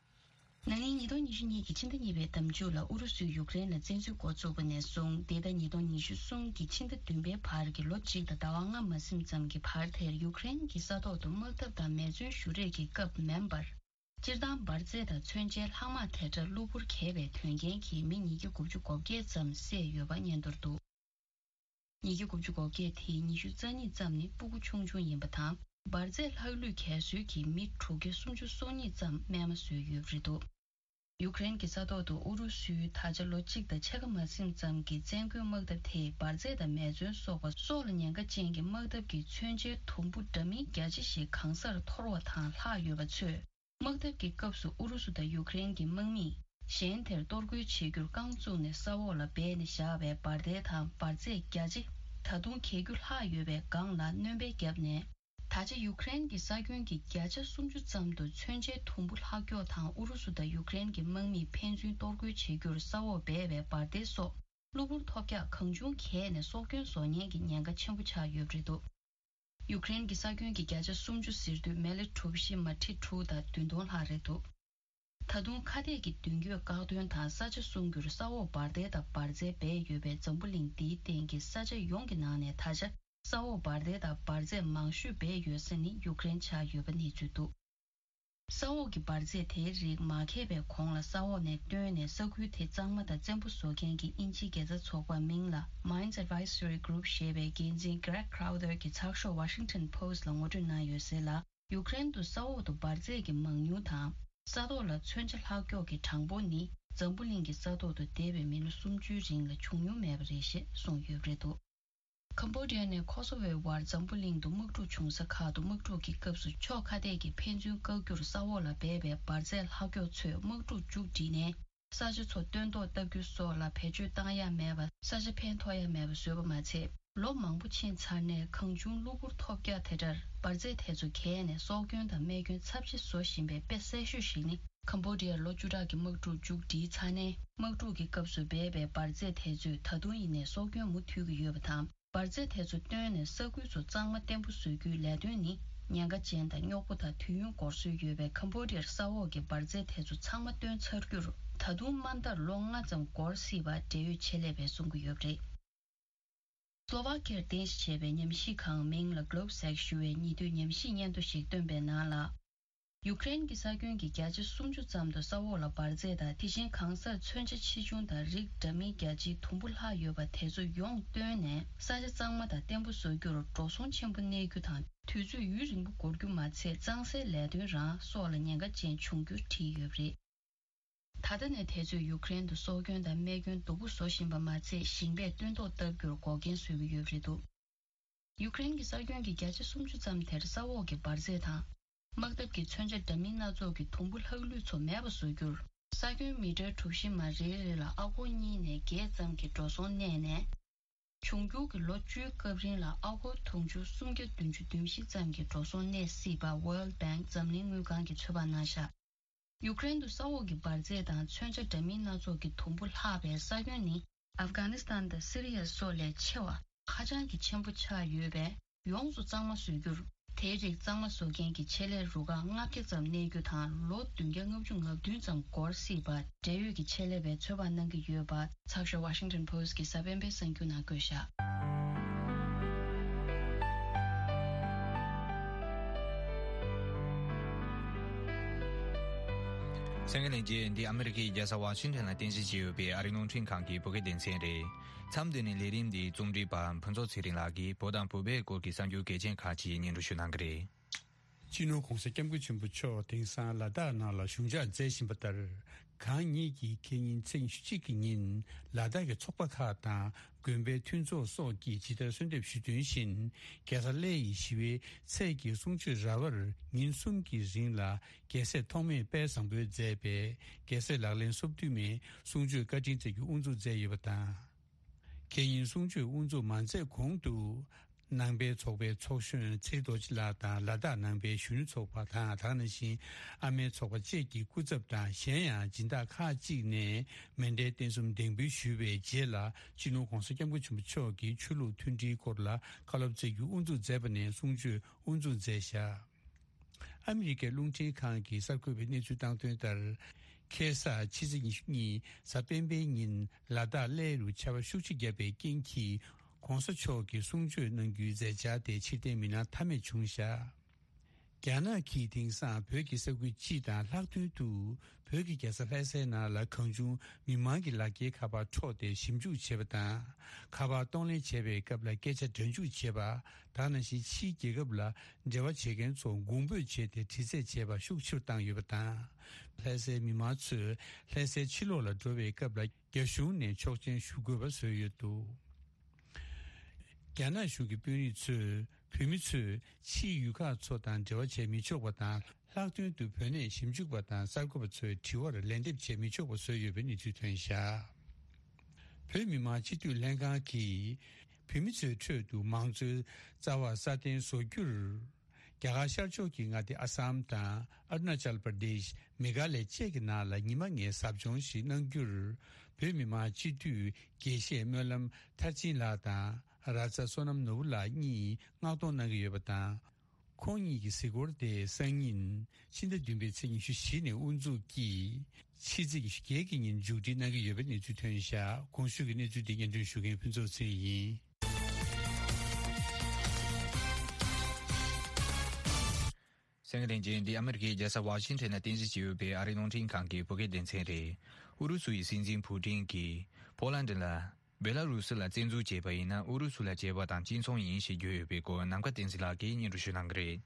ན་ནིང་ཉིས་སྟོང་ཉི་ཤུ་གཉིས་ཀྱི་ཕྱི་ཟླ་གཉིས་པའི་ཟླ་མཇུག་ལ་ཨུ་རུ་སུས་ཡུཀ་རེན་ལ་བཙན་འཛུལ་འགོ་བཙུགས་པ་ནས་བཟུང་འདས་ཟླ་ཉིས་སྟོང་ཉི་ཤུ་གསུམ་གྱི་ཕྱི་ཟླ་བདུན་པའི་བར་གྱི་ལོ་གཅིག་དང་ཟླ་བ་ལྔ་མ་ཟིན་ཙམ་གྱི་བར་དེར་ཡུཀ་རེན་གྱི་ས་ཐོག་ཏུ་དམག་འཐབ་དང་མེ་མཚོན་གཞུ་རེས་ཀྱི་སྐབས་མིན་པར། སྤྱིར་བཏང་འབར་རྫས་དང་མཚོན་ཆའི་ལྷག་མ་དེ་འདྲ་གློ་བུར་གས་པའི་དོན་རྐྱེན་གྱིས་མི་ཉིས་བརྒྱ་དགུ་བཅུ་གོ་བརྒྱད་ཙམ་བསད་ཡོད་པ་སྙན་ཐོར་འདུག་ཉིས་བརྒྱ་དགུ་བཅུ་གོ་བརྒྱད་དེའི་ཉི་ཤུ་རྩ་གཉིས་ཙམ་ནི་སྤུ་གུ་ཆུང་ཆུང་ཡིན་པ་དང་། འབར་རྫས་ལྷག་ལུས་གས་སྲོལ་གྱིས་མི་དྲུག་བརྒྱ་སུམ་ཅུ་སོ་གཉིས་ཙམ་རྨས་མ་བཟོས་ཡོད་པ་རེད་འདུག་ཡུཀ་རེན་གྱི་ས་ཐོག་ཏུ་ཨུ་རུ་སུའི་ད་ཆ་ལོ་གཅིག་དང་ཕྱེད་ཀ་མ་ཟིན་ཙམ་གྱི་བཙན་རྒོལ་དམག་འཐབ་དེས་འབར་རྫས་དང་མེ་མཚོན་སོགས་པ་སྲོག་ལ་ཉེན་ཁ་ཅན་གྱི་དམག་འཐབ་ཀྱི་མཚོན་ཆའི་དུམ་བུ་འདྲ་མིན་རྒྱ་ཆེ་ཞིག་གང་སར་འཐོར་བ་དང་ལྷག་ཡོད་པ་ཚོས། དམག་འཐབ་ཀྱི་སྐབས་སུ་ཨུ་རུ་སུ་དང་ཡུཀ་རེན་གྱི་དམག་མིས་གཞན་དེར་གཏོར་རྒོལ་བྱེད་རྒྱུར་རྐང་བཙུགས་ནས་ས་འོག་ལ་སྦས་ནས་བཞག་པའི་འབར་མདེལ་དང་འབར་རྫས་རྒྱ་ཆེ་ད་དུང་གས་རྒྱུ་ལྷག་ཡོད་པའི་སྒང་ལ་སྣོན་པའི་རྒྱབ་ནས། ད་ཆ་ཡུཀ་རེན་གྱི་ས་ཁྱོན་གྱི་བརྒྱ་ཆ་སུམ་ཅུ་ཙམ་དུ་མཚོན་ཆའི་དུམ་བུ་ལྷག་སྐྱོག་དང་ཨུ་རུ་སུ་དང་ཡུཀ་རེན་གྱི་དམག་མིས་ཕན་ཚུན་གཏོར་རྒོལ་བྱེད་རྒྱུར་ས་འོག་སྦས་པའི་འབར་མདེལ་སོགས་གློ་བུར་ཐོལ་རྒྱག་གང་བྱུང་གས་ནས་སྲོག་སྐྱོན་བཟོ་ཉེན་གྱི་ཉེན་ཁ་ཆེན་པོ་ཆགས་ཡོད་པ་རེད་འདུག་ཡུཀ་རེན་གྱི་ས་ཁྱོན་གྱི་བརྒྱ་ཆ་སུམ་ཅུ་ཟེར་དུས་མི་ལི་གྲུ་བཞི་མ་ཁྲི་དྲུག་དང་བདུན་སྟོང་ལྷག་རེད་འདུག་ད་དུང་ཁ་གཏད་ཀྱི་མདུན་སྐྱོད་བཀག་སྡོམ་དང་ས་ཆ་སྲུང་རྒྱུར་ས་འོག་འབར་མདེལ་དང་འབར་རྫས་སྦས་ཡོད་པའི་འཛམ་བུ་གླིང་འདིའི་སྟེང་གི་ས་ཆ་ཡོངས་ཀྱི་ནང་ནས་ད་ཆ་ས་འོག་འབར་མདེལ་དང་འབར་རྫས་མང་ཤོས་སྦས་ཡོད་ས་ནི་ཡུཀ་རེན་ཆགས་ཡོད་པ་གནས་ཚུལ་འདུག་ས་འོག་གི་འབར་རྫས་དེའི་རིགས་མ་ཁེལ་བའི་གོང་ལ་ས་འོག་ནས་བཏོན་ནས་ས་ཁུལ་དེ་གཙང་མ་དང་བཙན་པོ་བཟོ་མཁན་གྱི་དབྱིན་ཇིའི་དགེ་རྩ་ཚོགས་པ་མིང་ལ་Mines Advisory Group ཞེས་པའི་འགན་འཛིན་Greg Crowther གྱིས་ཚགས་ཤོག་Washington Post ལ་ངོ་སྤྲོད་གནང་ཡོད་ཟེར་ལ། ཡུཀ་རེན་དུ་ས་འོག་ཏུ་འབར་རྫས་ཀྱི་མང་ཉུང་དང་ས་ཐོག་ལ་མཚོན་ཆ་ལྷག་སྐྱོག་གི་གྲངས་འབོར་ནི་འཛམ་བུ་གླིང་གི་ས་ཐོག་ཏུ་འདས་པའི་མི་ལོ་སུམ་ཅུའི་རིང་ལ་བྱུང་མྱོང་མེད་པ་རེད་ཞེས་གསུངས་ཡོད་པ་རེད་འདུག་ཁམ་བྷོ་ཌི་ཡ་ནས་ཁོ་སོ་ཝོའི་བར་འཛམ་བུ་གླིང་དུ་དམག་འཁྲུག་བྱུང་ས་ཁག་ཏུ་དམག་འཁྲུག་གི་སྐབས་སུ་ཕྱོགས་ཁ་གཏད་ཀྱིས་ཕན་ཚུན་བཀག་རྒྱུར་ས་འོག་ལ་སྦས་པའི་འབར་རྫས་ལྷག་སྐྱོག་ཚོས་དམག་འཁྲུག་མཇུག་བསྒྲིལ་ནས། ས་ཆ་ཚོ་སྟོན་ཐོག་བཏབ་རྒྱུ་སོགས་ལ་བེད་སྤྱོད་བཏང་ཡ་མེད་པ། ས་ཆ་ཕན་ཐོགས་ཡ་མེད་པ་བཟོས་པ་མ་ཚད། ལོ་མང་པོ་ཕྱིན་ཚར་ནས་གང་བྱུང་གློ་བུར་ཐོལ་རྒྱག་དེ་འདྲར་འབར་རྫས་དེ་ཚོ་གས་ནས་སྲོག་སྐྱོན་དང་རྨས་སྐྱོན་ཚབས་ཆེ་བཟོ་བཞིན་པའི་དཔེ་གསལ་ཤོས་ཤིག་ནི། ཁམ་བྷོ་ཌི་ཡར་ལོ་བཅུ་ཕྲག་གི་དམག་འཁྲུག་མཇུག་སྒྲིལ་ཚར་ནས། དམག་འཁྲུག་གི་སྐབས་སུ་སྦས་པའི་འབར་རྫས་དེ་ཚོས་ད་དུང་ཡིན་ནའི་སྲོག་སྐྱོན་མུ་མཐུད་ཀྱི་ཡོད་པ་དང་། འབར་རྫས་དེ་ཚོ་བཏོན་ནས་ས་ཁུལ་ཚོ་གཙང་མ་བརྟན་པོ་བཟོ་རྒྱུའི་ལས་དོན་ནི། ཉེན་ཁ་ཅན་དང་རྙོག་པོ་དང་དུས་ཡུན་འགོར་སྲོལ་ཡོད་པའི་ཁམ་བྷོ་ཌི་ཡར་ས་འོག་གི་འབར་རྫས་དེ་ཚོ་ཚང་མ་བཏོན་ཚར་རྒྱུར། ད་དུང་མ་མཐར་ལོ་ལྔ་ཙམ་འགོར་སྲིད་པ་འབྲེལ་ཡོད་ཆེད་ལས་པས་གསུང་གི་ཡོད་པ་རེད། སློ་ཝཱ་ཁི་ཡར་རྟེན་གཞི་བྱས་པའི་ཉམས་ཞིབ་ཁང་མིང་ལ་Globsec ཞུ་བས་ཉེ་དུས་ཉམས་ཞིབ་སྙན་ཐོ་ཞིག་བཏོན་པའི་ནང་ལ། ཡུཀ་རེན་གྱི་ས་ཁྱོན་གྱི་བརྒྱ་ཆ་སུམ་ཅུ་ཙམ་དུ་ས་འོག་ལ་འབར་རྫས་དང་། དེ་བཞིན་གང་སར་མཚོན་ཆ་ཆེ་ཆུང་དང་རིགས་འདྲ་མིན་རྒྱ་ཆེའི་དུམ་བུ་ལྷག་ཡོད་པ་དེ་ཚོ་ཡོངས་བཏོན་ནས། ས་ཆ་གཙང་མ་དང་བརྟན་པོ་བཟོ་རྒྱུར་འགྲོ་སོང་ཆེན་པོ་གནས་རྒྱུ་དང་། དུས་ཚོད་ཡུན་རིང་པོ་འགོར་རྒྱུ་མ་ཚད། གཙང་སེལ་ལས་དོན་རང་སྲོག་ལ་ཉེན་ཁ་ཅན་འབྱུང་རྒྱུ་བྲིས་ཡོད་པ་རེད། ད་ལྟ་ནས་དེ་ཚོས་ཡུཀ་རེན་དུ་སྲོག་སྐྱོན་དང་རྨས་སྐྱོན་སྡུག་པོ་བཟོ་བཞིན་པ་མ་ཚད། ཞིང་པས་སྟོན་ཐོག་བཏབ་རྒྱུར་འགོག་རྐྱེན་བཟོ་གི་ཡོད་པ་རེད་འདུག་ཡུཀ་རེན་གྱི་ས་ཁྱོན་གྱི་བརྒྱ་ཆ་སུམ་ཅུ་ཙམ་དེར་ས་འོག་གི་འབར་རྫས་དང་། དམག་འཐབ་ཀྱི་མཚོན་ཆ་འདྲ་མིན་སྣ་ཚོགས་ཀྱི་དུམ་བུ་ལྷག་ལུས་ཚོ་མེད་པ་བཟོ་རྒྱུར། ས་ཁྱོན་མི་ཊར་གྲུ་བཞི་མ་རེ་རེ་ལ་ཨ་སྒོར་གཉིས་ནས་བརྒྱད་ཙམ་གྱི་འགྲོ་སོང་གནས་ནས། འབྱུང་འགྱུར་གྱི་ལོ་བཅུའི་སྐབས་རིང་ལ་ཨ་སྒོར་དུང་ཕྱུར་སུམ་བརྒྱ་བདུན་ཅུ་དོན་བཞི་ཙམ་གྱི་འགྲོ་སོང་གནས་སྲིད་པ་World Bank འཛམ་གླིང་དངུལ་ཁང་གིས་ཚོད་དཔག་གནང་བཞག་ཡུཀ་རེན་དུ་ས་འོག་གི་འབར་རྫས་དང་མཚོན་ཆ་འདྲ་མིན་སྣ་ཚོགས་ཀྱི་དུམ་བུ་ལྷག་པའི་ས་ཁྱོན་ནི། ཨབ་གྷ་ནི་སི་ཐན་དང་སི་རི་ཡ་སོགས་ལས་ཆེ་བ། ཧ་ཅང་གི་ཆེན་པོ་ཆགས་ཡོད་པས། ཡོངས་སུ་གཙང་མ་བཟོ་རྒྱུར། དེའི་རིགས་གཙང་མ་བཟོ་མཁན་གྱི་ཆེད་ལས་རུ་ཁག་ལྔ་བརྒྱ་ཙམ་གནས་རྒྱུ་དང་། ལོ་བདུན་བརྒྱ་ལྔ་བཅུ་ང་བདུན་ཙམ་འགོར་སྲིད་པ་འབྲེལ་ཡོད་ཀྱི་ཆེད་ལས་པས་ཚོད་དཔག་གནང་གི་ཡོད་པ། ཚགས་ཤོག་Washington Post གི་གཟའ་སྤེན་པའི་གསར་འགྱུར་ནང་བཀོད་བཞག་གསན་མཁན་ལྷན་རྒྱས། འདི་ཨ་མི་རི་ཀའི་རྒྱལ་ས་ཝ་ཤིང་ཊོན་ལ་རྟེན་གཞི་བྱས་ཡོད་པའི་ཨ་རིའི་རླུང་འཕྲིན་ཁང་གི་བོད་སྐད་སྡེ་ཚན་རེད། མཚམས་འདི་ནས་ལས་རིམ་འདིའི་རྩོམ་སྒྲིག་པ་ཕུན་ཚོགས་ཚེ་རིང་ལགས་ཀྱིས་བོད་དང་བོད་པའི་སྐོར་གྱི་གསར་འགྱུར་གལ་ཆེན་ཁག་ཅིག་སྙན་སྒྲོན་ཞུ་གནང་གི་རེད། སྤྱི་ནོར་༧གོང་ས་༧སྐྱབས་མགོན་ཆེན་པོ་མཆོག་དེང་སང་ལ་དྭགས་ནང་ལ་བཞུགས་འཇགས་མཛད་བཞིན་པ་ལྟར། གང་ཉིད་ཀྱིས་ཁེ་ཉིན་ཚེས་ཉི་ཤུ་གཅིག་གི་ཉིན་ལ་དྭགས་ཀྱི་ཚོགས་པ་ཁག་དང་དགོན་པའི་མཐུན་ཚོགས་སོགས་ཀྱིས་ཇི་ལྟར་གསོལ་འདེབས་ཞུས་དོན་བཞིན། རྒྱལ་ས་གླེ་ཡི་ཞི་བའི་ཚལ་གྱི་གསུང་ཆོས་ར་བར་ཉིན་གསུམ་གྱི་རིང་ལ་རྒྱལ་སྲས་ཐོགས་མེད་དཔལ་བཟང་པོས་མཛད་པའི་རྒྱལ་སྲས་ལག་ལེན་སོ་བདུན་མའི་གསུང་ཆོས་བཀའ་དྲིན་སྩལ་རྒྱུ་དབུ་འཛུགས་མཛད་ཡོད་པ་དང་། ཁེ་ཉིན་གསུང་ཆོས་དབུ་འཛུགས་མ་མཛད་གོང་དུ། ནང་པའི་ཚོགས་པའི་ཚོགས་གཞོན་ཚེ་རིང་རྡོ་རྗེ་ལགས་དང་། ལ་དྭགས་ནང་པའི་གཞོན་ནུ་ཚོགས་པ་དང་། དེ་ནང་བཞིན་ཨ་མའི་ཚོགས་པ་བཅས་ཀྱི་སྐུ་ཚབ་དང་། གཞན་ཡང་སྦྱིན་བདག་ཁག་ཅིག་ནས་མཎྜལ་རྟེན་གསུམ་འདེགས་འབུལ་ཞུས་པའི་རྗེས་ལ། སྤྱི་ནོར་༧གོང་ས་༧སྐྱབས་མགོན་ཆེན་པོ་མཆོག་གིས་ཆོས་ལུགས་མཐུན་སྒྲིལ་སྐོར་ལ་བཀའ་སློབ་སྩལ་རྒྱུ་དབུ་འཛུགས་མཛད་པ་ནས་གསུང་ཆོས་དབུ་འཛུགས་མཛད་བཞག་ཨ་མི་རི་ཀའི་རླུང་འཕྲིན་ཁང་གིས་གསར་འགོད་པའི་གནས་ཚུལ་བཏང་དོན་ལྟར། ཁ་སང་ཕྱི་ཚེས་ཉི་ཤུ་གཉིས་གཟའ་སྤེན་པའི་ཉིན་ལ་དྭགས་གླེ་རུ་ཆར་པ་ཤུགས་ཆེ་བརྒྱབ་པའི་རྐྱེན་གྱིས། ༧གོང་ས་མཆོག་གིས་གསུང་ཆོས་གནང་རྒྱུའི་མཛད་འཆར་དེ་ཕྱིར་འཐེན་མི་གནང་ཐབས་མེད་བྱུང་བཞག་རྒྱ་ནག་གིས་དེང་སང་བོད་ཀྱི་ས་ཁུལ་སྤྱི་དང་ལྷག་དོན་དུ་བོད་ཀྱི་རྒྱལ་ས་ལྷ་སའི་ནང་ལ་གང་བྱུང་མི་མང་གི་ལག་འཁྱེར་ཁ་པར་འཕྲོག་སྟེ་ཞིབ་འཇུག་བྱེད་པ་དང་། ཁ་པར་གཏོང་ལེན་བྱེད་པའི་སྐབས་ལ་སྐད་ཆ་སྒྲ་འཇུག་བྱེད་པ། དེ་ནང་བཞིན་ཕྱིའི་རྒྱལ་ཁབ་ལ་འབྲེལ་བ་བྱེད་མཁན་ཚོ་དགོངས་འབོད་བྱས་ཏེ་དྲི་རྩད་བྱེད་པ་ཤུགས་ཆེ་རུ་བཏང་ཡོད་པ་དང་། ལྷ་སའི་མི་མང་ཚོས་ལྷ་སའི་ཕྱི་ལོགས་ལ་འགྲོ་བའི་སྐབས་ལ་རྒྱ་གཞུང་ནས་ཆོག་མཆན་ཞུ་དགོས་པ་བཟོས་ཡོད་འདུག་རྒྱ་ནག་གཞུང་གི་དཔོན་རིགས་ཚོས་བོད་མི་ཚོས་ཕྱིའི་ཡུལ་ཁག་ཚོ་དང་འབྲེལ་བ་བྱེད་མི་ཆོག་པ་དང་། ལྷག་དོན་དུ་བོད་གནས་ཞིབ་འཇུག་པ་དང་གསར་འགོད་པ་ཚོའི་དྲི་བར་ལན་འདེབས་བྱེད་མི་ཆོག་པ་བཟོས་ཡོད་པའི་གནས་ཚུལ་ཐོན་བཞག་བོད་མི་མང་སྤྱི་འཐུས་ལྷན་ཁང་གིས་བོད་མི་ཚོའི་ཁྲོད་དུ་མང་གཙོའི་རྩ་བ་སྲ་བརྟན་བཟོ་རྒྱུར། རྒྱ་གར་ཤར་ཕྱོགས་ཀྱི་མངའ་སྡེ་ཨ་སམ་དང་ཨ་རུ་ན་ཅལ་པར་དེཤ། མེ་གྷ་ལ་ཡ་བཅས་ཀྱི་ནང་ལ་ཉི་མ་ལྔའི་ཟབ་སྦྱོང་ཞིག་གནང་རྒྱུར། བོད་མི་མང་སྤྱི་འཐུས་དགེ་བཤེས་སྨོན་ལམ་མཐར་ཕྱིན་ལགས་དང་། ར་ཙ་བསོད་ནམས་ནོར་བུ་ལགས་གཉིས་མངགས་གཏོང་གནང་གི་ཡོད་པ་དང་། ཁོང་གཉིས་ཀྱི་གཟིགས་སྐོར་དེ་སང་ཉིན་ཕྱི་ཟླ་བདུན་པའི་ཚེས་ཉི་ཤུ་བཞི་ནས་དབུ་འཛུགས་ཀྱིས། ཕྱི་ཚེས་ཉི་ཤུ་བརྒྱད་ཀྱི་ཉིན་མཇུག་སྒྲིལ་གནང་གི་ཡོད་པའི་གནས་ཚུལ་ཐོན་བཞག་གོང་ཞུས་ཀྱི་གནས་ཚུལ་འདི་སྙན་སྒྲོན་ཞུ་མཁན་ཕུན་ཚོགས་ཚེ་རིང་ཡིན། གསན་མཁན་ལྷན་རྒྱས། འདི་ཨ་མི་རི་ཀའི་རྒྱལ་ས་ཝ་ཤིང་ཊོན་ལ་རྟེན་གཞི་བྱས་ཡོད་པའི་ཨ་རིའི་རླུང་འཕྲིན་ཁང་གི་བོད་སྐད་སྡེ་ཚན་རེད། ཨུ་རུ་སུ་ཡི་སྲིད་འཛིན་ཕུ་ཏིན་གྱིས་པོ་ལན་ཌི་ལ། བེ་ལ་རུ་སི་ལ་བཙན་འཛུལ་བྱས་པ་ཡིན་ན། ཨུ་རུ་སུ་ལ་བྱས་པ་དང་གཅིག་མཚུངས་ཡིན་ཞེས་བརྗོད་ཡོད་པའི་སྐོར་ནམ་མཁའ་བསྟན་འཛིན་ལགས་ཀྱིས་སྙན་སྒྲོན་ཞུ་གནང་གི་རེད།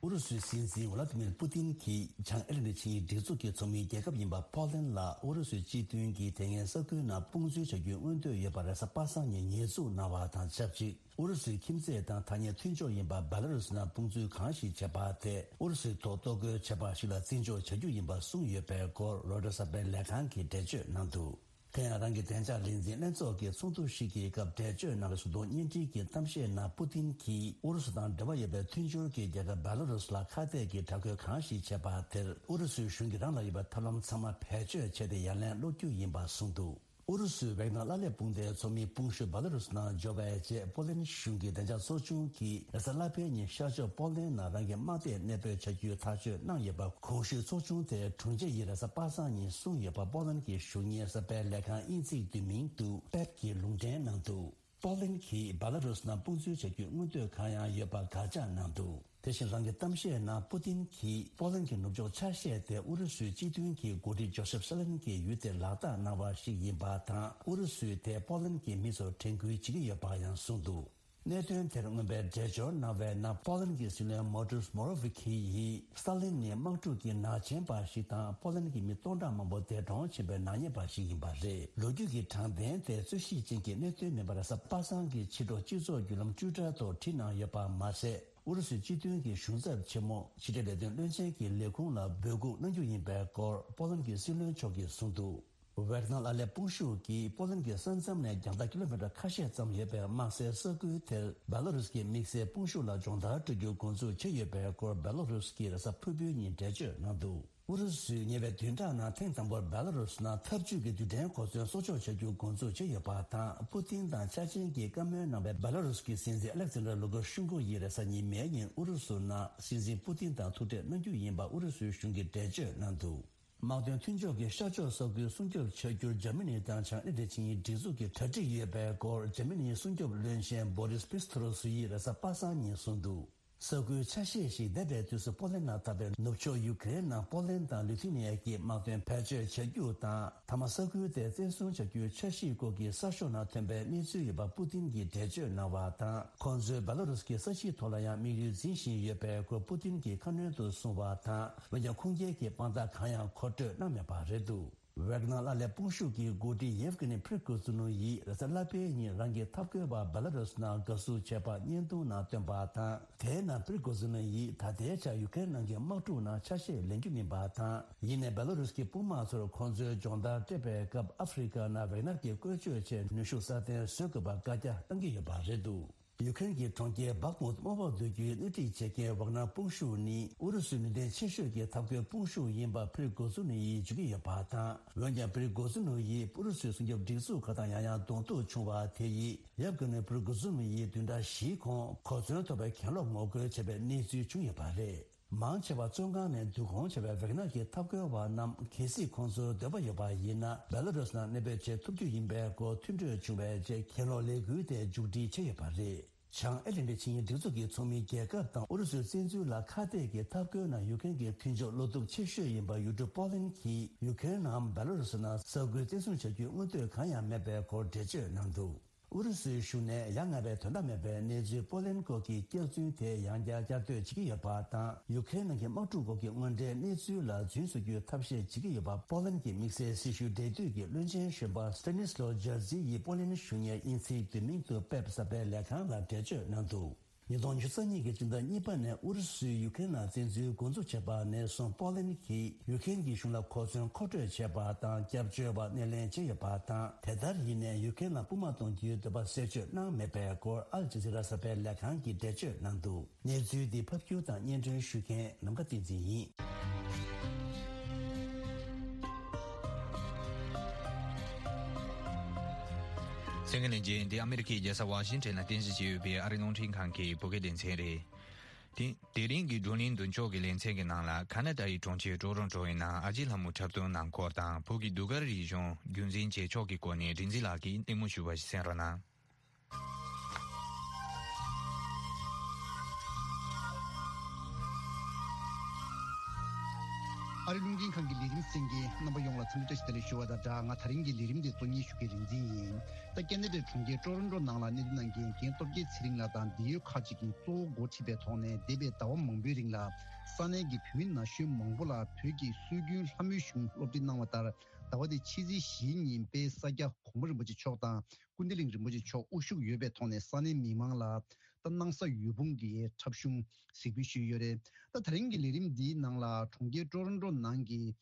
ཨུ་རུ་སུའི་སྲིད་འཛིན་ཝ་ལ་ཏི་མིར་པུ་ཏིན་གྱིས་བྱང་ཨེ་ལན་ཌི་ཆིངས་ཡིག་སྒྲིག་འཛུགས་ཀྱི་ཚོགས་མིའི་རྒྱལ་ཁབ་ཡིན་པ་པོ་ལན་ལ་ཨུ་རུ་སུའི་སྤྱི་མཐུན་གྱི་དེ་སྔའི་ས་ཁུལ་ནང་དཔུང་འཛུལ་བྱ་རྒྱུའི་མངོན་འདོད་ཡོད་པ་རེས་གཟའ་པ་སངས་ཉིན་ཉེས་འཛུགས་གནང་བ་དང་ཆབས་ཅིག་ཨུ་རུ་སུའི་ཁྱིམ་མཚེས་དང་ཐག་ཉེ་མཐུན་ཕྱོགས་ཡིན་པ་བེ་ལ་རུ་སི་ནང་དཔུང་འཛུལ་གང་ཞིག་བྱས་པ་དེ་ཨུ་རུ་སུའི་ཐོག་གཏོར་རྒོལ་བྱས་པ་ཞིག་ལ་བརྩི་འཇོག་བྱ་རྒྱུ་ཡིན་པ་གསུངས་ཡོད་པའི་སྐོར་རོའི་ཊར་གསར་པའི་ལས་ཁང་གིས་འགྲེལ་བརྗོད་གནང་འདུག་དེ་ཡང་རང་གི་བདེ་འཇགས་ལས་འཛིན་ལྷན་ཚོགས་ཀྱི་ཚོགས་འདུ་ཞིག་གི་སྐབས་འགྲེལ་བརྗོད་གནང་བའི་གཟུགས་མཐོང་བརྙན་འཕྲིན་གྱི་གཏམ་བཤད་ནང་པུ་ཏིན་གྱིས་ཨུ་རུ་སུ་དང་འབྲེལ་བ་ཡོད་པའི་མཐུན་སྦྱོར་གྱི་རྒྱལ་ཁབ་བེ་ལ་རུ་སུ་ལ་ཁ་གཏད་ཀྱི་དྲག་རྒོལ་གང་ཞིག་བྱས་པ་དེར་ཨུ་རུ་སུའི་གཞུང་གིས་རང་ལ་ཡོད་པའི་ཐབས་ལམ་ཚང་མ་བེད་སྤྱོད་བྱས་ཏེ་ཡ་ལན་སློག་རྒྱུ་ཡིན་པ་གསུངས་འདུག་ཨུ་རུ་སུའི་ཝེག་ནར་ལ་ལས་དཔུང་སྡེའི་ཚོགས་མི་དཔུང་ཤུགས་བེ་ལ་རུ་སུ་ནང་འབྱོར་བའི་རྗེས་པོ་ལན་གཞུང་གི་བདེ་འཇགས་ཚོགས་ཆུང་གིས་རེས་གཟའ་ལྷག་པའི་ཉིན་ཤར་ཕྱོགས་པོ་ལན་ནང་རང་གི་དམག་སྡེ་གནས་སྤོས་བྱ་རྒྱུའི་ཐག་གཅོད་གནང་ཡོད་པ། གོང་ཞུས་ཚོགས་ཆུང་དེས་དྲུང་ཆེ་ཡིས་རེས་གཟའ་པ་སངས་ཉིན་གསུངས་ཡོད་པ། པོ་ལན་གྱི་གཞུང་གཉེར་གསར་པའི་ལས་ཁང་དབྱིན་ཚིག་བསྡུས་མིང་དུ་པེབ་ཀྱིས་ལུང་འདྲེན་གནང་འདུག་པོ་ལན་གྱིས་བེ་ལ་རུ་སུ་ནང་དཔུང་འཛུལ་བྱ་རྒྱུའི་མངོན་འདོད་གང་ཡང་ཡོད་པ་དགག་བྱ་གནང་འདུག་དེ་བཞིན་རང་གི་གཏམ་བཤད་ནང་པུ་ཏིན་གྱིས་པོ་ལན་གྱི་ནུབ་ཕྱོགས་ཆ་ཤས་དེ་ཨུ་རུ་སུའི་སྤྱི་མཐུན་གྱི་འགོ་ཁྲིད་ཇོ་སེབ་སི་ལན་གྱི་ཡུལ་དེར་ལག་བསྟར་གནང་བ་ཞིག་ཡིན་པ་དང་། ཨུ་རུ་སུས་དེ་པོ་ལན་གྱི་མི་ཚོར་དྲན་སྐུལ་བྱེད་ཀྱི་ཡོད་པ་ཡང་གསུངས་འདུག་གནད་དོན་དེར་མངོན་པའི་འགྲེལ་བརྗོད་གནང་བའི་ནང་པོ་ལན་གྱི་སྲིད་བློན་མོ་ཏུས་མོ་རོ་ཝི་ཁི་ཡིས་སི་ཏཱ་ལིན་ནི་དམག་འཁྲུག་གི་ནག་ཅན་པ་ཞིག་དང་པོ་ལན་གྱི་མི་སྟོང་ཕྲག་མང་པོ་འདས་གྲོངས་ཕྱིན་པའི་ནག་ཉེས་པ་ཞིག་ཡིན་པ་རེད། ལོ་རྒྱུས་ཀྱི་དྲང་བདེན་དེ་རྩོད་གཞི་ཅན་གྱི་གནད་དོན་མིན་པར་གཟའ་པ་སངས་ཀྱི་ཕྱི་དྲོ་སྤྱི་ཚོགས་བརྒྱུད་ལམ་ཊུའི་ཊར་ཐོག་བྲིས་གནང་ཡོད་པ་མ་ཟད། ཨུ་རུ་སུའི་སྤྱི་མཐུན་གྱི་གཞུང་ཚབ་ཆེན་མོ་ཕྱི་འབྲེལ་ལས་དོན་བློན་ཆེན་གྱི་ལས་ཁུངས་ལ་འབོད་འགུག་གནང་རྒྱུ་ཡིན་པའི་སྐོར་པོ་ལན་གྱི་སྲིད་བློན་མཆོག་གིས་གསུངས་འདུག་ཝེག་ནར་ཨར་ལས་དཔུང་ཤུགས་ཀྱིས་པོ་ལན་གྱི་ས་མཚམས་ནས་རྒྱང་ཐག་ཀི་ལོ་མི་ཊར་ཁ་ཤས་ཙམ་ཡོད་པའི་དམག་སའི་ས་ཁུལ་དེར་བེ་ལ་རུས་ཀྱི་དམིགས་བསལ་དཔུང་ཤུགས་ལ་སྦྱོང་བརྡར་སྤྲོད་རྒྱུ་འགོ་འཛུགས་བྱས་ཡོད་པའི་སྐོར་བེ་ལ་རུས་ཀྱིས་རེས་གཟའ་ཕུར་བུའི་ཉིན་འགྲེལ་བརྗོད་གནང་འདུག་ཨུ་རུ་སུས་ཉེ་བའི་བདུན་ཕྲག་ནང་ཐེངས་དང་པོར་བེ་ལ་རུས་ནང་འཐབ་ཇུས་ཀྱི་རྡུལ་ཕྲན་གོ་མཚོན་གསོག་འཇོག་བྱ་རྒྱུ་འགོ་འཛུགས་བྱས་ཡོད་པ་དང་། པུ་ཏིན་དང་འཆར་ཅན་གྱི་བཀའ་མོལ་གནང་བའི་བེ་ལ་རུས་ཀྱི་སྲིད་འཛིན་ཨ་ལེག་ཛན་ཌར་ལུ་ཀ་ཤུན་ཀོ་ཡིས་རེས་གཟའ་ཉི་མའི་ཉིན་ཨུ་རུ་སུ་ནང་སྲིད་འཛིན་པུ་ཏིན་དང་ཐུག་འཕྲད་གནང་རྒྱུ་ཡིན་པ་ཨུ་རུ་སུའི་གཞུང་གིས་འགྲེལ་བརྗོད་གནང་འདུག་དམག་དོན་མཐུན་ཕྱོགས་ཀྱི་ཤར་ཕྱོགས་ས་ཁུལ་སྲུང་སྐྱོབ་བྱ་རྒྱུར་འཇར་མ་ནི་དང་བྱང་ཨེ་ཊ་ལི་ཆིངས་ཡིག་སྒྲིག་འཛུགས་ཀྱིས་གྲ་སྒྲིག་ཡོད་པའི་སྐོར་འཇར་མ་ནིའི་སྲུང་སྐྱོབ་བློན་ཆེན་བྷོ་རིས་པིས་ཐོ་རོ་སུ་ཡིས་རེས་གཟའ་པ་སངས་ཉིན་གསུངས་འདུག་ས་ཁུལ་ཆ་ཤས་ཤིག་འདས་པའི་དུས་སུ་པོ་ལན་ནང་འཐབ་པའི་ནུབ་ཕྱོགས་ཡུ་ཀེ་རེན་ནང་པོ་ལན་དང་ལི་ཐུ་ནི་ཡ་གྱི་དམག་དོན་བེད་སྤྱོད་བྱ་རྒྱུ་དང་། མཐའ་མ་ས་ཁུལ་དེ་བཙན་བཟུང་བྱ་རྒྱུའི་འཆར་གཞིའི་སྐོར་གྱི་གསར་ཤོག་ནང་ཐོན་པའི་གནས་ཚུལ་ཡོད་པ་པུ་ཏིན་གྱིས་འགྲེལ་བརྗོད་གནང་བ་དང་། ཁོང་ཚོས་བེ་ལ་རུས་ཀྱི་ས་གཞིའི་ཐོག་ལ་ཡང་དམིགས་ཡུལ་འཛིན་བཞིན་ཡོད་པའི་སྐོར་པུ་ཏིན་གྱིས་ཁ་སྣོན་དུ་གསུངས་པ་དང་། འོན་ཀྱང་ཁུངས་སྐྱེལ་གྱི་དཔང་རྟགས་གང་ཡང་མཁོ་སྤྲོད་གནང་མེད་པ་རེད་འདུག་ཝེག་ནར་ཨར་ལས་དཔུང་ཤུགས་ཀྱི་འགོ་ཁྲིད་ཡེབ་ཀི་ནི་ཕྲི་གོ་ཛུ་ནུ་ཡིས་རེས་གཟའ་ལྷག་པའི་ཉིན་རང་གི་འཐབ་རྒོལ་བ་བེ་ལ་རུས་ནང་དགའ་བསུ་བྱས་པ་བརྙན་ཐུང་ནང་བཏོན་པ་དང་། དེའི་ནང་ཕྲི་གོ་ཛུ་ནུ་ཡིས་ད་ལྟའི་ཆར་ཡུ་ཀེ་རེན་ནང་གི་དམག་འཁྲུག་ནང་ཆ་ཤས་ལེན་རྒྱུ་མིན་པ་དང་། ཡིན་ནའི་བེ་ལ་རུས་ཀྱི་དཔུང་དམག་ཚོར་ཁོང་ཚོའི་སྦྱོང་བརྡར་སྤྲད་པའི་སྐབས་ཨ་ཧྥེ་རི་ཁ་ནང་ཝེག་ནར་གྱིས་བཀོལ་སྤྱོད་ཆེད་ནུས་ཤུགས་སྲ་བརྟན་བཟོ་དགོས་པར་བཀའ་རྒྱ་བཏང་གི་ཡོད་པ་རེད་འདུག་ཡུ་ཀེ་རེན་གྱི་གྲོང་ཁྱེར་བྷག་མུད་དམག་འོག་བསྡུ་རྒྱུའི་སྣེ་ཁྲིད་བྱེད་མཁན་ཝག་ནར་དཔུང་ཤུགས་ནི་ཨུ་རུ་སུའི་ནུས་ལྡན་ཆེ་ཤོས་ཀྱི་འཐབ་རྒོལ་དཔུང་ཤུགས་ཡིན་པ་ཕྲི་གོ་ཛུ་ནུ་ཡིས་བརྗོད་ཀྱི་ཡོད་པ་དང་། འོན་ཀྱང་ཕྲི་གོ་ཛུ་ནུ་ཡིས་ཨུ་རུ་སུའི་སྲུང་སྐྱོབ་སྒྲིག་འཛུགས་ཁག་དང་ཡང་ཡང་གདོང་ཐུག་བྱུང་བ་དེ་ཡིས་ཡབ་ཀྱི་ནུ་ཕྲི་གོ་ཛུ་ནུ་ཡིས་བདུན་ཕྲག་བཞིའི་གོང་གོ་མཚོན་ཐོབ་པའི་གྱེན་ལོག་ངོ་རྒོལ་བྱས་པའི་གནས་ཚུལ་བྱུང་ཡོད་པ་རེད། མང་ཆེ་བ་བཙོན་ཁང་ནས་བསྡུ་སྐོང་བྱས་པའི་ཝེག་ནར་གྱི་འཐབ་རྒོལ་བ་རྣམས་གལ་སྲིད་ཁོང་ཚོར་འདོད་པ་ཡོད་པ་ཡིན་ན། བེ་ལ་རུས་ནང་གནས་སྤོས་བྱེད་ཐུབ་རྒྱུ་ཡིན་པའི་སྐོར་མཐུན་གྲོས་བྱུང་བའི་རྗེས་གྱེན་ལོག་ལས་འགུལ་དེ་མཇུག་སྒྲིལ་བྱས་ཡོད་པ་རེད། བྱང་ཨེ་ཊ་ལན་ཊིག་ཆིངས་ཡིག་སྒྲིག་འཛུགས་ཀྱི་ཚོགས་མི་རྒྱལ་ཁབ་དང་ཨུ་རུ་སུའི་བཙན་འཛུལ་ལ་ཁ་གཏད་ཀྱི་འཐབ་རྒོལ་ནང་ཡུ་ཀེ་རེན་གྱི་མཐུན་ཕྱོགས་བློ་སྟོབས་ཆེ་ཤོས་ཡིན་པ་ཡུལ་གྲུ་པོ་ལན་གྱིས་ཡུ་ཀེ་རེན་ནམ་བེ་ལ་རུས་ནང་ས་ཁུལ་བཙན་བཟུང་བྱ་རྒྱུའི་མངོན་འདོད་གང་ཡང་མེད་པའི་སྐོར་འགྲེལ་བརྗོད་གནང་འདུག་ཨུ་རུ་སུའི་གཞུང་ནས་ཡ་ང་བའི་དོན་དག་མེད་པའི་གནས་ཚུལ་པོ་ལན་སྐོར་གྱི་བསྐྱར་རྫུན་དེ་ཡང་བསྐྱར་བསྐྱར་ཟློས་བྱེད་ཀྱི་ཡོད་པ་དང་། ཡུ་ཀེ་རེན་ནང་གི་དམག་འཁྲུག་སྐོར་གྱི་དངོས་འབྲེལ་གནས་ཚུལ་ལ་རྫུན་བཟོ་རྒྱུའི་ཐབས་ཤེས་བྱེད་ཀྱི་ཡོད་པ། པོ་ལན་གྱི་དམིགས་བསལ་སྲི་ཞུ་འབྲེལ་མཐུད་ཀྱི་བློན་ཆེན་གཞོན་པ་སི་ཏེ་ནིས་ལོ་ཇར་ཛི་ཡིས་པོ་ལན་གཞུང་གཉེར་དབྱིན་ཚིག་བསྡུས་མིང་དུ་པེབ་གསར་པའི་ལས་ཁང་ལ་འགྲེལ་བརྗོད་གནང་འདུག་ཉིས་སྟོང་ཉི་ཤུ་རྩ་གཉིས་ཀྱི་སྤྱི་ཟླ་གཉིས་པ་ནས་ཨུ་རུ་སུས་ཡུ་ཀེ་རེན་ལ་བཙན་འཛུལ་འགོ་འཛུགས་བྱས་པ་ནས་བཟུང་པོ་ལན་གྱིས་ཡུ་ཀེ་རེན་གྱི་གཞུང་ལ་གོ་མཚོན་མཁོ་སྤྲོད་བྱས་པ་དང་། སྐྱབས་བཅོལ་བ་སྣེ་ལེན་བྱས་ཡོད་པ་དང་། དེ་ལྟར་ཡིན་ནའི་ཡུ་ཀེ་རེན་ལ་དཔུང་དམག་གཏོང་རྒྱུའི་འདོད་པ་གསལ་བརྗོད་གནང་མེད་པའི་སྐོར་ཨལ་ཇི་ཛི་ར་གསར་པའི་ལས་ཁང་གིས་འགྲེལ་བརྗོད་གནང་འདུག་གནས་ཚུལ་འདི་ཕབ་སྒྱུར་དང་སྙན་སྒྲོན་ཞུ་མཁན་ནམ་མཁའ་བསྟན་འཛིན་ཡིན། གསན་མཁན་ལྷན་རྒྱས། འདི་ཨ་མེ་རི་ཁའི་རྒྱལ་ས་ཝ་ཤིང་ཊོན་ལ་རྟེན་གཞི་བྱས་ཡོད་པའི་ཨ་རིའི་རླུང་འཕྲིན་ཁང་གི་བོད་སྐད་སྡེ་ཚན་རེད། དེ་དེ་རིང་གི་བགྲོ་གླེང་མདུན་ལྕོག་གི་ལེ་ཚན་གྱི་ནང་ལ། ཁ་ན་ཌ་ཡི་གྲོང་ཁྱེར་ཊོ་རོན་ཊོ་ཡི་ནང་ཨ་ཅེ་ལྷ་མོ་འཁྲབ་སྟོན་གནང་སྐོར་དང་། བོད་ཀྱི་ཟློས་གར་རིག་གཞུང་རྒྱུན་འཛིན་བྱེད་ཕྱོགས་ཀྱི་སྐོར་ནས་རིག་འཛིན་ལགས་ཀྱིས་གླེང་མོལ་ཞུས་པ་ཞིག་གསན་རོགས་གནང་། ཨ་རིའི་རླུང་འཕྲིན་ཁང་གི་ལས་རིམ་གསན་མཁན་རྣམ་པ་ཡོངས་ལ་འཚམས་འདྲི་བཀྲ་ཤིས་བདེ་ལེགས་ཞུ་བ་དང་སྦྲགས། ང་དེ་རིང་གི་ལས་རིམ་དེ་གཙོ་གཉེར་ཞུ་མཁན་རིག་འཛིན་ཡིན། ད་ཁ་ན་ཌའི་གྲོང་ཁྱེར་ཊོ་རོན་ཊོ་ནང་ལ་གནས་སྡོད་གནང་མཁན་རྒན་སྟོབས་རྒྱལ་ཚེ་རིང་ལགས་དང་འབྲེལ་ཡོད་ཁག་ཅིག་གིས་གཙོ་བོ་འགོ་ཁྲིད་པའི་ཐོག་ནས་འདས་པའི་ཟླ་བ་མང་པོའི་རིང་ལ་ས་གནས་ཀྱི་བོད་མི་ན་གཞོན་མང་པོ་ལ་བོད་ཀྱི་སྲོལ་རྒྱུན་ལྷ་མོའི་གཞུང་སློབ་ཁྲིད་གནང་བ་ལྟར། ཟླ་བ་འདིའི་ཕྱི་ཚེས་བཞིའི་ཉིན་དཔལ་ས་སྐྱ་གོང་མ་རིན་པོ་ཆེ་མཆོག་དང་། ཀུན་བདེ་གླིང་རིན་པོ་ཆེ་མཆོག་དབུ་བཞུགས་ཡོད་པའི་ཐོག་ནས་ས་གནས་མི་མང་ལ་ད་སྣང་ས་འོད་འབུམ་གྱི་འཁྲབ་གཞུང་གཟིགས་འབུལ་ཞུས་ཡོད་རེད། ད་དེ་རིང་གི་ལས་རིམ་འདིའི་ནང་ལ་གྲོང་ཁྱེར་ཊོ་རོན་ཊོ་ནང་གི་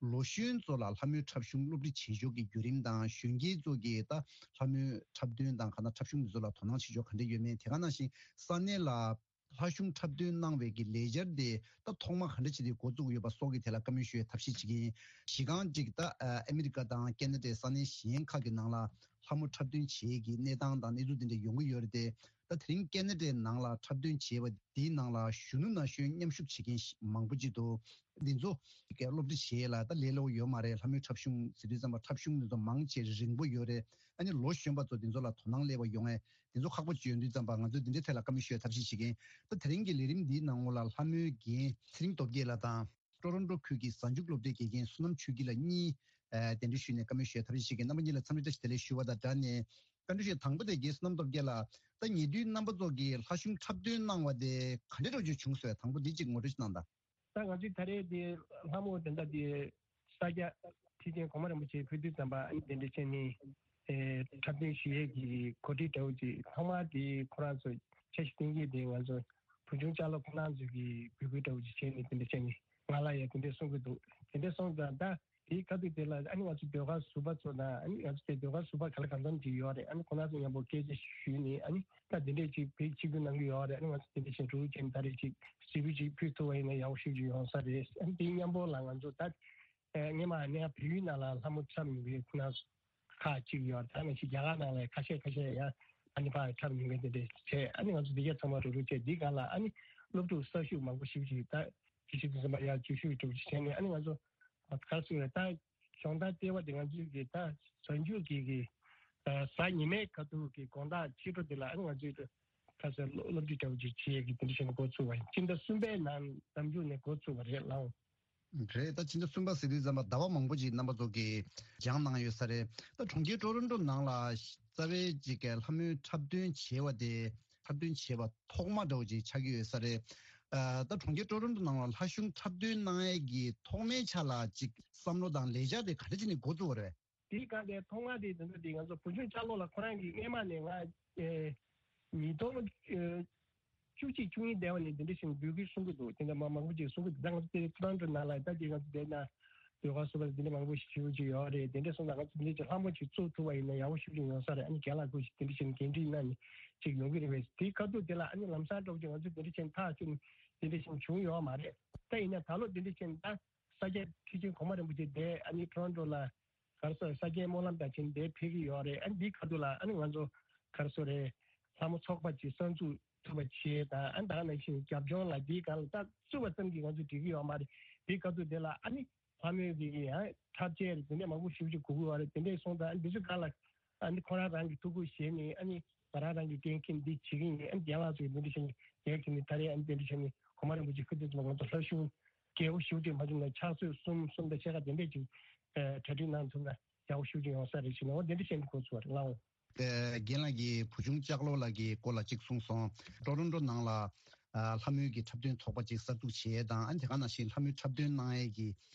ལོ་གཞོན་ཚོ་ལ་ལྷ་མོའི་འཁྲབ་གཞུང་སློབ་ཁྲིད་བྱེད་ཕྱོགས་ཀྱི་བརྒྱུད་རིམ་དང་། གཞོན་སྐྱེས་ཚོ་གིས་ད་ལྷ་མོའི་འཁྲབ་སྟོན་དང་གང་ལྟར་འཁྲབ་གཞུང་འདི་ཚོ་ལ་དོ་སྣང་བྱེད་ཕྱོགས་ག་འདྲ་ཡོད་མེད། དེ་ག་ནང་བཞིན་ས་གནས་ལ་ལྷ་གཞུང་འཁྲབ་སྟོན་གནང་བའི་གི་ལས་འཆར་དེ་ད་ཐོག་མ་ག་འདྲ་བྱས་ཏེ་འགོ་བཙུགས་ཡོད་པ་སོགས་ཀྱི་ཐད་ལ་བཀའ་མོལ་ཞུ་བའི་ཐབས་ཤེས་བྱེད་ཀྱི་ཡིན། གཞི་རྐང་གཅིག་ད་ཨ་ཨ་མི་རི་ཀ་དང་ཁེ་ན་ཌའི་ས་གནས་གཞན་ཁག་གི་ནང་ལ་ལྷ་མོ་འཁྲབ་སྟོན་བྱེད་ཀྱི་གནས་སྟངས་དང་གནས་ཚུལ་དེ་འདྲ་ཡོང་གི་ཡོད་རེད་དེ། ད་དེ་རིང་ཁེ་ན་ཌའི་ནང་ལ་འཁྲབ་སྟོན་བྱས་པ་འདིའི་ནང་ལ་གཞོན་ནུ་ན་གཞོན་མཉམ་ཞུགས་བྱེད་མཁན་ཞིག་མང་པོ་ཅིག་འདུག་འདི་ཚོ་གི་སློབ་ཁྲིད་བྱེད་ཡས་ལ་ད་ལས་སླ་པོ་ཡོད་མ་རེད། ལྷ་མོའི་འཁྲབ་གཞུང་ཟེར་དུས་ཙམ་པ་འཁྲབ་གཞུང་འདི་ཚོ་མང་ཆེ་རིང་པོ་ཡོད་རེད། ཨ་ནི་ལོ་གཞོན་པ་ཚོ་འདི་ཚོ་ལ་དོ་སྣང་སླེབས་པ་ཡོང་ཡས་འདི་ཚོ་ཁག་པོ་ཅིག་ཡོད་དུས་ཙམ་པ་ང་ཚོས་འདི་འདྲའི་ཐད་ལ་བཀའ་མོལ་ཞུ་ཡས་ཐབས་ཤེས་བྱེད་ཀྱིན། ད་དེ་རིང་གི་ལས་རིམ་འདིའི་ནང་ལོགས་ལ་ལྷ་མོའི་རྒན་ཚེ་རིང་སྟོབས་རྒྱལ་ལགས་དང་། ཀྲོ་རོན་ཀྲོ་ཁུལ་གྱི་གཟའ་མཇུག་སློབ་གྲྭའི་དགེ་རྒན་བསོད་ནམས་ཆོས་སྐྱིད་ལགས་གཉིས་ཨ་གདན་འདྲེན་ཞུས་ནས་བཀའ་མོལ་ཞུ་ཡས་ཐབས་ཤེས་བྱེད་ཀྱིན། རྣམ་པ་གཉིས་ལ་འཚམས་འདྲི་བཀྲ་ཤིས་བདེ་ལེགས་ཞུ་བ་དང་སྦྲགས་ནས། བཀའ་འདྲི་ཞུ་ཡས་དང་པོ་དེ་རྒན་བསོད་ནམས་སྟོབས་རྒྱལ་ལགས། ད་ཉེ་དུས་རྣམ་པ་ཚོ་གིས་ལྷ་གཞུང་འཁྲབ་སྟོན་གནང་བ་དེ་ག་འདྲ་འདྲ་བོ་ཅིག་བྱུང་སོང་། དང་པོ་འདི་གཅིག་ངོ་སྤྲོད་ཅིག་གནང་དང་། ད་ང་ཚོའི་ད་རེས་དེ་ལྷ་མོ་དེ་འདྲ་དེ་ས་སྐྱ་ཁྲི་ཆེན་གོང་མ་རིན་པོ་ཆེ་ཕེབས་དུས་ཙམ་པ་ཨ་ནི་དེ་འདྲ་བྱས་ནས་ཨེ་འཁྲབ་སྟོན་ཞུ་ཡས་ཀྱི་གོ་སྒྲིག་འདྲ་བོ་ཅིག་ཐོག་མར་དེ་ཁོ་རང་ཚོ་འཆར་གཞི་བཏིང་གི་དེ་ང་ཚོ་བུ་ཆུང་ལྕགས་ལོ་ཁོ་རང་ཚོ་གི་འབོད་སྐུལ་འདྲ་བོ་ཅིག་བྱས་ནས་དེ་འདྲ་བྱས་ནས་ང་ལ་ཡང་དེ་འདྲ་གསུང་གི་འདུག་དེ་འདྲ་སོང་ཙང་ད་དེའི་ཁ་ཐུག་དེ་ལ་ཨ་ནི་ང་ཚོ་ཟློས་གར་ཟུར་པ་ཚོ་དང་ཨ་ནི་ང་ཚོ་དེ་ཟློས་གར་ཟུར་པ་ག་ལ་གང་འཚམ་ཅིག་ཡོད་རེད། ཨ་ནི་ཁོ་རང་ཚོ་མཉམ་པོ་སྐད་ཆ་ཞུས་ནས་ཨ་ནི་ད་དེ་འདྲས་ཅིག་བེད་སྤྱི་ཁྱབ་གནང་གི་ཡོད་རེད། ཨ་ནི་ང་ཚོ་དེ་འདྲས་བྱས་འགྲོ་གི་ཡིན། ད་རེས་ཅིག་གཟིགས་འབུལ་ཅིག་ཕུལ་ཐུབ་པ་ཡིན་ན་ཡག་པོ་ཞེ་པོ་ཅིག་ཡོང་ས་རེད། ཨ་ནི་དེའི་མཉམ་པོ་ལ་ང་ཚོ་ད་སྔས་མ་ནས་བལ་ཡུལ་ནང་ལ་ལྷ་མོ་འཁྲབ་མྱོང་མཁན་ཁོ་རང་ཚོ་ཁག་ཅིག་ཡོད་རེད། ད་ནང་བཞིན་རྒྱ་གར་ནང་ལ་ཁ་ཤས་ཁ་ཤས་ཡང་ཨ་ནི་ཕར་འཁྲབ་མྱོང་མཁན་དེ་འདྲས་བྱས། ཨ་ནི་ང་ཚོ་འདི་ག་ཚང་མ་རུབ་རུབ་བྱས་འདི་སྒང་ལ་ཨ་ནི་སློབ་ཕྲུག་གསར་ཞུགས་མང་པོ་ཞེ་པོ་ཅིག་ད་ཇི་ཞིག་དུ་ཟིན་པ་ཡར་འཛུལ་ཞུགས་འགྲོ་བྱས་ནས་ཨ་ནི་ང་ཚོ་ག་རེ་ཟེར་ད། སྦྱོང་བརྡར་ལྟེ་བ་དེ་ང་ཚོའི་གི་ད་གཟའ་མཇུག་གི་གི་ཨ་གཟའ་ཉི་མའི་ཁ་ཐུག་གི་དགོང་དག་ཕྱི་དྲོ་དེ་ལ་ཨ་ནི་ང་ཚོའི་གི་ཁ་སང་སློབ་སློབ་ཁྲིད་འདྲ་བོ་ཅིག་བྱེད་ཡས་ཀྱི་དེ་འདྲ་བྱས་ནས་འགོ་ཚུགས་པ་ཡིན། ཕྱི་ཟླ་གསུམ་པའི་ནང་གཟའ་མཇུག་ནས་འགོ་ཚུགས་པ་རེད་ལགས། རེད། ད་ཕྱི་ཟླ་གསུམ་པ་ཟེར་དུས་ཙམ་པ་ཟླ་བ་མང་པོ་ཅིག་རྣམ་པ་ཚོ་གིས་སྦྱངས་གནང་ཡོད་ས་རེད། ད་གྲོང་ཁྱེར་ཀྲོ་རོན་ཀྲོ་ནང་ལ་རྩ་བའི་ཅིག་གི་ལྷ་མོའི་འཁྲབ་སྟོན་བྱས་པ་དེ་འཁྲབ་སྟོན་བྱས་པ་ཐོག་མ་འདྲ་བོ་ཅིག་ཆགས་ཀྱི་ཡོད་ས་རེད། ཨ་ད་གྲོང་ཁྱེར་ཀྲོ་རོན་ཀྲོ་ནང་ལ་ལྷ་གཞུང་འཁྲབ་སྟོན་གནང་ཡས་ཀྱི་ཐོག་མའི་ཆ་ལ་ཅིག་བསམ་བློ་དང་ལས་འཆར་དེ་ག་འདྲ་བྱས་ནས་འགོ་བཙུགས་པ་རེད། དེའི་སྒང་དེ་ཐོག་མ་དེ་དེ་ཚོ་དེ་ང་ཚོ་བུ་ཆུང་ལྕགས་ལོ་ལགས་ཁོ་རང་གིས་སྔས་མ་ནས་ང་ཨེ་ཉིས་སྟོང་ཨེ་བཅུ་གཅིག་བཅུ་གཉིས་དེ་བ་ནས་དེ་འདྲ་ཞིག་འབོད་སྐུལ་གསུང་གི་འདུག་དེ་འདྲ་མ་མང་པོ་ཅིག་གསུང་གི་འདུག་ད་ང་ཚོ་དེ་ཀྲོ་རོན་ཀྲོ་ནང་ལ་ད་དེ་ང་ཚོ་དེ་ན་ཟློས་གར་ཟུར་པ་དེ་འདྲ་མང་པོ་ཞིག་ཞུ་གི་ཡོད་རེད། དེ་འདྲ་སོང་ཙང་ང་ཚོ་དེ་འདྲ་ཅིག་ལྷ་མོ་ཅིག་བཙུགས་ཐུབ་པ་ཡིན་ན་ཡག་པོ་ཞེ་པོ་ཅིག་ཡོང་ས་རེད། ཨ་ནི་རྒན་ལགས་ཁོ་ཞིག་དེ་འདྲ་བྱས་ནས་འགན་འཁྲི་གནང་ནས་ཅིག་ཡོང་གི་རེད་པས། དེའི་ཁ་ཐུག་དེ་ལ་ཨ་ནི་ལམ་སང་འགྲོ་གི་ང་ཚོ་དེ་འདྲ་བྱས་ནས་ཐག་གཅོད་ནས་དེ་འདྲ་བྱས་ནས་བྱུང་ཡོད་མ་རེད། ད་ཡིན་ན་ད་ལོ་དེ་འདྲ་བྱས་ནས་ད་ས་སྐྱ་ཁྲི་ཆེན་གོང་མ་རིན་པོ་ཆེ་དེ་ཨ་ནི་ཀྲོ་རོན་ཀྲོ་ལ་ག་རེ་ཟེར་ས་སྐྱའི་སྨོན་ལམ་དང་བྱས་ནས་དེ་ཕེབས་ཀྱི་ཡོད་རེད། ཨ་ནི་འདིའི་ཁ་ཐུག་ལ་ཨ་ནི་ང་ཚོ་ག་རེ་ཟེར་རེད། ལྷ་མོ་ཚོགས་པ་ཅིག་གསར་འཛུགས་ཐུབ་པ་བྱས་དང་ཨ་ནི་ད་ག་ནང་བཞིན་རྒྱབ་ལྗོངས་ལ་འདིའི་སྒང་ལ་ད་བཙུགས་པ་ཙམ་གྱིས་ང་ཚོ་འགྲིག་གི་ཡོད་མ་རེད། འདིའི་ཁ་ཐུག་དེ་ལ་ཨ་ནི་ཕ་མེས་ཀྱི་ཡང་འཁྲབ་ཆས་རེད། དེ་འདྲས་མང་པོ་ཞེ་པོ་ཅིག་དགོས་ཀྱི་ཡོད་རེད། དེ་འདྲས་སོང་ཙང་ཨ་ནི་འདི་ཚོའི་སྒང་ལ་ཨ་ནི་ཁོ་རང་རང་གི་ཐུགས་ཁུར་བཞེས་ནས་ཨ་ནི་ང་རང་རང་གི་འགན་འཁྱེར་འདི་བྱེད་ཀྱི་ཡིན། ཨ་ནི་རྒན་ལགས་ཚོས་འདི་འདྲས་བྱས་ནས་འགན་འཁྱེར་ནས་ད་རེས་ཨ་ནི་འདི་འདྲས་བྱས་ནས་གོང་མ་རིན་པོ་ཆེ་སྐུ་ཚེ་ཐུབ་པ་ང་ཚོ་ལྷ་གཞུང་རྒྱས་པོ་ཞེ་པོ་ཅིག་མ་བྱུང་ན་ཕྱག་ཚོད་གསུམ་གསུམ་དང་ཕྱེད་ཀ་དེ་འདྲས་ཅིག་གྲ་སྒྲིག་གནང་ཐུབ་ན་ཡག་པོ་ཞེ་པོ་ཅིག་ཡོང་ས་རེད་ཟེར་ནས་འོ་དེ་འདྲས་བྱས་ནས་འགོ་ཚུགས་པ་རེད་ལགས། རྒན་ལགས་ཀྱིས་བུ་ཆུང་ལྕགས་ལོ་ལགས་ཀྱི་སྐོར་ལ་གཅིག་གསུངས་སོང་། ཀྲོ་རོན་ཀྲོ་ནང་ལ་ཨ་ལྷ་མོའི་གི་འཁྲབ་སྟོན་ཚོགས་པ་གཅིག་གསར་འཛུགས་བྱས་དང་ཨ་ནི་དེ་ག་ནང་བཞིན་ལྷ་མོའི་འཁྲབ་སྟོན་གནང་ཡས་ཀྱི་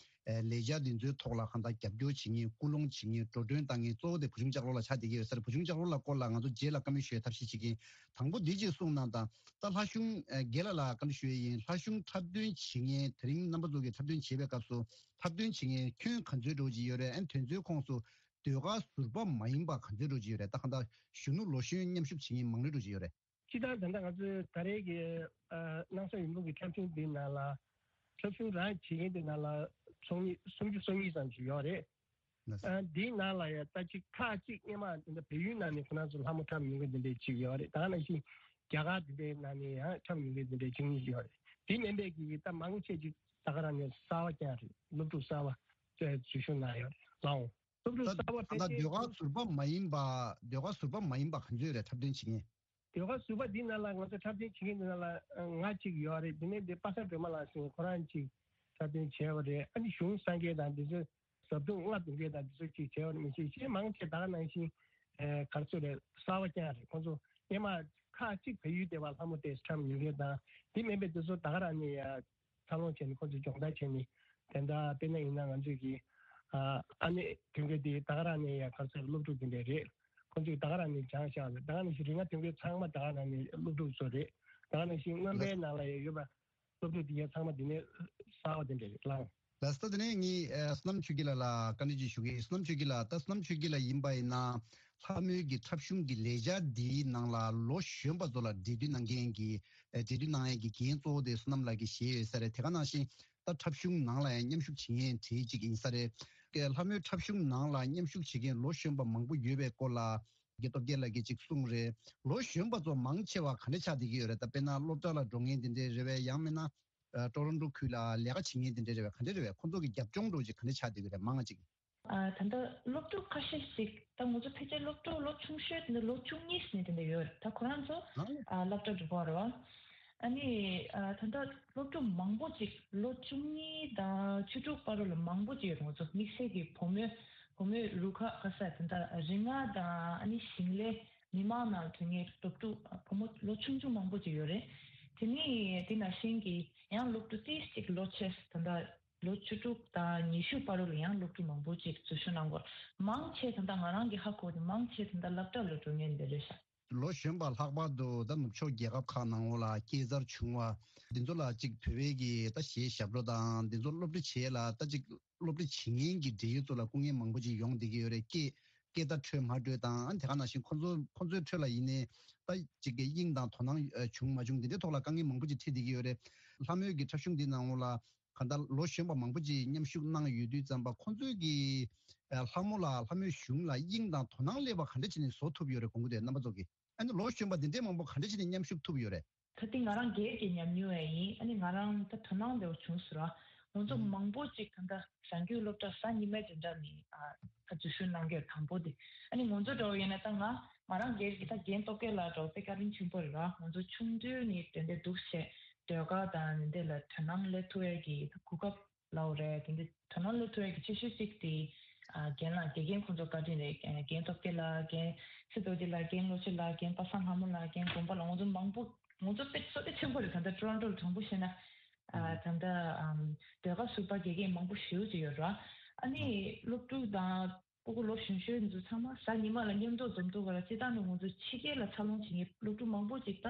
ཨ་ལས་འཆར་འདི་ཚོའི་ཐོག་ལ་གང་ལྟར་རྒྱབ་སྐྱོར་བྱེད་མཁན་སྐུལ་སློང་བྱེད་མཁན་འགྲོ་གྲོན་བཏང་མཁན་གཙོ་བོ་དེ་བུ་ཆུང་ལྕགས་ལོ་ལགས་ཆགས་བསྡད་ཀྱི་ཡོད་ས་རེད། བུ་ཆུང་ལྕགས་ལོ་ལགས་སྐོར་ལ་ང་ཚོ་རྗེས་ལ་བཀའ་མོལ་ཞུ་ཡས་ཐབས་ཤེས་བྱེད་ཀྱི་ཡིན། དང་པོ་འདི་གཅིག་གསུངས་གནང་དང་། ད་ལྷ་གཞུང་ཨ་རྒན་ལགས་ལ་བཀའ་འདྲི་ཞུ་ཡས་ཡིན། ལྷ་གཞུང་འཁྲབ་སྟོན་བྱེད་མཁན་དེ་རིང་རྣམ་པ་ཚོ་གིས་འཁྲབ་སྟོན་བྱེད་པའི་སྐབས་སུ་འཁྲབ་སྟོན་བྱེད་མཁན་ཁྱོན་ག་ཚོད་འགྲོ་གི་ཡོད་རེད། ཨ་ནི་དེ་ཚོའི་ཁོངས་སུ་ཟློས་གར་ཟུར་པ་མ་ཡིན་པ་ག་ཚོད་འགྲོ་གི་ཡོད་རེད། ད་གང་ལྟར་གཞོན་ནུ་ལོ་གཞོན་མཉམ་ཞུགས་བྱེད་མཁན་མང་རེ་འགྲོ་གི་ཡོད་རེད། སྤྱིར་བཏང་ད་ལྟ་ང་ཚོའི་ད་རེས་ཀྱི་ཨ་སྣང་ས་འོད་འབུམ་གྱི་འཁྲབ་གཞུང་འདི་ནང་ལ་འཁྲབ་གཞུང་རང་བྱེད་མཁན་འདི་ནང་ལ་ཚོགས་མི་སུམ་ཅུ་སོ་གཉིས་ཙམ་ཞིག་ཡོད་རེད། ལགས་སོ། ཨ་འདིའི་ནང་ལ་ཡང་ད་ཅིག་ཁག་ཅིག་སྔས་མ་འདི་འདྲ་བལ་ཡུལ་ནང་ནས་ཁོ་རང་ཚོ་ལྷ་མོ་འཁྲབ་མྱོང་མཁན་འདི་འདྲའི་ཅིག་ཡོད་རེད། ད་ག་ནང་བཞིན་རྒྱ་གར་འདི་འདྲའི་ནང་ནས་ཡང་འཁྲབ་མྱོང་མཁན་འདི་འདྲའི་ཅིག་གཉིས་ཡོད་རེད། དེ་མིན་པའི་གི་ད་མང་ཆེ་ཅིག་ད་ག་རང་ནས་གསར་པ་རྐྱང་རེད། སློབ་ཕྲུག་གསར་པ་ཚོས་འཛུལ་ཞུགས་གནང་ཡོད་རེད་ལགས། སློབ་ཕྲུག་ད་གསར་པ་ད་ཕལ་ཆེར་ཟློས་གར་ཟུར་པ་མ་ཡིན་པ་ཟློས་གར་ཟུར་པ་མ་ཡིན་པ་ག་ཚོད་རེད་འཁྲབ་སྟོན་བྱེད་མཁན། ཟློས་གར་ཟུར་པ་འདི་ནང་ལ་ང་ཚོ་འཁྲབ་སྟོན་བྱེད་མཁན་འདི་ནང་ལ་ང་གཅིག་ཡོད་རེད། དེ་ནས་འདི་པ་སངས་སྒྲོལ་མ་ལགས་ཟེར་ཁོ་རང་གཅིག་འཁྲབ་སྟོན་བྱས་པ་རེད། ཨ་ནི་གཞུང་སངས་རྒྱས་དང་འདི་ཚོ་ཟབ་དུང་ལྔ་བདུན་བརྒྱད་དང་འདི་ཚོ་གཅིག་བྱས་པ་རེད། མི་ཤེས་གཞན་མང་ཆེ་ད་ག་ནང་བཞིན་ཨེ་ག་རེ་ཟེར་རེད། གསར་པ་རྐྱང་རེད། ཁོང་ཚོ་སྔས་མ་ཁག་གཅིག་བལ་ཡུལ་སྡེ་བ་ལྷ་མོ་དེ་འཁྲབ་མྱོང་མཁན་དང་དེ་མིན་པའི་འདི་ཚོ་ད་ག་རང་ནས་ཡ་འཚར་ལོངས་བྱས་ནས་ཁོང་ཚོས་སྦྱོང་བརྡར་བྱས་ནས་དེ་འདྲ་དཔེར་ན་ཡིན་ན་ང་ཚོས་ཀྱི་ཨ་ཨ་ནེ་དོན་གྱི་དེ་ད་ག་རང་ནས་ཡ་ག་རེ་ཟེར་སློབ་ཕྲུག་དེ་འདྲ་རེད། ཁོང་ཚོས་ད་ག་རང་ནས་སྦྱངས་བཞག་རེད། ད་ག་ནང་བཞིན་རིག་སྔགས་དོན་གྱི་ཚང་མ་ད་ག་རང་ནས་སློབ་ཕྲུག་ཚོ་རེད། ད་ག་ནང་བཞིན་རྔོན་པའི་ནང་ལ་ཡ་ཡོད་པ་སློབ་ཕྲུག་དེ་གའི་ཚང་མ་དེ་ནས་གསར་པ་དེ་འདྲ་རེད་ལགས། ལགས་སོ། དེ་ནས་ངས་ཨ་བསོད་ནམས་ཆོས་སྐྱིད་ལགས་ལ་བཀའ་འདྲི་ཅིག་ཞུ་གི་ཡིན། བསོད་ནམས་ཆོས་སྐྱིད་ལགས། ད་བསོད་ནམས་ཆོས་སྐྱིད་ལགས་ཡིན་པ་ཡིན་ན་ལྷ་མོའི་གི་འཁྲབ་གཞུང་གི་ལས་འཆར་འདིའི་ནང་ལ་ལོ་གཞོན་པ་ཚོ་ལ་འབྲེལ་མཐུད་གནང་མཁན་གྱི་ཨ་འབྲེལ་མཐུད་གནང་ཡས་ཀྱི་འགན་གཙོ་བོ་དེ་བསོད་ནམས་ལགས་ཀྱིས་བཞེས་ཡོད་ས་རེད། དེ་ག་ནང་བཞིན་ད་འཁྲབ་གཞུང་ནང་ལ་ཡང་མཉམ་ཞུགས་བྱེད་མཁན་གྲས་ཅིག་ཡིན་ས་རེད། ལྷ་མོའི་འཁྲབ་གཞུང་ནང་ལ་མཉམ་ཞུགས་བྱེད་མཁན་ལོ་གཞོན་པ་མང་པོ་ཡོད་པའི་སྐོར་ལ་དགེ་སྟོབས་རྒྱལ་ལགས་ཀྱིས་ཅིག་གསུངས་རེད། ལོ་གཞོན་པ་ཚོ་མང་ཆེ་བ་ག་འདྲ་ཆགས་བསྡད་ཀྱི་ཡོད་རེད། ད་དཔེར་ན་སློབ་གྲྭ་ལ་འགྲོ་མཁན་དེ་འདྲས་རེད་པས། ཡང་མིན་ན་ཨ་ཊོ་རོན་ཊོ་ཁུལ་ལ་ལས་ཀ་བྱེད་མཁན་དེ་འདྲས་རེད་པས། ག་འདྲས་རེད་པས། ཁོང་ཚོ་གི་རྒྱབ་ལྗོངས་འདྲ་བོ་ཅིག་ག་འདྲ་ཆགས་བསྡད་ཀྱི་རེད། མང་ང་ཅིག་ཨ། ད་ལྟ་སློབ་ཕྲུག་ཁ་ཤས་ཤིག་ད་ང་ཚོ་ཕལ་ཆེར་སློབ་ཕྲུག་ལོ་ཆུང་ཤོས་དེ་འདྲ་ལོ་བཅུ་གཉིས་ནས་དེ་འདྲ་ཡོད་རེད། ད་ཁོ་རང་ཚོ་ཨ་སློབ་གྲྭ་འགྲོ་གི་རེད་པ། ཨ་ནི་ཨ་ད་ལྟ་སློབ་ཕྲུག་མང་པོ་ཅིག་ལོ་བཅུ་གཉིས་དང་བཅུ་དྲུག་བར་ལ་མང་པོ་ཅིག་ཡོད་རེད། ང་ཚོ་དམིགས་བསལ་གྱི་བུ་མོའི་བུ་མོའི་རུ་ཁག་ག་ས་དེ་འདྲ་རིགས་ལྔ་དང་ཨ་ནི་ཞིང་ལས་མི་མང་ནང་ཐོན་མཁན་སློབ་ཕྲུག་བུ་མོ་ལོ་ཆུང་ཆུང་མང་པོ་ཅིག་ཡོད་རེད། དེ་ནི་དེ་ནང་བཞིན་གྱི་ཡང་སློབ་ཕྲུག་ཏོག་ཙམ་ཅིག་ལོ་ཆེ་ད་ལྟ་ལོ་བཅུ་དྲུག་དང་ཉི་ཤུ་བར་ལ་ཡང་སློབ་ཕྲུག་མང་པོ་ཅིག་འཛུལ་ཞུགས་གནང་གི་ཡོད། མང་ཆེ་ད་ལྟ་ང་རང་གི་ཧ་གོ་དེ་མང་ཆེ་ད་ལྟ་སློབ་གྲྭ་ལ་འགྲོ་མཁན་དེ་རེད་ཤག་ལོ་གཞོན་པ་ལྷག་པར་དུ་ད་ནུབ་ཕྱོགས་རྒྱལ་ཁབ་ཁག་ནང་ལོགས་ལ་སྐྱེས་འཚར་བྱུང་བ་འདི་ཚོ་ལ་ཅིག་བོད་པའི་གི་ད་གཞས་ཞབས་བྲོ་དང་འདི་ཚོ་སློབ་ཁྲིད་བྱེད་ཡས་ལ་ད་ཅིག་སློབ་ཁྲིད་བྱེད་མཁན་གྱི་འབྲེལ་ཡོད་ཚོ་ལ་སྐུ་ངལ་མང་པོ་ཅིག་ཡོང་བསྡད་ཀྱི་ཡོད་རེད། སྐད་སྐད་བརྡ་འཕྲོད་མ་འཕྲོད་དང་། དེ་ག་ནང་བཞིན་ཁོ་ཚོ་ཁོ་ཚོའི་ཁྲོད་ལ་ཡིན་ནའི་ད་ཅིག་གི་དབྱིངས་དང་དོ་སྣང་ཨ་བྱུང་མ་བྱུང་འདི་འདྲའི་ཐོག་ལ་དཀའ་ངལ་མང་པོ་ཅིག་འཕྲད་བསྡད་ཀྱི་ཡོད་རེད། ལྷ་མོའི་གི་འཁྲབ་གཞུང་འདི་ནང་ལོགས་ལ་གང་ལྟར་ལོ་གཞོན་པ་མང་པོ་ཅིག་མཉམ་ཞུགས་གནང་ཡོད་དུས་ཙམ་པ་ཁོང་ཚོས་ཀྱི་ཨ་ལྷ་མོ་ལ་ལྷ་མོའི་གཞུང་ལ་དབྱིངས་དང་དོ་སྣང་སླེབས་པ་ག་འདྲ་བྱས་ནས་བཟོ་ཐུབ་ཡོད་རེད་དགོངས་ཀྱི་འདུག་རྣམ་པ་ཚོ་གིས། ཨ་ནི་ལོ་གཞོན་པ་འདི་འདྲའི་མང་པོ་ག་འདྲ་བྱས་ནས་མཉམ་ཞུགས་ཐུབ་ཡོད་རེད། ད་ལྟ་ང་རང་སྒེར་གྱི་ཉམས་མྱོང་ཡང་ཡིན། ཨ་ནི་ང་རང་ད་དོ་སྣང་འདྲ་བོ་བྱུང་སོང་ར། ང་ཚོ་ཨང་མང་པོ་ཅིག་ད་ལྟ་གཞང་སྐྱོང་སློབ་གྲྭ་གཟའ་ཉི་མའི་འཛིན་གྲྭ་ནས་ཨ་ད་འཛུལ་ཞུགས་གནང་གི་ཡོད། དང་པོ་དེ་ཨ་ནི་ང་ཚོ་འདྲ་བོ་ཡིན་ན་ད་ང་ང་རང་སྒེར་གྱི་ད་རྒན་སྟོབས་རྒྱལ་ལགས་འདྲ་བོ་དཔེ་བཀའ་དྲིན་ཆེན་པོ་རེད་ར། ང་ཚོ་ཆུང་དུས་ནས་དེ་འདྲའི་འདུག་བྱས་ཟློས་གར་དང་འདི་འདྲ་ལ་དོ་སྣང་སླེབས་ཐུབ་ཡས་ཀྱི་ད་གོ་སྐབས་ལའོ་རེད། དེ་འདི་དོ་སྣང་སླེབས་ཐུབ་ཡས་ཀྱི་ཆེ་ཤོས་གཅིག་དེ་ཨ་རྒན་ལགས་དགེ་རྒན་ཁོང་ཚོ་བཀའ་དྲིན་རེད། ཨ་རྒན་སྟོབས་རྒྱལ་ལགས། རྒན་སི་རྡོ་རྗེ་ལགས། རྒན་བློ་ཆོས་ལགས། རྒན་པ་སངས་ལྷ་མོ་ལགས། རྒན་དགོན་པ་ལགས། ང་ཚོ་མང་པོ་ང་ཚོ་དཔེ་བསོད་བདེ་ཆེན་པོ་རེད། ད་ལྟ་ཊོ་རོན་ཊོ་ལ་དྲང་པོ་བཤད་ན་ཨ་ད་ལྟ་ཨམ་ཟློས་གར་ཟུར་པ་དགེ་རྒན་མང་པོ་ཞེ་པོ་ཅིག་ཡོད་རེད། ཨ་ནི་སློབ་ཕྲུག་དང་སྤུ་གུ་ལོ་གཞོན་ཤོས་ཚོ་ཚང་མ་གཟའ་ཉི་མ་ལ་མཉམ་དུ་འཛོམས་ཐུབ་པ་ལ་སྤྱིར་བཏང་ནས་ང་ཚོ་ཕྱི་རྒྱལ་ལ་འཚར་ལོངས་བྱེད་མཁན་སློབ་ཕྲུག་མང་པོ་ཅིག་ད་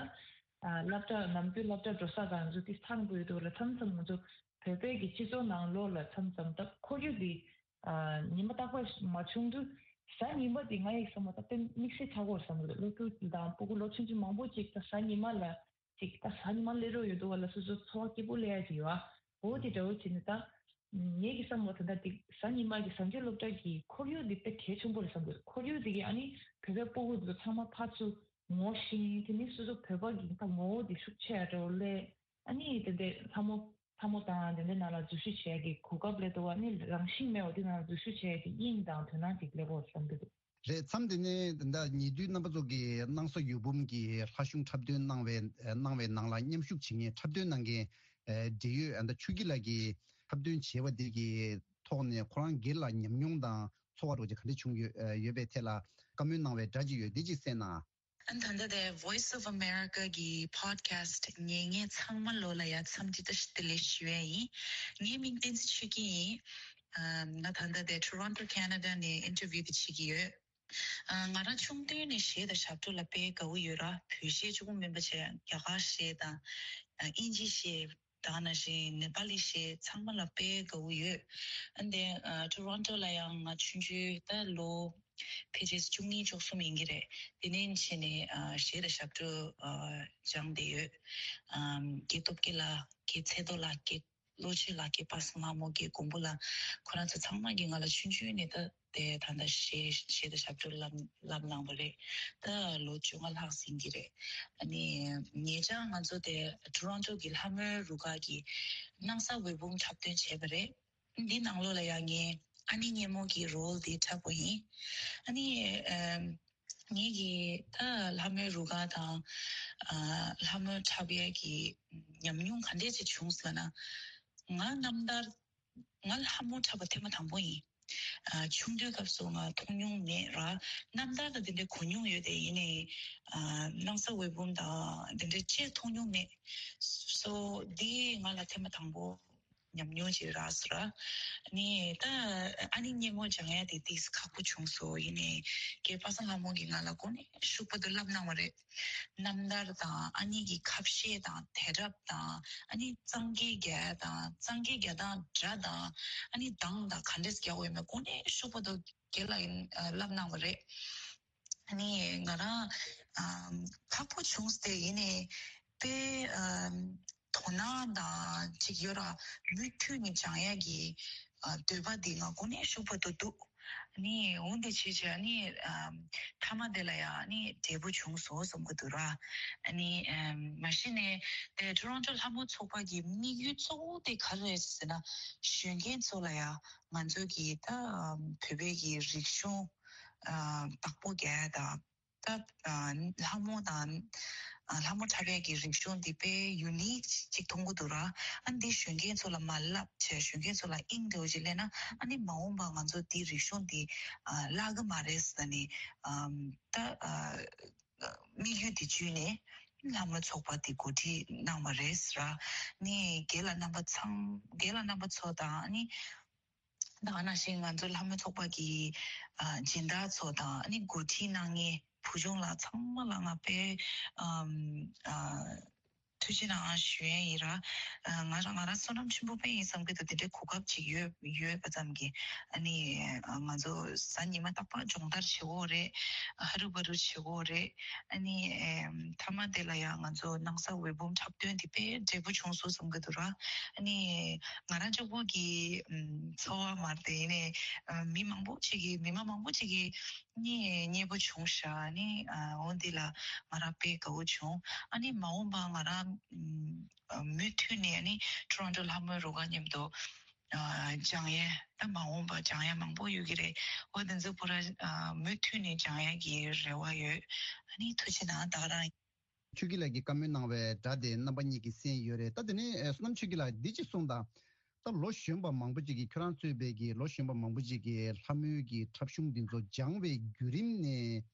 ཨ་སློབ་གྲྭ་ནམ་རྒྱུན་སློབ་གྲྭ་འགྲོ་ས་ག་ང་ཚོ་དེ་ཚང་དགོས་འདུག་ལ། མཚམས་མཚམས་ང་ཚོ་བོད་པའི་གི་སྤྱི་ཚོགས་ནང་ལོགས་ལ་མཚམས་མཚམས་ད་ཁོར་ཡུག་དེ་ཨ་ཉི་མ་རྟག་པར་མ་བྱུང་དུས་གཟའ་ཉི་མ་དེ་ང་ཡི་བསམ་པ་ད་དཔེ་དམིགས་བསལ་ཆགས་ཀྱི་ཡོད་བསམ་གྱི་འདུག་སློབ་ཕྲུག་དང་སྤུ་གུ་ལོ་ཆུང་ཆུང་མང་པོ་ཅིག་ད་གཟའ་ཉི་མ་ལ་ཅིག་ད་གཟའ་ཉི་མ་སླེབས་རོགས་ཡོད་འདུག་བ་ལ་སོ་སོ་འཚོ་བ་སྐྱིད་པོ་སླེབས་ཡ་ཅིག་ཡོད་ཨ། འོ་དེ་འདྲ་བོ་བྱས་ནས་ད་ངེད་ཀྱི་བསམ་བློ་ད་ལྟ་དེ་གཟའ་ཉི་མ་གི་གཟའ་མཇུག་སློབ་གྲྭ་གི་ཁོར་ཡུག་དེ་དཔེ་གལ་ཆེན་པོ་རེད་བསམ་གྱི་འདུག་ཁོར་ཡུག་དེ་གི་ཨ་ནི་བོད་པའི་སྤུ་གུ་ཚོ་ཚང་མ་ཕར་ཚུར་ངོ་ཤེས། དེ་ནི་སོ་སོ་བོད་པ་གི་ད་ངོ་བོ་དེ་ཤུགས་ཆེ་ཡ་འདྲ་བོ་སླེབས། ཨ་ནི་དེ་འདྲའི་ལྷ་མོ་ལྷ་མོ་དང་དེ་འདྲའི་ནང་ལ་འཛུལ་ཞུགས་བྱེད་ཡ་གི་གོ་སྐབས་སླེབས་འདུག་ཨ་ནི་རང་བཞིན་མེད་པ་དེ་ནང་ལ་འཛུལ་ཞུགས་བྱེད་ཡ་གི་དབྱིངས་དང་དོ་སྣང་ཅིག་སླེབས་ཡོད་བསམ་གྱི་འདུག་རེད། མཚམས་འདི་ནས་ད་ཉེ་དུས་རྣམ་པ་ཚོ་གིས་སྣང་ས་འོད་འབུམ་གྱིས་ལྷ་གཞུང་འཁྲབ་སྟོན་གནང་བའི་གནང་བའི་ནང་ལ་མཉམ་ཞུགས་བྱེད་མཁན་འཁྲབ་སྟོན་གནང་མཁན་འབྲེལ་ཡོད་ད་ཆོས་སྐྱིད་ལགས་ཀྱིས་འཁྲབ་སྟོན་བྱས་པ་འདི་གི་ཐོག་ནས་ཁོ་རང་སྒེར་ལ་ཉམས་མྱོང་དང་ཚོར་བ་འདྲ་བོ་ཅིག་ག་འདྲ་བྱུང་ཡོད་ཡོད་པའི་ཐད་ལ་བཀའ་མོལ་གནང་བའི་སྒྲ་ཅིག་ཡོད། འདི་ཅིག་གསན་ན། ཨ་ད་ལྟ་དེ་Voice of America གི་podcast ཉན་མཁན་ཚང་མ་ལོ་ལ་ཡ་འཚམས་འདྲི་བཀྲ་ཤིས་བདེ་ལེགས་ཞུ་ཡ་ཡིན། ངའི་མིང་བསྟན་འཛིན་ཆོས་སྐྱིད་ཡིན། ཨ་ང་ད་ལྟ་དེ་Toronto Canada ནས་interview དེ་བྱེད་ཀྱི་ཡོད། ཨ་ང་རང་ཆུང་དུས་ནས་གཞས་དང་ཞབས་བྲོ་ལ་དཔེ་དགའ་བོ་ཡོད་ར། བོད་གཞས་གཅིག་པོ་མིན་པ་བྱས་རྒྱ་གར་གཞས་དང་ཨ་དབྱིན་ཇི་གཞས་དེ་ག་ནང་བཞིན་ནེ་པ་ལི་གཞས་ཚང་མ་ལ་དཔེ་དགའ་བོ་ཡོད། ཨ་འདི་ཨ་Toronto ལ་ཡང་ང་ཆུང་ཆུང་ད་ལོ་ཕལ་ཆེར་བཅུ་གཉིས་བཅུ་གསུམ་ཡིན་གྱི་རེད། དེ་ནས་བྱས་ནས་ཨ་གཞས་དང་ཞབས་བྲོ་ཨ་སྦྱངས་བསྡད་ཡོད། ཨམ་དགེ་སྟོབས་རྒྱལ་ལགས། དགེ་ཚེ་རྡོར་ལགས། དགེ་བློ་ཆོས་ལགས། དགེ་པ་སངས་ལྷ་མོ། དགེ་མགོན་པོ་ལགས། ཁོ་རང་ཚོ་ཚང་མ་གིས་ང་ལ་ཆུང་ཆུང་ནས་ད་དེ་ད་ལྟ་གཞས་གཞས་དང་ཞབས་བྲོ་བསླབ་བསླབ་གནང་བ་རེད། ད་ལོ་བཅོ་ལྔ་ལྷག་ཟིན་གྱི་རེད། ཨ་ནི་ཉེ་ཆར་ང་ཚོ་དེ་Toronto གི་ལྷ་མོའི་རུ་ཁག་གིས་སྣང་ས་འོད་འབུམ་འཁྲབ་སྟོན་བྱས་པ་རེད། འདི་ནང་ལོགས་ལ་ཡང་ངས་ཨ་ནེ་སྙེ་མོ་གི་role འདི་འཁྲབ་པ་ཡིན། ཨ་ནི་ཨམ་ངེད་ཀྱི་ད་ལྷ་མོའི་རུ་ཁག་དང་ཨ་ལྷ་མོ་འཁྲབ་ཡས་ཀྱི་ཉམས་མྱོང་ག་འདྲས་ཅིག་བྱུང་ཟེར་ན། ང་རྣམ་ཐར་ང་ལྷ་མོ་འཁྲབ་པ་ཐེངས་མ་དང་པོ་ཡིན། ཨ་ཆུང་དུས་སྐབས་སུ་ང་མཐོང་མྱོང་མེད་ར། རྣམ་ཐར་ལ་འདི་འདྲའི་གོ་མྱོང་ཡོད་དེ་ཡིན་ནའི་ཨ་སྣང་ས་འོད་འབུམ་དང་འདི་འདྲའི་ཅིག་མཐོང་མྱོང་མེད། སོ་འདི་ང་ལ་ཐེངས་མ་དང་པོ། ཉམས་མྱོང་ཅིག་རག་སོང་ར། ནི་ད་ཨ་ནི་སྙན་མོ་སྦྱང་ཡ་དེ་ཏིས་ཁག་པོ་བྱུང་སོང་། ཡིན་ནའི་རྒན་པ་སངས་ལྷ་མོ་གིས་ང་ལ་གོ་ནས་ཤུགས་པ་དུ་བསླབ་གནང་བ་རེད། རྣམ་ཐར་དང་ཨ་ནི་གི་ཁ་བཤད་དང་དད་རབ་དང་ཨ་ནི་གཙང་སྐད་རྒྱག་དང་གཙང་སྐད་རྒྱག་སྟངས་སྒྲ་དང་ཨ་ནི་གདངས་དང་ག་འདྲས་རྒྱག་དགོས་ཡོད་མེད་གོ་ནས་ཤུགས་པ་དུ་རྒན་ལགས་ཡིན་བསླབ་གནང་བ་རེད། ཨ་ནི་ང་རང་ཨམ་ཁག་པོ་བྱུང་སྟེ་ཡིན་ནའི་དཔེ་ཨམ་དོ་སྣང་དང་ཅིག་ཡོད་ར། མུ་མཐུད་ནས་སྦྱང་ཡག་གི་ཨ་འདོད་པ་འདི་ང་དངོས་གནས་ཤུགས་པ་དུ་འདུག་ཨ་ནི་འོ་འདི་བྱས་བྱས་ཨ་ནི་ཨམ་མཐའ་མ་དེ་ལ་ཡང་ཨ་ནི་འབྲས་བུ་བྱུང་སོང་བསམ་གི་འདུག་ར། ཨ་ནི་ཨམ་མ་གཞི་ནས་དེ་ཊོ་རོན་ཊོ་ལྷ་མོ་ཚོགས་པ་གི་དམིགས་ཡུལ་གཙོ་བོ་དེ་ག་རེ་རེད་ཟེར་ན། གཞོན་སྐྱེས་ཚོ་ལ་ཡང་ང་ཚོ་གི་ད་ཨམ་བོད་པའི་གི་རིག་གཞུང་ཨ་བདག་པོ་རྒྱག་ཡ་དང་། ད་ཨ་ལྷ་མོ་དང་ཨ་ལྷ་མོ་འཁྲབ་ཡས་ཀྱི་རིག་གཞུང་འདི་དཔེ་ཡུ་ནིག་ཅིག་མཐོང་གི་འདུག་ར། ཨ་འདི་གཞོན་སྐྱེས་ཚོ་ལ་མ་བསླབ་བྱས་གཞོན་སྐྱེས་ཚོ་ལ་དབྱིངས་འདྲ་བོ་ཅིག་སླེབས་ན་ཨ་ནི་མ་འོངས་པ་ང་ཚོ་འདི་རིག་གཞུང་འདི་ཨ་བརླག་གི་མ་རེད་ཟེར་ནས་ཨམ་ད་ཨ་དམིགས་ཡུལ་འདི་བརྒྱུད་ནས་ལྷ་མོ་ཚོགས་པ་འདི་གོ་སྒྲིག་གནང་བ་རེད་ཟེར་ར། ནི་རྒན་ལགས་རྣམ་པ་ཚང་རྒན་ལགས་རྣམ་པ་ཚོ་དང་ཨ་ནི། ད་ག་ནང་བཞིན་ང་ཚོ་ལྷ་མོ་ཚོགས་པ་གི་ཨ་སྦྱིན་བདག་ཚོ་དང་ཨ་ནི་འགོ་ཁྲིད་གནང་མཁན་བུ་ཆུང་ལགས་ཚང་མ་ལ་ང་དཔེ་ཨམ་ཨ་ཐུགས་རྗེ་གནང་ཞུ་ཡས་ཡིན་ར། ཨ་ང་རང་ང་རང་བསོད་ནམས་ཆེན་པོ་དཔེ་ཡིན་བསམ་གི་འདུག་དེ་འདྲའི་གོ་སྐབས་ཅིག་ཡོད་ཡོད་པ་ཙམ་གྱིས་ཨ་ནི་ཨ་ང་ཚོ་གཟའ་ཉི་མ་རྟག་པར་སྦྱོང་བརྡར་བྱེད་དགོས་རེད། ཧ་རུ་བ་རུ་བྱེད་དགོས་རེད། ཨ་ནི་ཨེམ་མཐའ་མ་དེ་ལ་ཡང་ང་ཚོ་སྣང་ས་འོད་འབུམ་འཁྲབ་སྟོན་དེ་དཔེ་འབྲས་བུ་བྱུང་སོང་བསམ་གི་འདུག་ར། ཨ་ནི་ང་རང་གཅིག་པོ་གི་ཨམ་ཚོར་བ་མ་རེད་དེ་ཡིན་ནའི་ཨ་མི་མང་པོ་ཅིག་གིས་མི་མང་མང་པོ་ཅིག་གིས་ནི་མཉེས་པོ་བྱུང་ཤག་ཨ་ནི་ཨ་འོ་འདི་ལ་ང་རང་དཔེ་དགའ་བོ་བྱུང་། ཨ་ནི་མ་འོངས་པ་ང་རང་ཨམ་ཨ་མུ་མཐུད་ནས་ཨ་ནི་ཊོ་རོན་ཊོ་ལྷ་མོའི་རུ་ཁག་མཉམ་དུ་ཨ་སྦྱང་ཡས་ད་མ་འོངས་པ་སྦྱང་ཡས་མང་པོ་ཡོད་ཀྱི་རེད། འོ་དེ་ཚོ་པུ་ར་ཨ་མུ་མཐུད་ནས་སྦྱང་ཡས་ཀྱི་རེ་བ་ཡོད། ཨ་ནི་ཐུགས་རྗེ་གནང་། ད་ག་རང་། ཆོས་སྐྱིད་ལགས་ཀྱིས་བཀའ་མོལ་གནང་བའི་སྒྲ་དེ་རྣམ་པ་གཉིས་ཀྱིས་གསན་ཡོད་རེད། ད་དེ་ནས་ཨ་བསོད་ནམས་ཆོས་སྐྱིད་ལགས་འདི་ཅིག་གསུངས་དང་། ད་ལོ་གཞོན་པ་མང་པོ་ཅིག་གིས་ཁྱོད་རང་གཙོས་པའི་གི་ལོ་གཞོན་པ་མང་པོ་ཅིག་གིས་ལྷ་མོའི་གི་འཁྲབ་གཞུང་འདི་ཚོ་སྦྱང་བའི་བརྒྱུད་རིམ་ནས།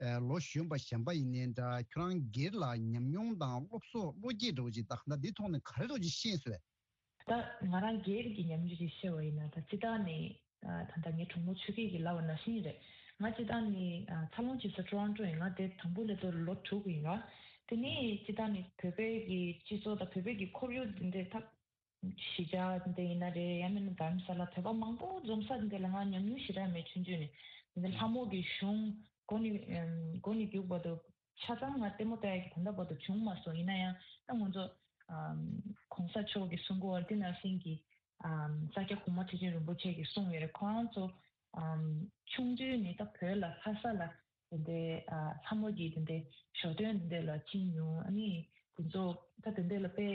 ཨ་ལོ་གཞོན་པ་གཞན་པ་ཡིན་ནའི་འདྲ། ཁྱོད་རང་སྒེར་ལ་ཉམས་མྱོང་དང་སློབ་གསོ་བློ་སྐྱེད་འདྲ་བོ་ཅིག་ད་ད་འདི་ཐོག་ནས་ག་རེ་འདྲ་བོ་ཅིག་ཤེས་སོང་། ད་ང་རང་སྒེར་གྱི་ཉམས་མྱོང་ཅིག་བཤད་པ་ཡིན་ན། ད་སྤྱིར་བཏང་ནས་ཨ་ད་ལྟ་ངའི་གྲོགས་མོ་ཆོས་སྐྱིད་ཀྱིས་ལབ་པ་ནང་བཞིན་རེད། ང་སྤྱིར་བཏང་ནས་ཨ་འཚར་ལོངས་བྱེད་ས་ཊོ་རོན་ཊོ་ཡིན། ང་དེ་དང་པོ་སླེབས་དུས་ལོ་དྲུག་ཡིན་ར། དེ་ནས་སྤྱིར་བཏང་ནས་བོད་པའི་གི་སྤྱི་ཚོགས་དང་བོད་པའི་གི་ཁོར་ཡུག་འདི་འདྲ་ད་གཞིས་ཆགས་འདི་ཡིན་ན་རེད། ཡང་མིན་ན་དྷ་རམ་ས་ལ་བོད་པ་མང་པོ་འཛོམས་ས་འདི་ལ་ང་ཉམས་མྱོང་ཞེ་དྲག་མེད། ཆུང་ཆུང་ནས་འདི་ལྷ་མོ་གི་གཞུང་མགོ་ནས་མགོ་ནས་མཇུག་བར་དུ་ཆ་ཚང་ང་ལྟད་མོ་ལྟ་ཡག་གི་ད་ལྟ་བར་དུ་བྱུང་མ་སོང་། ཡིན་ན་ཡང་ད་ང་ཚོ་གོང་ས་མཆོག་གིས་གསུང་གི་ཡོད་པ་འདི་ནང་བཞིན་གྱི་ས་སྐྱ་གོང་མ་ཁྲི་ཆེན་རིན་པོ་ཆེ་གིས་གསུངས་ཡོད་རེད། ཁོ་རང་ཚོ་ཆུང་དུས་ནས་ད་བོད་ལ་ལྷ་ས་ལ་དེ་འདྲའི་ཨ་ལྷ་མོ་གི་དེ་འདྲའི་ཞོ་སྟོན་དེ་འདྲ་ལ་ཕྱིན་མྱོང་། ཨ་ནི་དེ་ཚོ་ད་དེ་འདྲ་ལ་དཔེ་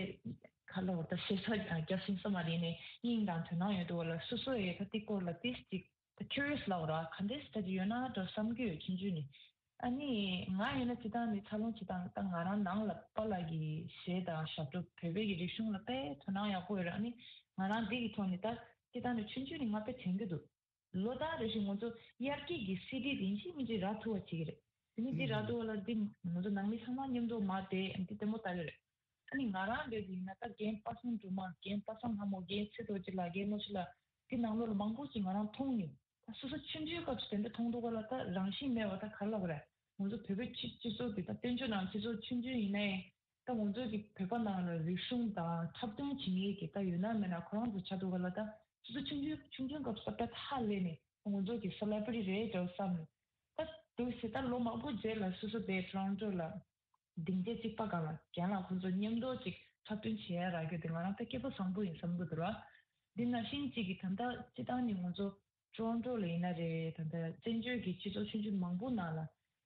ཁ་ལ་བར་ད་ཤེས་ཚད་རྒྱབ་ཟིན་ས་མ་རེད། ནས་དབྱིངས་དང་དོ་སྣང་ཡོད་འདུག་བ་ལ། སོ་སོ་ཡི་ད་དེ་སྐོར་ལ་ཏིས་ཅིག་ད་ཁྱུ་རི་ཡས་ལབ་ར། ག་འདྲས་ད་ཅིག་ཡོད་ན་འགྲོ་བསམ་གྱི་ཡོད། ཆུང་ཆུང་ནས། ཨ་ནི་ང་ཡིན་ན་སྤྱིར་བཏང་ནས་འཚར་ལོངས་བྱེད་སྟངས་ད་ང་རང་ནང་ལ་པཱ་ལགས་ཀྱི་གཞས་དང་ཞབས་བྲོ་བོད་པའི་གི་རིག་གཞུང་ལ་དཔེ་དོ་སྣང་ཡག་པོ་ཡོད་ར། ཨ་ནི་ང་རང་འདི་གི་ཐོག་ནས་ད་སྤྱིར་བཏང་ནས་ཆུང་ཆུང་ནས་ང་དཔེ་དྲན་གྱི་འདུག་ལོ་ལྟར་རེ་བཞིན་ང་ཚོ་དབྱར་སྐྱིད་ཀྱི་སི་ཌི་དེ་ཡིན་གཅིག་མིན་གཅིག་རག་ཐུབ་པ་བྱེད་ཀྱི་རེད། དེ་ནི་འདི་རག་ཐུབ་པ་ལ་འདི་ང་ཚོ་ནང་མི་ཚང་མ་མཉམ་དུ་མར་བསྡད་འདི་ལྟད་མོ་ལྟ་གི་རེད། ཨ་ནི་ང་རང་འདྲ་ཞིག་ཡིན་ན་ད་རྒན་པ་སངས་སྒྲོལ་མ། རྒན་པ་སངས་ལྷ་མོ། རྒན་ཚེ་རྡོ་རྗེ་ལགས། རྒན་བློ་ཆེ་ལགས། འདི་ནང་ལོགས་ལ་མང་པོ་ཞིག་ང་རང་མཐོང་མྱོང་། ད་སོ་སོ་ཆུང་ཆུང་སྐབས་སུ་དེ་འདྲ་མཐོང་འདུག་ག་ལ། ད་རང་བཞིན་མེད་པ་ད་ག་རེ་ལབ་དགོས་རེད། ང་ཚོ་བོད་པའི་སྤྱི་སྤྱི་ཚོགས་འདི་ད་བཙན་བྱོལ་ནང་སྤྱི་ཚོགས་ཆུང་ཆུང་ཡིན་ནའི། ད་ང་ཚོ་གི་བོད་པ་ནང་ལ་རིག་གཞུང་དང་འཁྲབ་སྟོན་བྱེད་མཁན་གྱི་ད་ཡོད་ན་མེད་ན་ཁོ་རང་ཚོ་ཆགས་འདུག་ག་ལ། ད་སོ་སོ་ཆུང་ཆུང་ཆུང་ཆུང་སྐབས་སུ་ད་ཧ་ལས་ནས་ང་ཚོ་གི་སེ་ལེ་བྷི་རི་ཊི་རེད་འདྲ་བསམ་ནས། ད་འདུག་སེ་ད་ལོ་མང་པོ་རྗེས་ལ་སོ་སོ་དེ་ཊོ་རོན་ཊོ་ལ་སྡིངས་ཆ་གཅིག་པ་སྒང་ལ་རྒན་ལགས་ཁོང་ཚོ་མཉམ་དུ་ཅིག་འཁྲབ་སྟོན་བྱེད་ཡ་རག་རྒྱུ་དེ་ང་རང་ད་སྐལ་པ་བཟང་པོ་ཡིན་བསམ་གྱི་འདུག་ར། འདི་ནང་བཞིན་གཅིག་གི་ད་ལྟ་སྤྱིར་བཏང་ནས་ང་ཚོ་ཊོ་རོན་ཊོ་ལ་ཡིན་ན་རེད། ད་ལྟ་བཙན་བྱོལ་གྱི་སྤྱི་ཚོགས་ཆུང་ཆུང་མང་པོ་ནང་ལ་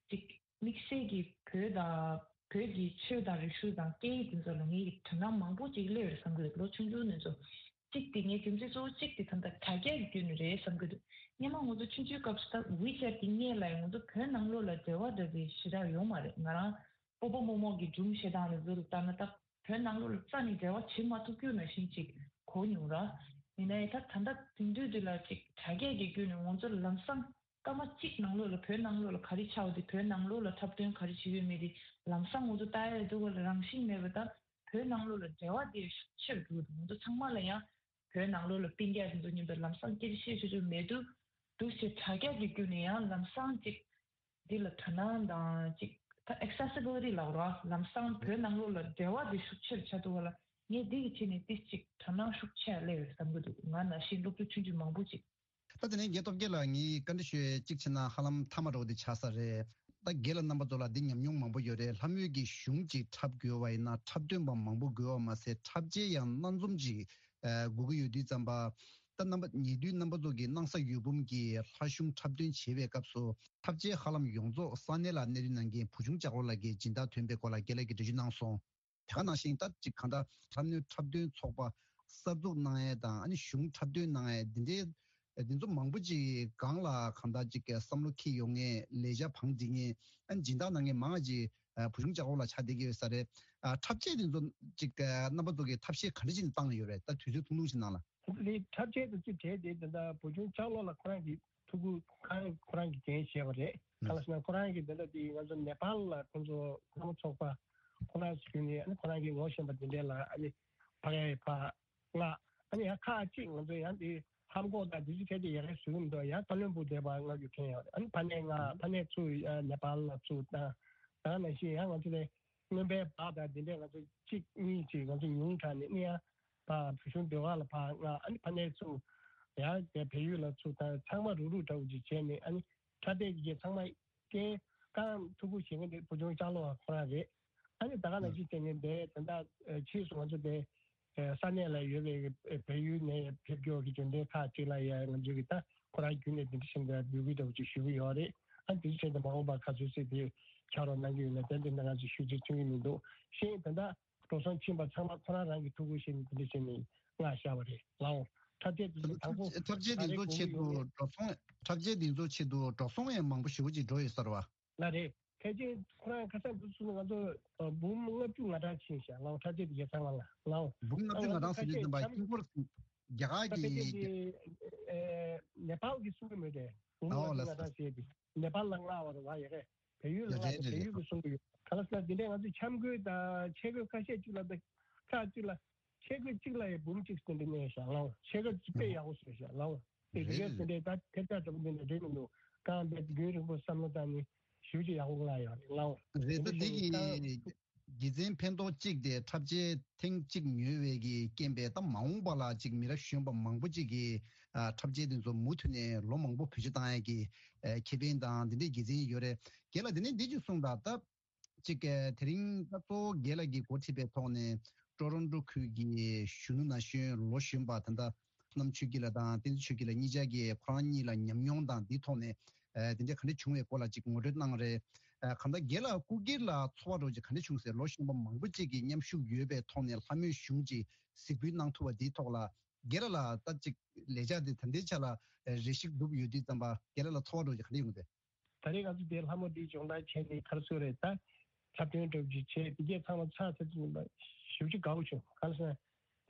ཅིག་དམིགས་བསལ་གྱི་བོད་དང་བོད་ཀྱི་ཆོས་དང་རིག་གཞུང་དང་སྐད་ཡིག་དེ་ཚོ་ལ་ངེད་ཀྱི་དོ་སྣང་མང་པོ་ཅིག་སླེབས་ཡོད་བསམ་གྱི་འདུག་ལོ་ཆུང་ཆུང་ནས་ཚོ་གཅིག་དེ་ངའི་རྒྱུ་མཚན་གཙོ་བོ་གཅིག་དེ་ད་ལྟ་དྲ་རྒྱ་གི་བརྒྱུད་ནས་རེད་བསམ་གྱི་འདུག་སྔོན་མ་ང་ཚོ་ཆུང་ཆུང་སྐབས་སུ་ད་ཝི་ཆེ་ཊི་གི་སྔོན་ལ་ཡང་ང་ཚོ་བོད་ནང་ལོགས་ལ་འབྲེལ་བ་འདྲ་པོ་ཞེ་དྲག་ཡོད་མ་རེད། ང་རང་སྤོ་བོ་རྨོ་མོ་གི་སྒྲུང་བཤད་སྟངས་ལ་གཟུགས་ལ་ལྟ་ན་ད་བོད་ནང་ལོགས་ལ་རྩ་ནས་འབྲེལ་བ་བྱེད་མ་ཐུབ་རྒྱུ་ནང་བཞིན་ཅིག་གོ་མྱོང་ར། ཡིན་ནའི་ད་ད་ལྟ་དེང་དུས་འདི་ལ་ཅིག་དྲ་རྒྱ་གི་བརྒྱུད་ནས་ང་ཚོ་ལམ་སང་སྐར་མ་གཅིག་ནང་ལོགས་ལ་བོད་ནང་ལོགས་ལ་ག་རེ་ཆགས་ཡོད་དེ་བོད་ནང་ལོགས་ལ་འཁྲབ་སྟོན་ག་རེ་བྱེད་ཀྱི་ཡོད་མེད་དེ་ལམ་སང་ང་ཚོ་ལྟ་ཡ་འདུག་ག་ལ། རང་བཞིན་མེད་པ་ད་བོད་ནང་ལོགས་ལ་འབྲེལ་བ་དེ་ཤུགས་ཆེར་འགྲོ་གི་འདུག་ང་ཚོ་ཚང་མ་ལ་ཡང་ བོད་ནང་ལོགས་ལ་སྤུན་ཀྱག་དེ་ཚོ་མཉམ་དུ་ལམ་སང་སྐད་ཆ་བཤད་ཆོག་ཆོག་མེད་དུས། འདུག་སེ་དྲ་རྒྱ་གི་བརྒྱུད་ནས་ཡང་ལམ་སང་ཅིག་འདི་ལ་དོ་སྣང་དང་ཅིག་ད་ཨེག་སེ་སི་བི་ལི་ཊི་ལབ་རོགས། ལམ་སང་བོད་ནང་ལོགས་ལ་འབྲེལ་བ་འདི་ཤུགས་ཆེར་ཆགས་འདུག་བ་ལ། ངས་འདི་གི་ཆེད་ནས་ཏིས་ཅིག་དོ་སྣང་ཤུགས་ཆེ་སླེབས་ཡོད་བསམ་གྱི་འདུག་ང་ནང་བཞིན་སློབ་ཕྲུག་ཆུང་ཆུང་མང་པོ་ཅིག་ད་དེ་ནས་རྒན་སྟོབས་རྒྱལ་ལགས། ངས་བཀའ་འདྲི་ཞུ་ཡས་གཅིག་བྱས་ན་ཧ་ལམ་མཐའ་མ་འདྲ་བོ་དེ་ཆགས་ས་རེད། ད་རྒན་ལགས་རྣམ་པ་ཚོ་ལ་འདི་ཉམས་མྱོང་མང་པོ་ཡོད་རེད། ལྷ་མོའི་གི་གཞུང་ཅིག་འཁྲབ་དགོས་པ་ཡིན་ན་འཁྲབ་སྟོན་པ་མང་པོ་དགོས་པ་མ་ཟད་འཁྲབ་ཆས་ཡང་སྣ་འཛོམས་ཅིག་ཨ་དགོས་ཀྱི་ཡོད་དུས་ཙམ་པ། ད་རྣམ་པ་ཉེ་དུས་རྣམ་པ་ཚོ་གི་སྣང་ས་འོད་འབུམ་གྱི་ལྷ་གཞུང་འཁྲབ་སྟོན་བྱེད་པའི་སྐབས་སུ་འཁྲབ་ཆས་ཧ་ལམ་ཡོངས་རྫོགས་ས་གནས་ལ་གནས་སྡོད་གནང་མཁན་བུ་ཆུང་ལྕགས་ལོ་ལགས་ཀྱི་སྦྱིན་བདག་ཐོན་པའི་སྐོར་ལ་རྒན་ལགས་ཀྱིས་འགྲེལ་བརྗོད་གནང་སོང་། དེ་ག་ནང་བཞིན་ད་ཅིག་གང་ལྟར་ལྷ་མོའི་འཁྲབ་སྟོན་ཚོགས་པ་གསར་འཛུགས་གནང་ཡས་དང་། ཨ་ནི་གཞུང་འཁྲབ་སྟོན་གནང་ཡས་འདི་འདྲའི་འདི་ཚོ་མང་པོ་ཅིག་སྒང་ལ་གང་ལྟར་ཅིག་བསམ་བློ་འཁྱེར་ཡོང་མཁན། ལས་འཆར་བང་སྒྲིག་མཁན། ཨ་ནི་སྦྱིན་བདག་གནང་མཁན་མང་ང་ཅིག་ཨ་བུ་ཆུང་ལྕགས་ལོ་ལགས་ཆགས་བསྡད་ཀྱི་ཡོད་ས་རེད། ཨ་འཁྲབ་ཆས་འདི་ཚོ་ཅིག་ཨ་རྣམ་པ་ཚོ་གིས་ཐབས་ཤེས་ག་འདྲ་ཅིག་བཏང་ཡོད་རེད། ད་དུས་ཚོད་ཐུང་ཐུང་ཞིག་ནང་ལ། འདི་འཁྲབ་ཆས་དང་གཅིག་བྲལ་ཏེ་འདི་འདྲ་བུ་ཆུང་ལྕགས་ལོ་ལགས་ཁོ་རང་གི་ཐུགས་ཁུར་ཁང་ཁོ་རང་གིས་འགན་བཞེས་པ་རེད། གང་ལ་ཟེར་ན་ཁོ་རང་གིས་འདི་འདྲ་དེ་ང་ཚོ་ནེ་པཱལ་ལ་ཁོང་ཚོ་ལྷ་མོ་ཚོགས་པ་ཁོ་རང་ཞུས་ནས། ཨ་ནི་ཁོ་རང་གིས་ངོ་ཤེས་པ་འདི་འདྲ་ལ་ཨ་ནི་ཕ་གི་ཕ་ང་ཨ་ནི་ཡང་ཁག་ཅིག་ང་ཚོ་ཡང་དེ་ཧམ་གོག་དང་དེ་ཚོ་ཁྱད་དེ་ཡག་གི་བཟོ་གི་མི་འདུག་ཡང་ཀ་བློན་སྦུག་བསྡད་པ་ང་རྒྱུ་མཁན་ཡོད་རེད། ཨ་ནི་ཕ་ནས་ང་ཕ་ནས་ཚུར་ནེ་པཱལ་ལ་ཚུར་བཏང་། ད་ནང་བཞིན་ཡང་ང་ཚོ་ལས་རྔོན་པའི་བག་དང་དེ་འདྲས་ང་ཚོ་གཅིག་གཉིས་ཅིག་ང་ཚོ་ཉུང་དྲགས་ནས་ཨ་ནི་ཡང་ཕ་བུ་ཆུང་ཟློས་གར་ལ་ཕ་ང་ཨ་ནི་ཕ་ནས་ཚུར་ཡང་དེ་བལ་ཡུལ་ལ་ཚུར་བཏང་། ཚང་མ་རུག་རུག་འདྲ་བོ་ཅིག་བྱས་ནས། ཨ་ནི་ཁྲ་ཏེ་གི་ཚང་མ་རྐྱེན་རྐང་ཐུག་པོ་བྱེད་མཁན་དེ་བུ་ཆུང་ལྕགས་ལོ་ཁོ་རང་རེད། ཨ་ནི་ད་ག་ནང་བཞིན་བྱས་ནས་དེ་ད་ལྟ་ཕྱིས་སུ་ང་ཚོ་དེ་ས་གནས་ལ་ཡོད་པའི་བལ་ཡུལ་ནས་ཕེབས་སྐྱོར་གྱི་འབྱོར་ལྡན་ཁག་ཅིག་ལ་ཡང་ང་ཚོས་ཀྱི་ད་ཁོ་རང་བརྒྱུད་ནས་འདི་འདྲ་བཞིན་དུ་འབོད་སྐུལ་འདྲ་བོ་ཅིག་ཞུ་གི་ཡོད་རེད། ཨ་འདི་བྱས་ཏེ་མ་འོངས་པར་ག་ཚོད་ཅིག་དེ་ཕྱག་རོགས་གནང་གི་ཡོད་ན་དེ་འདི་འདྲ་ང་ཚོས་ཞུ་རྒྱུ་མཐུན་གྱི་མི་འདུག་ཤེས་ད་ལྟ་འགྲོ་སོང་ཕྱིན་པ་ཚང་མ་ཁོ་རང་རང་གི་ཐུགས་ཁུར་བཞེས་ནས་འདི་འདྲ་བྱས་ནས་མངགས་བཞག་པ་རེད་ལགས། འཁྲབ་ཆས་འདི་ཚོ་དང་པོ་འཁྲབ་ཆས་འདི་ད་རེས་ཚོ་དགོངས་ཆེད་ཀྱི་དུ་ཡོད་རེད། འགྲོ་སོང་། འཁྲབ་ཆས་འདི་ཚོ་ཆེད་དུ་འགྲོ་སོང་ཡང་མང་པོ་ཞེ་པོ་ཅིག་འགྲོ་ཡོད་ས་རེད་བ། ལགས་རེད། ཕལ་ཆེར་ཁོ་རང་ཁ་སང་འདི་ཚོ་ང་ཚོ་ཨ་འབུམ་ལྔ་བཅུ་ང་གྲངས་ཕྱིན་ཤག་ལགས། འཁྲབ་ཆས་དེ་གའི་ཚང་མ་ལ་ལགས། འབུམ་ལྔ་བཅུ་ང་གྲངས་ཟེར་དུས་ཙམ་པ་ཧིན་སྒོར་རྒྱ་གར་ད་ཕལ་ཆེར་གྱི་དེ་ཨེ་ནེ་པཱལ་གྱི་གསུང་གི་མོད་དེ། འབུམ་ལྔ་བཅུ་ང་གྲངས་ཟེར་དེ་ནེ་པཱལ་ལ་མངགས་པ་རེད་བ། ཡ་རེད། བལ་ཡུལ་ལ་མངགས་པ། བལ་ཡུལ་གྱི་གསུང་གི་ཡོད། ག་ལ་ཟེར་ན་འདི་འདྲའི་ང་ཚོས་འཆམ་གོས་དང་ཆས་གོས་ཁ་ཤས་གཅིག་ལ་དང་ཁག་གཅིག་ལ། ཆས་གོས་གཅིག་ལ་ཡང་འབུམ་གཅིག་ཙམ་དུ་གནས་ཤག་ལགས། ཆས་གོས་གཅིག་དཔེ་ཡག་པོ་བཟོས་ཤག་ལགས། དེ་རེད། དེ་གའི་དེ་འདྲའི་ད་ཐེབས་རྩ་འདྲ་པོ་འདི་འདྲ་རེད་མི་འདུག་གང་འདྲ་རྒྱུན་རིང་པོ་བསམ་བློ་བཏང་ནས་ཞེ་པོ་ཅིག་ཡག་པོ་མངགས་ཡོད་རེད་ལགས། རེད། ད་འདི་གི་དགེ་མཚན་ཕན་ཐོགས་གཅིག་དེ་འཁྲབ་ཆས་ཐེངས་གཅིག་ཉོས་པའི་གི་རྐྱེན་པས་ད་མ་འོངས་པ་ལ་ཅིག་མི་རབས་གཞོན་པ་མང་པོ་ཅིག་གིས་ཨ་འཁྲབ་ཆས་དེ་ཚོ་མུ་མཐུད་ནས་ལོ་མང་པོ་བེད་སྤྱོད་བཏང་ཡ་གི་ཨ་ཁེ་ཕན་དང་དེ་འདྲའི་དགེ་མཚན་ཡོད་རེད། རྒན་ལགས་དེ་ནས་འདི་ཅིག་གསུངས་དང་། ད་ཅིག་ཨ་དེ་རིང་ད་གཙོ་བོ་རྒན་ལགས་ཀྱིས་འགོ་ཁྲིད་པའི་ཐོག་ནས་ཀྲོ་རོན་ཀྲོ་ཁུལ་གྱི་གཞོན་ནུ་ན་གཞོན་ལོ་གཞོན་པ་ད་ལྟ་བསོད་ནམས་ཆོས་སྐྱིད་ལགས་དང་བསྟན་འཛིན་ཆོས་སྐྱིད་ལགས་གཉིས་ཆ་གིས་ཁོ་རང་གཉིས་ལ་ཉམས་མྱོང་དང་འདིའི་ཐོག་ནས་ཨ་དེ་འདྲ་ག་འདྲ་བྱུང་བའི་སྐོར་ལ་ཅིག་ངོ་སྤྲོད་གནང་རེད། ཨ་གང་ལྟར་རྒན་ལགས་སྐུ་སྒེར་ལ་ཚོར་བ་འདྲ་བོ་ཅིག་ག་འདྲ་བྱུང་ཟེར། ལོ་གཞོན་པ་མང་པོ་ཅིག་གིས་མཉམ་ཞུགས་ཡོད་པའི་ཐོག་ནས་ལྷ་མོའི་གཞུང་ཅིག་གཟིགས་འབུལ་གནང་ཐུབ་པ་འདིའི་ཐོག་ལ་རྒན་ལགས་ལ་ད་ཅིག་ལས་འཆར་འདི་ད་ལྟའི་ཆ་ལ་རེ་ཞིག་འདུག་ཡོད་དུས་ཙམ་པ་རྒན་ལགས་ལ་ཚོར་བ་འདྲ་བོ་ཅིག་ག་འདྲ་ཡོང་གི་འདུག་ད་རེས་ང་ཚོ་དེ་ལྷ་མོ་འདི་སྦྱོང་བརྡར་བྱས་ནས་ག་རེ་ཟེར་རེད། ད་འཁྲབ་སྟོན་འདྲ་བོ་ཅིག་བྱས། དེ་གས་ཚང་མ་ཚར་ཚར་ཙམ་ཞེ་པོ་ཅིག་དགའ་པོ་བྱུང་། ག་རེ་ཟེར་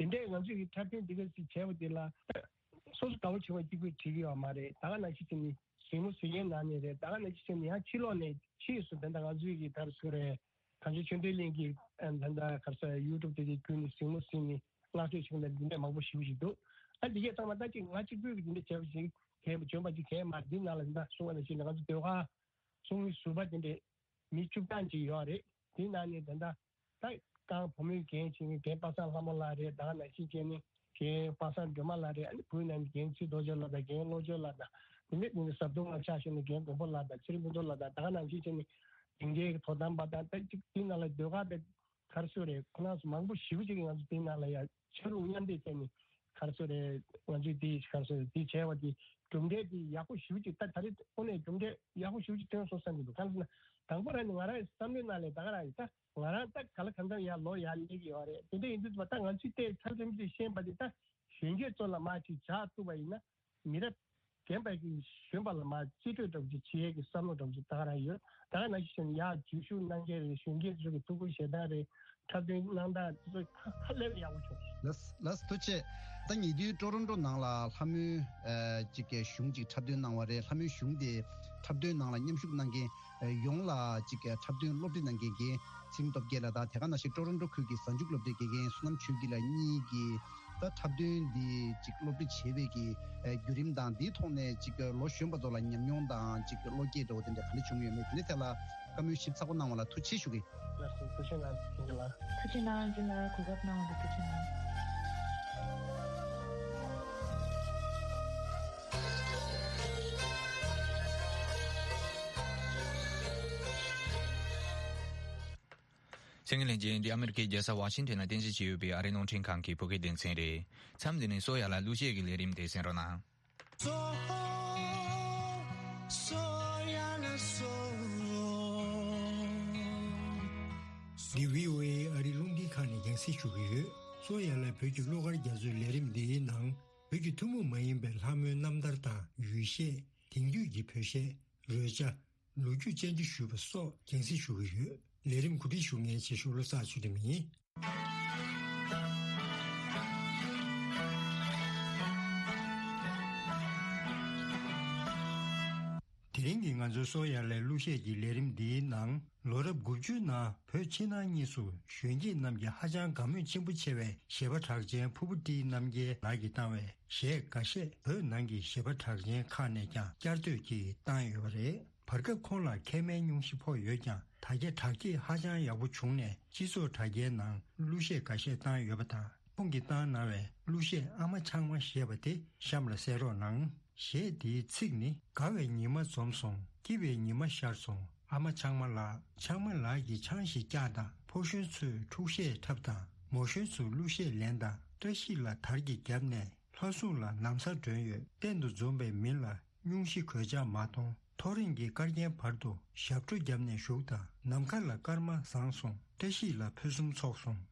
ན་དེ་འདྲས་ང་ཚོས་ཀྱི་འཁྲབ་སྟོན་འདི་གས་ཅིག་བྱས་པ་འདི་ལ་སོ་སོ་དགའ་པོ་བྱུང་བ་གཅིག་པུས་འགྲིག་གི་ཡོད་མ་རེད། ད་ག་ནང་བཞིན་བྱས་ནས་གཟིགས་མོ་གཟིགས་མཁན་ནང་ནས་རེད། ད་ག་ནང་བཞིན་བྱས་ནས་ཡང་ཕྱི་ལོགས་ནས་ཕྱིས་སུ་ད་ལྟ་ང་ཚོས་ཀྱི་ག་རེ་ཟེར་རེད། གངས་ཅན་ཆོས་ལྡན་གླིང་གི་ཨ་ད་ལྟ་ག་རེ་ཟེར་ཡུ་ཊུབ་དེ་གའི་བརྒྱུད་ནས་གཟིགས་མོ་གཟིགས་ནས་བསྔགས་བརྗོད་བྱེད་མཁན་འདི་འདྲས་མང་པོ་ཞེ་པོ་ཅིག་འདུག་ཨ་འདི་གས་ཚང་མ་ད་ཅིག་ང་གཅིག་པུས་ཀྱི་འདི་འདྲས་བྱས་པ་ཞིག་གས་འཇོན་པ་ཅིག་གས་མ་རེད། འདི་ནང་ལ་ད་གསུང་བ་ནང་བཞིན་ང་ཚོ་ཟློས་གར་གསུང་གི་ཟུར་པ་འདི་འདྲས་མི་བཅུ་གྲངས་ཅིག་ཡོད་རེད། དེ་ནང་ནས་ད་ལྟ་ད་རྐང་བུ་མོའི་འགན་བྱེད་མཁན་རྒན་པ་སངས་ལྷ་མོ་ལགས་རེད། ད་ག་ནང་བཞིན་བྱས་ནས་རྒན་པ་སངས་སྒྲོལ་མ་ལགས་རེད། ཨ་ནི་བུའི་ནང་ནས་རྒན་ཚེ་རྡོ་རྗེ་ལགས་དང་རྒན་བློ་ཆོས་ལགས་དང་། དེ་ནས་དེ་ནས་ཟབ་དོང་ལ་ཕྱག་ཞུ་ནས་རྒན་མགོན་པོ་ལགས་དང་ཚེ་རིང་ཕུན་ཚོགས་ལགས་དང་། ད་ག་ནང་བཞིན་བྱས་ནས་དེང་གའི་དོ་དམ་པ་དང་། ད་ཅིག་དེ་ནང་ལ་ཟློས་གར་དང་ག་རེ་ཟེར་རེད། ཁོ་རང་ཚོ་མང་པོ་ཞེ་པོ་ཅིག་གིས་ང་ཚོ་དེ་ནང་ལ་ཡ་ཆ་ལུགས་མཉམ་འདེགས་བྱས་ནས་ག་རེ་ཟེར་རེད། ང་ཚོས་དེ་ག་རེ་ཟེར་རེད། དེ་བྱས་པ་དེ་གྲུབ་འབྲས་དེ་ཡག་པོ་ཞེ་པོ་ཅིག་ད་ད་རེས་དངོས་གནས་གྲུབ་འབྲས་ཡག་པོ་ཞེ་པོ་ཅིག་ཐོན་སོང་བསམ་གྱི་འདུག་གང་ཟེར་ན་དང་པོ་རང་ནས་ང་རང་བསམ་བློའི་ནང་ལ་ད་ག་རང་ཡིན། ད་ང་རང་ད་ག་ལ་གང་འཚམ་ཡར་ལོ་ཡར་སླེབས་ཀྱི་ཡོད་རེད། དེ་འདྲ་ཡིན་དུས་ད་ང་ཚོས་དེ་མཚམས་མཚམས་ཅིག་ཤེས་པ་དེ་ད་གཞོན་སྐྱེས་ཚོ་ལ་མར་ཅིག་བྱ་ཐུབ་པ་ཡིན་ན་མི་རབས་རྒན་པ་གི་གཞོན་པ་ལ་མར་རྩིས་སྤྲོད་འདྲ་པོ་ཅིག་བྱེད་ཡས་ཀྱི་བསམ་བློ་འདྲ་པོ་ཅིག་ད་ག་རང་ཡོད། ད་ག་ནང་བཞིན་ཡར་འཛུལ་ཞུགས་གནང་མཁན་རེད། གཞོན་སྐྱེས་ཚོ་གི་ཐུགས་ཁུར་བཞེས་སྟངས་རེད། འཁྲབ་སྟོན་གནང་སྟངས་དེ་ཚོ་ཧ་ཧ་ལས་པ་ཡག་པོ་བྱུང་། ལགས་ལགས་ཐུགས་རྗེ་ཆེ། ད་ཉེ་དུས་ཀྲོ་རོན་ཀྲོ་ནང་ལ་ལྷ་མོའི་ཨ་ཅིག་གི་གཞུང་ཅིག་འཁྲབ་སྟོན་གནང་བ་རེད། ལྷ་མོའི་གཞུང་དེ་འཁྲབ་སྟོན་ནང་ལ་མཉམ་ཞུགས་གནང་མཁན་ཨ་ཡོངས་ལ་ཅིག་གི་འཁྲབ་སྟོན་སློབ་ཁྲིད་གནང་མཁན་རྒན་ཚེ་རིང་སྟོབས་རྒྱལ་ལགས་དང་། དེ་ག་ནང་བཞིན་ཀྲོ་རོན་ཀྲོ་ཁུལ་གྱི་གཟའ་མཇུག་སློབ་གྲྭའི་དགེ་རྒན་བསོད་ནམས་ཆོས་སྐྱིད་ལགས་གཉིས་ཀྱིས་ ད་འཁྲབ་སྟོན་འདི་ཅིག་སློབ་ཁྲིད་བྱེད་པའི་གི་ཨ་བརྒྱུད་རིམ་དང་འདིའི་ཐོག་ནས་ཅིག་ལོ་གཞོན་པ་ཚོ་ལ་ཉམས་མྱོང་དང་ཅིག་བློ་སྐྱེད་འདྲ་བོ་དེ་འདྲ་ག་འདྲ་བྱུང་ཡོད་མེད་དེ་འདྲའི་ཐད་ལ་བཀའ་མོལ་ཞིབ་ཚགས་པོ་གནང་བ་ལ་ཐུགས་རྗེ་ཆེ་ཞུ་གི། ལགས་སོ། ཐུགས་རྗེ་གནང་། ཐུགས་རྗེ་གནང་། ཐུགས་རྗེ་གནང་། གོ་སྐབས་གནང་བ་ལ་ཐུགས་རྗེ་གནང་། གསན་མཁན་ལྷན་རྒྱས། འདི་ཨ་མི་རི་ཀའི་རྒྱལ་ས་ཝ་ཤིང་ཊོན་ལ་རྟེན་གཞི་བྱས་ཡོད་པའི་ཨ་རིའི་རླུང་འཕྲིན་ཁང་གི་བོད་སྐད་སྡེ་ཚན་རེད། མཚམས་འདི་ནས་སོ་ཡ་ལ་གླུ་གཞས་ཀྱི་ལས་རིམ་དེ་གསན་རོགས་གནང་། སོ། སོ་ཡ་ལ་སོ། འདི་བྷི་ཨོ་ཨེ་ཨ་རིའི་རླུང་འཕྲིན་ཁང་ནས་རྒྱང་སྲིང་ཞུ་གི་ཡོད། སོ་ཡ་ལ་བོད་ཀྱི་གླུ་གར་རྒྱ་མཚོའི་ལས་རིམ་འདིའི་ནང་བོད་ཀྱི་ཐུན་མོང་མ་ཡིན་པའི་ལྷ་མོའི་རྣམ་ཐར་དང་ཡུལ་གཞས། དེང་དུས་ཀྱི་བོད་གཞས། རོལ་ཆ། ལོ་རྒྱུས་བཅར་འདྲི་ཞུས་པ་སོགས་རྒྱང་སྲིང་ཞུ་གི་ཡོད། ལས་རིམ་གོ་སྒྲིག་ཞུ་མཁན་ཆེ་ཤོས་བློ་བཟང་ཚུལ་ཁྲིམས་ཡིན། དེ་རིང་གི་ང་ཚོའི་སོ་ཡ་ལའི་གླུ་གཞས་ཀྱི་ལས་རིམ་འདིའི་ནང་ལོ་རབས་དགུ་བཅུའི་ནང་བོད་ཕྱི་ནང་གཉིས་སུ་གཞོན་སྐྱེས་རྣམས་ཀྱིས་ཧ་ཅང་དགའ་མོས་ཆེན་པོ་ཆེ་བའི་གཞས་པ་གྲགས་ཅན་ཕུར་བུ་བཀྲིས་རྣམ་རྒྱལ་ལགས་ཀྱིས་བཏང་བའི་གཞས་འགའ་ཤས་བོད་ནང་གི་གཞས་པ་གྲགས་ཅན་ཁག་ནས་ཀྱང་བསྐྱར་ཟློས་ཀྱིས་བཏང་ཡོད་པ་རེད། བར་སྐབས་ཁོང་ལ་མཁལ་མའི་སྙུང་གཞི་ཕོག་ཡོད་ཀྱང་། ད་ཆ་དྲག་སྐྱེད་ཧ་ཅང་ཡག་པོ་བྱུང་ནས་སྤྱི་ཚོགས་དྲ་རྒྱའི་ནང་གླུ་གཞས་འགའ་ཤས་བཏང་ཡོད་པ་དང་། ཁོང་གིས་བཏང་གནང་བའི་གླུ་གཞས་ཨ་མ་ཆང་མ་ཞེས་པ་དེ་གཤམ་ལ་གསན་རོགས་གནང་། གཞས་འདིའི་ཚིག་ནི། དགའ་བའི་ཉི་མ་འཛོམས་སོང་། སྐྱིད་པའི་ཉི་མ་ཤར་སོང་། ཨ་མ་ཆང་མ་ལགས། ཆང་མ་ལགས་ཀྱིས་ཆང་ཞིག་བཀྱག་དང་། ཕོ་གཞོན་ཚོས་འཁྲུག་གཞས་འཁྲབ་དང་། མོ་གཞོན་ཚོས་གླུ་གཞས་ལེན་དང་། བཀྲ་ཤིས་ལ་དར་གྱི་རྒྱབ་ནས། ལྷ་སྲུང་ལ་ན་བཟའ་སྒྲོན་ཡོད། གཏན་དུ་འཛོམས་པའི་མི་ལ་སྙུང་གཞི་གོད་ཆག་མ་གཏོང་། ཐོ་རེངས་ཀྱི་སྐར་རྒྱན་བར་དུ་ཞབས་བྲོ་བརྒྱབ་ནས་བཞུགས་དང་། ནམ་མཁའ་ལ་སྐར་མ་བཟང་སོང་། བཀྲ་ཤིས་ལ་ཕུན་སུམ་ཚོགས་སོང་།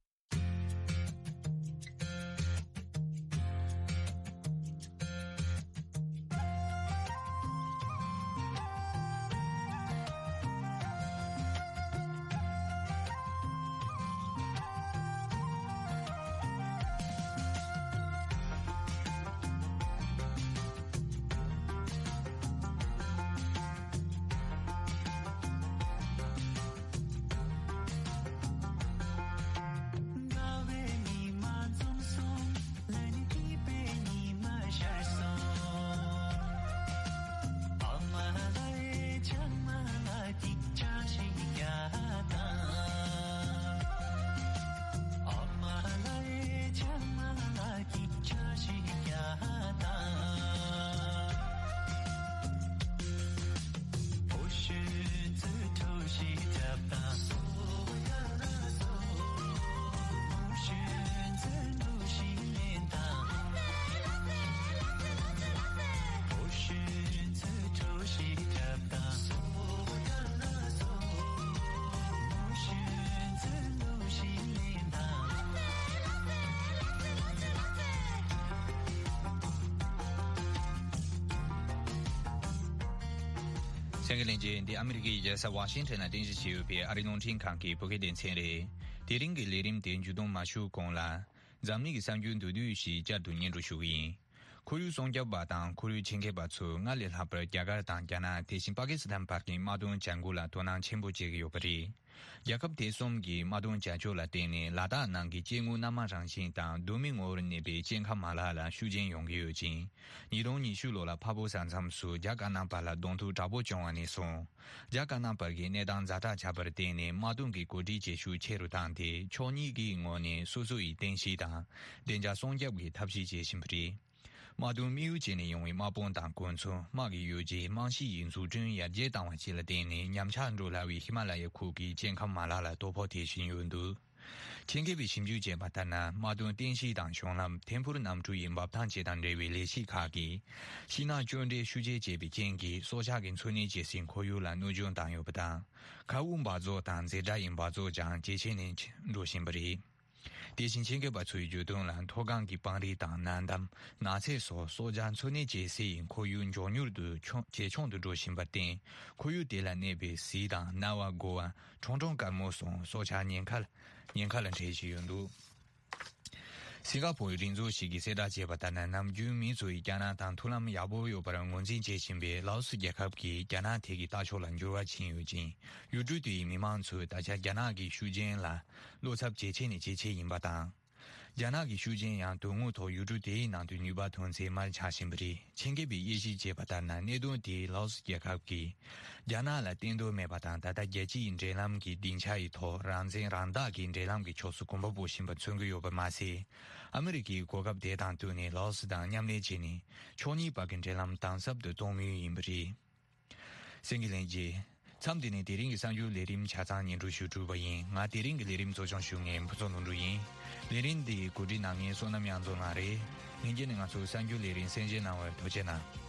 གསན་མཁན་ལྷན་རྒྱས། འདི་ཨ་མི་རི་ཀའི་རྒྱལ་ས་ཝ་ཤིང་ཊོན་ལ་རྟེན་གཞི་བྱས་ཡོད་པའི་ཨ་རིའི་རླུང་འཕྲིན་ཁང་གི་བོད་སྐད་སྡེ་ཚན་རེད། དེ་རིང་གི་ལས་རིམ་དེ་མཇུག་བསྡོམས་མ་ཞུ་གོང་ལ། འཛམ་གླིང་གི་གསར་འགྱུར་མདོར་བསྡུས་ཤིག་བསྐྱར་དུ་སྙན་སྒྲོན་ཞུ་གི་ཡིན། ཁོར་ཡུག་སྲུང་སྐྱོབ་པ་དང་ཁོར་ཡུག་ཆེད་མཁས་པ་ཚོས་སྔར་ལས་ལྷག་པར་རྒྱ་གར་དང་རྒྱ་ནག་དེ་བཞིན་པ་ཀི་སི་ཐན་བར་གྱི་དམག་དོན་བྱ་འགུལ་ལ་དོ་སྣང་ཆེན་པོ་བྱེད་ཀྱི་ཡོད་པ་རེད། རྒྱལ་ཁབ་དེ་གསུམ་གྱི་དམག་དོན་བྱ་སྤྱོད་ལ་བརྟེན་ནས་ལ་དྭགས་ནང་གི་སྐྱེ་དངོས་སྣ་མང་རང་བཞིན་དང་གདོད་མའི་ངོ་བོར་གནས་པའི་སྐྱེ་ཁམས་མ་ལག་ལ་ཤུགས་རྐྱེན་ཡོང་གི་ཡོད་ཅིང་། ཉིས་སྟོང་ཉི་ཤུ་ལོ་ལ་འཕགས་བོད་ས་མཚམས་སུ་རྒྱ་དཀར་ནག་བར་ལ་གདོང་ཐུག་དྲག་པོ་བྱུང་བ་ནས་བཟུང་། རྒྱ་དཀར་ནག་བར་གྱི་གནས་སྟངས་ཛ་དྲག་ཆགས་པར་བརྟེན་ནས་དམག་དོན་གྱི་གོ་སྒྲིག་བྱེད་ཤུགས་ཆེ་རུ་བཏང་སྟེ་ཕྱོགས་གཉིས་ཀྱི་ངོས་ནས་སོ་སོ་ཡི་རྟེན་གཞི་དང་བདེ་འཇགས་སྲུང་སྐྱོབ་ཀྱི་ཐབས་ཤེས་བྱེད་བཞིན་པ་རེད། དམག་དོན་དམིགས་ཡུལ་བྱས་ནས་ཡོང་བའི་དམག་དཔུང་དང་གོ་མཚོན། དམག་གི་ཡོ་བྱད། རྨང་གཞི་ཡི་འཛུགས་སྐྲུན་ཡར་རྒྱས་བཏང་བ་བཅས་ལ་བརྟེན་ནས་ཉམས་ཆག་འགྲོ་སླ་བའི་ཧི་མ་ལ་ཡའི་ཁུལ་གྱི་སྐྱེ་ཁམས་མ་ལག་ལ་དོ་ཕོག་ཐེབས་བཞིན་ཡོད་འདུག་ཆེད་མཁས་པས་ཞིབ་འཇུག་བྱས་པ་ལྟར་ན། དམག་དོན་རྟེན་གཞི་དང་གཞུང་ལམ། ཐད་འཕུར་གནམ་གྲུ་ཡི་འབབ་ཐང་བཅས་དང་འབྲེལ་བའི་ལས་གཞི་ཁག་གིས་ཤིང་ནགས་གཅོད་འབྲེག་ཤུགས་ཆེ་བྱས་པའི་རྐྱེན་གྱིས་སྲོག་ཆགས་ཀྱི་འཚོ་གནས་བྱེད་སའི་ཁོར་ཡུག་ལ་གནོད་སྐྱོན་བཏང་ཡོད་པ་དང་། མཁའ་དབུགས་འབག་བཙོག་དང་འཛེར་སྒྲ་ཡི་འབག་བཙོག་ཀྱང་ཇེ་ཆེ་ནས་འགྲོ་བཞིན་པ་རེད། དེ་བཞིན་ཆེད་མཁས་པ་ཚོས་བརྗོད་དོན་ལ། མཐོ་སྒང་གི་སྤང་རི་དང་ན་འདམ། ནགས་ཚལ་སོགས་སྲོག་ཆགས་འཚོ་གནས་བྱེད་སའི་ཁོར་ཡུག་མགྱོགས་མྱུར་དུ་ཆུང་ཇེ་ཆུང་དུ་འགྲོ་བཞིན་པར་བརྟེན། ཁོར་ཡུག་དེ་ལ་གནས་པའི་གཟིག་དང་གནའ་བ་དགོ་བ། ཁྲུང་ཁྲུང་དཀར་མོ་སོགས་སྲོག་ཆགས་ཉེན་ཁ་ཉེན་ཁ་ལ་འཕྲད་བཞིན་ཡོད་འདུག་སིང་ག་ཕོར་གྱི་རིག་མཛོད་ཞིག་གིས་གསལ་བསྒྲགས་བྱས་པ་ལྟར་ན། ནམ་རྒྱུན་མི་ཚོས་རྒྱ་ནག་དང་མཐུན་ལམ་ཡག་པོ་ཡོད་པར་ངོས་འཛིན་བྱེད་བཞིན་པའི་ལའོ་སི་རྒྱལ་ཁབ་ཀྱིས་རྒྱ་ནག་ཐད་ཀྱི་ལྟ་ཕྱོགས་ལ་འགྱུར་བ་ཕྱིན་ཡོད་ཅིང་། ཡུལ་གྲུ་དེའི་མི་མང་ཚོས་ད་ཆ་རྒྱ་ནག་གི་ཤུགས་རྐྱེན་ལ་བློ་འཚབ་ཇེ་ཆེ་ནས་ཇེ་ཆེ་ཡིན་པ་དང་། རྒྱ་ནག་གི་ཤུགས་རྐྱེན་ཡང་དོན་དངོས་ཐོག་ཡུལ་གྲུ་དེའི་ནང་དུ་ནུས་པ་ཐོན་ཚད་མར་ཆག་བཞིན་པ་རེད། ཆེད་མཁས་པས་དབྱེ་ཞིབ་བྱས་པ་ལྟར་ན། གནད་དོན་དེས་ལའོ་སི་རྒྱལ་ཁབ་ཀྱིས་རྒྱ་ནག་ལ་བརྟེན་འདོད་མེད་པ་དང་། ད་ལྟ་རྒྱལ་སྤྱིའི་འབྲེལ་ལམ་གྱི་སྡིངས་ཆ་ཡི་ཐོག་རང་བཙན་རང་བདག་གི་འབྲེལ་ལམ་གྱི་ཕྱོགས་སུ་གོམ་པ་སྤོ་བཞིན་པ་མཚོན་གྱི་ཡོད་པ་མ་ཟད། ཨ་མི་རི་ཀས་གོ་སྐབས་དེ་དང་བསྟུན་ནས་ལའོ་སི་དང་མཉམ་ལས་བྱས་ནས་ཕྱོགས་གཉིས་བར་གྱི་འབྲེལ་ལམ་དམ་ཟབ་ཏུ་གཏོང་མུས་ཡིན་པ་རེད། གསན་མཁན་ལྷན་རྒྱས། མཚམས་འདི་ནས་དེ་རིང་གི་གསར་འགྱུར་ལས་རིམ་ཆ་ཚང་སྙན་སྒྲོན་ཞུ་གྲུབ་པ་ཡིན། ང་དེ་རིང་གི་ལས་རིམ་གཙོ་སྐྱོང་ཞུ་མཁན་ཕུན་ཚོགས་ལྷུན་གྲུབ་ཡིན། ལས་རིམ་འདི་གོ་སྒྲིག་གནང་མཁན་བསོད་ནམས་དབྱངས་འཛོམས་ལགས་རེད། ལྷན་རྒྱས་ནས་ང་ཚོའི་གསར་འགྱུར་ལས་རིམ་གསན་བཞེས་གནང་བར་ཐུགས་རྗེ་གནང་།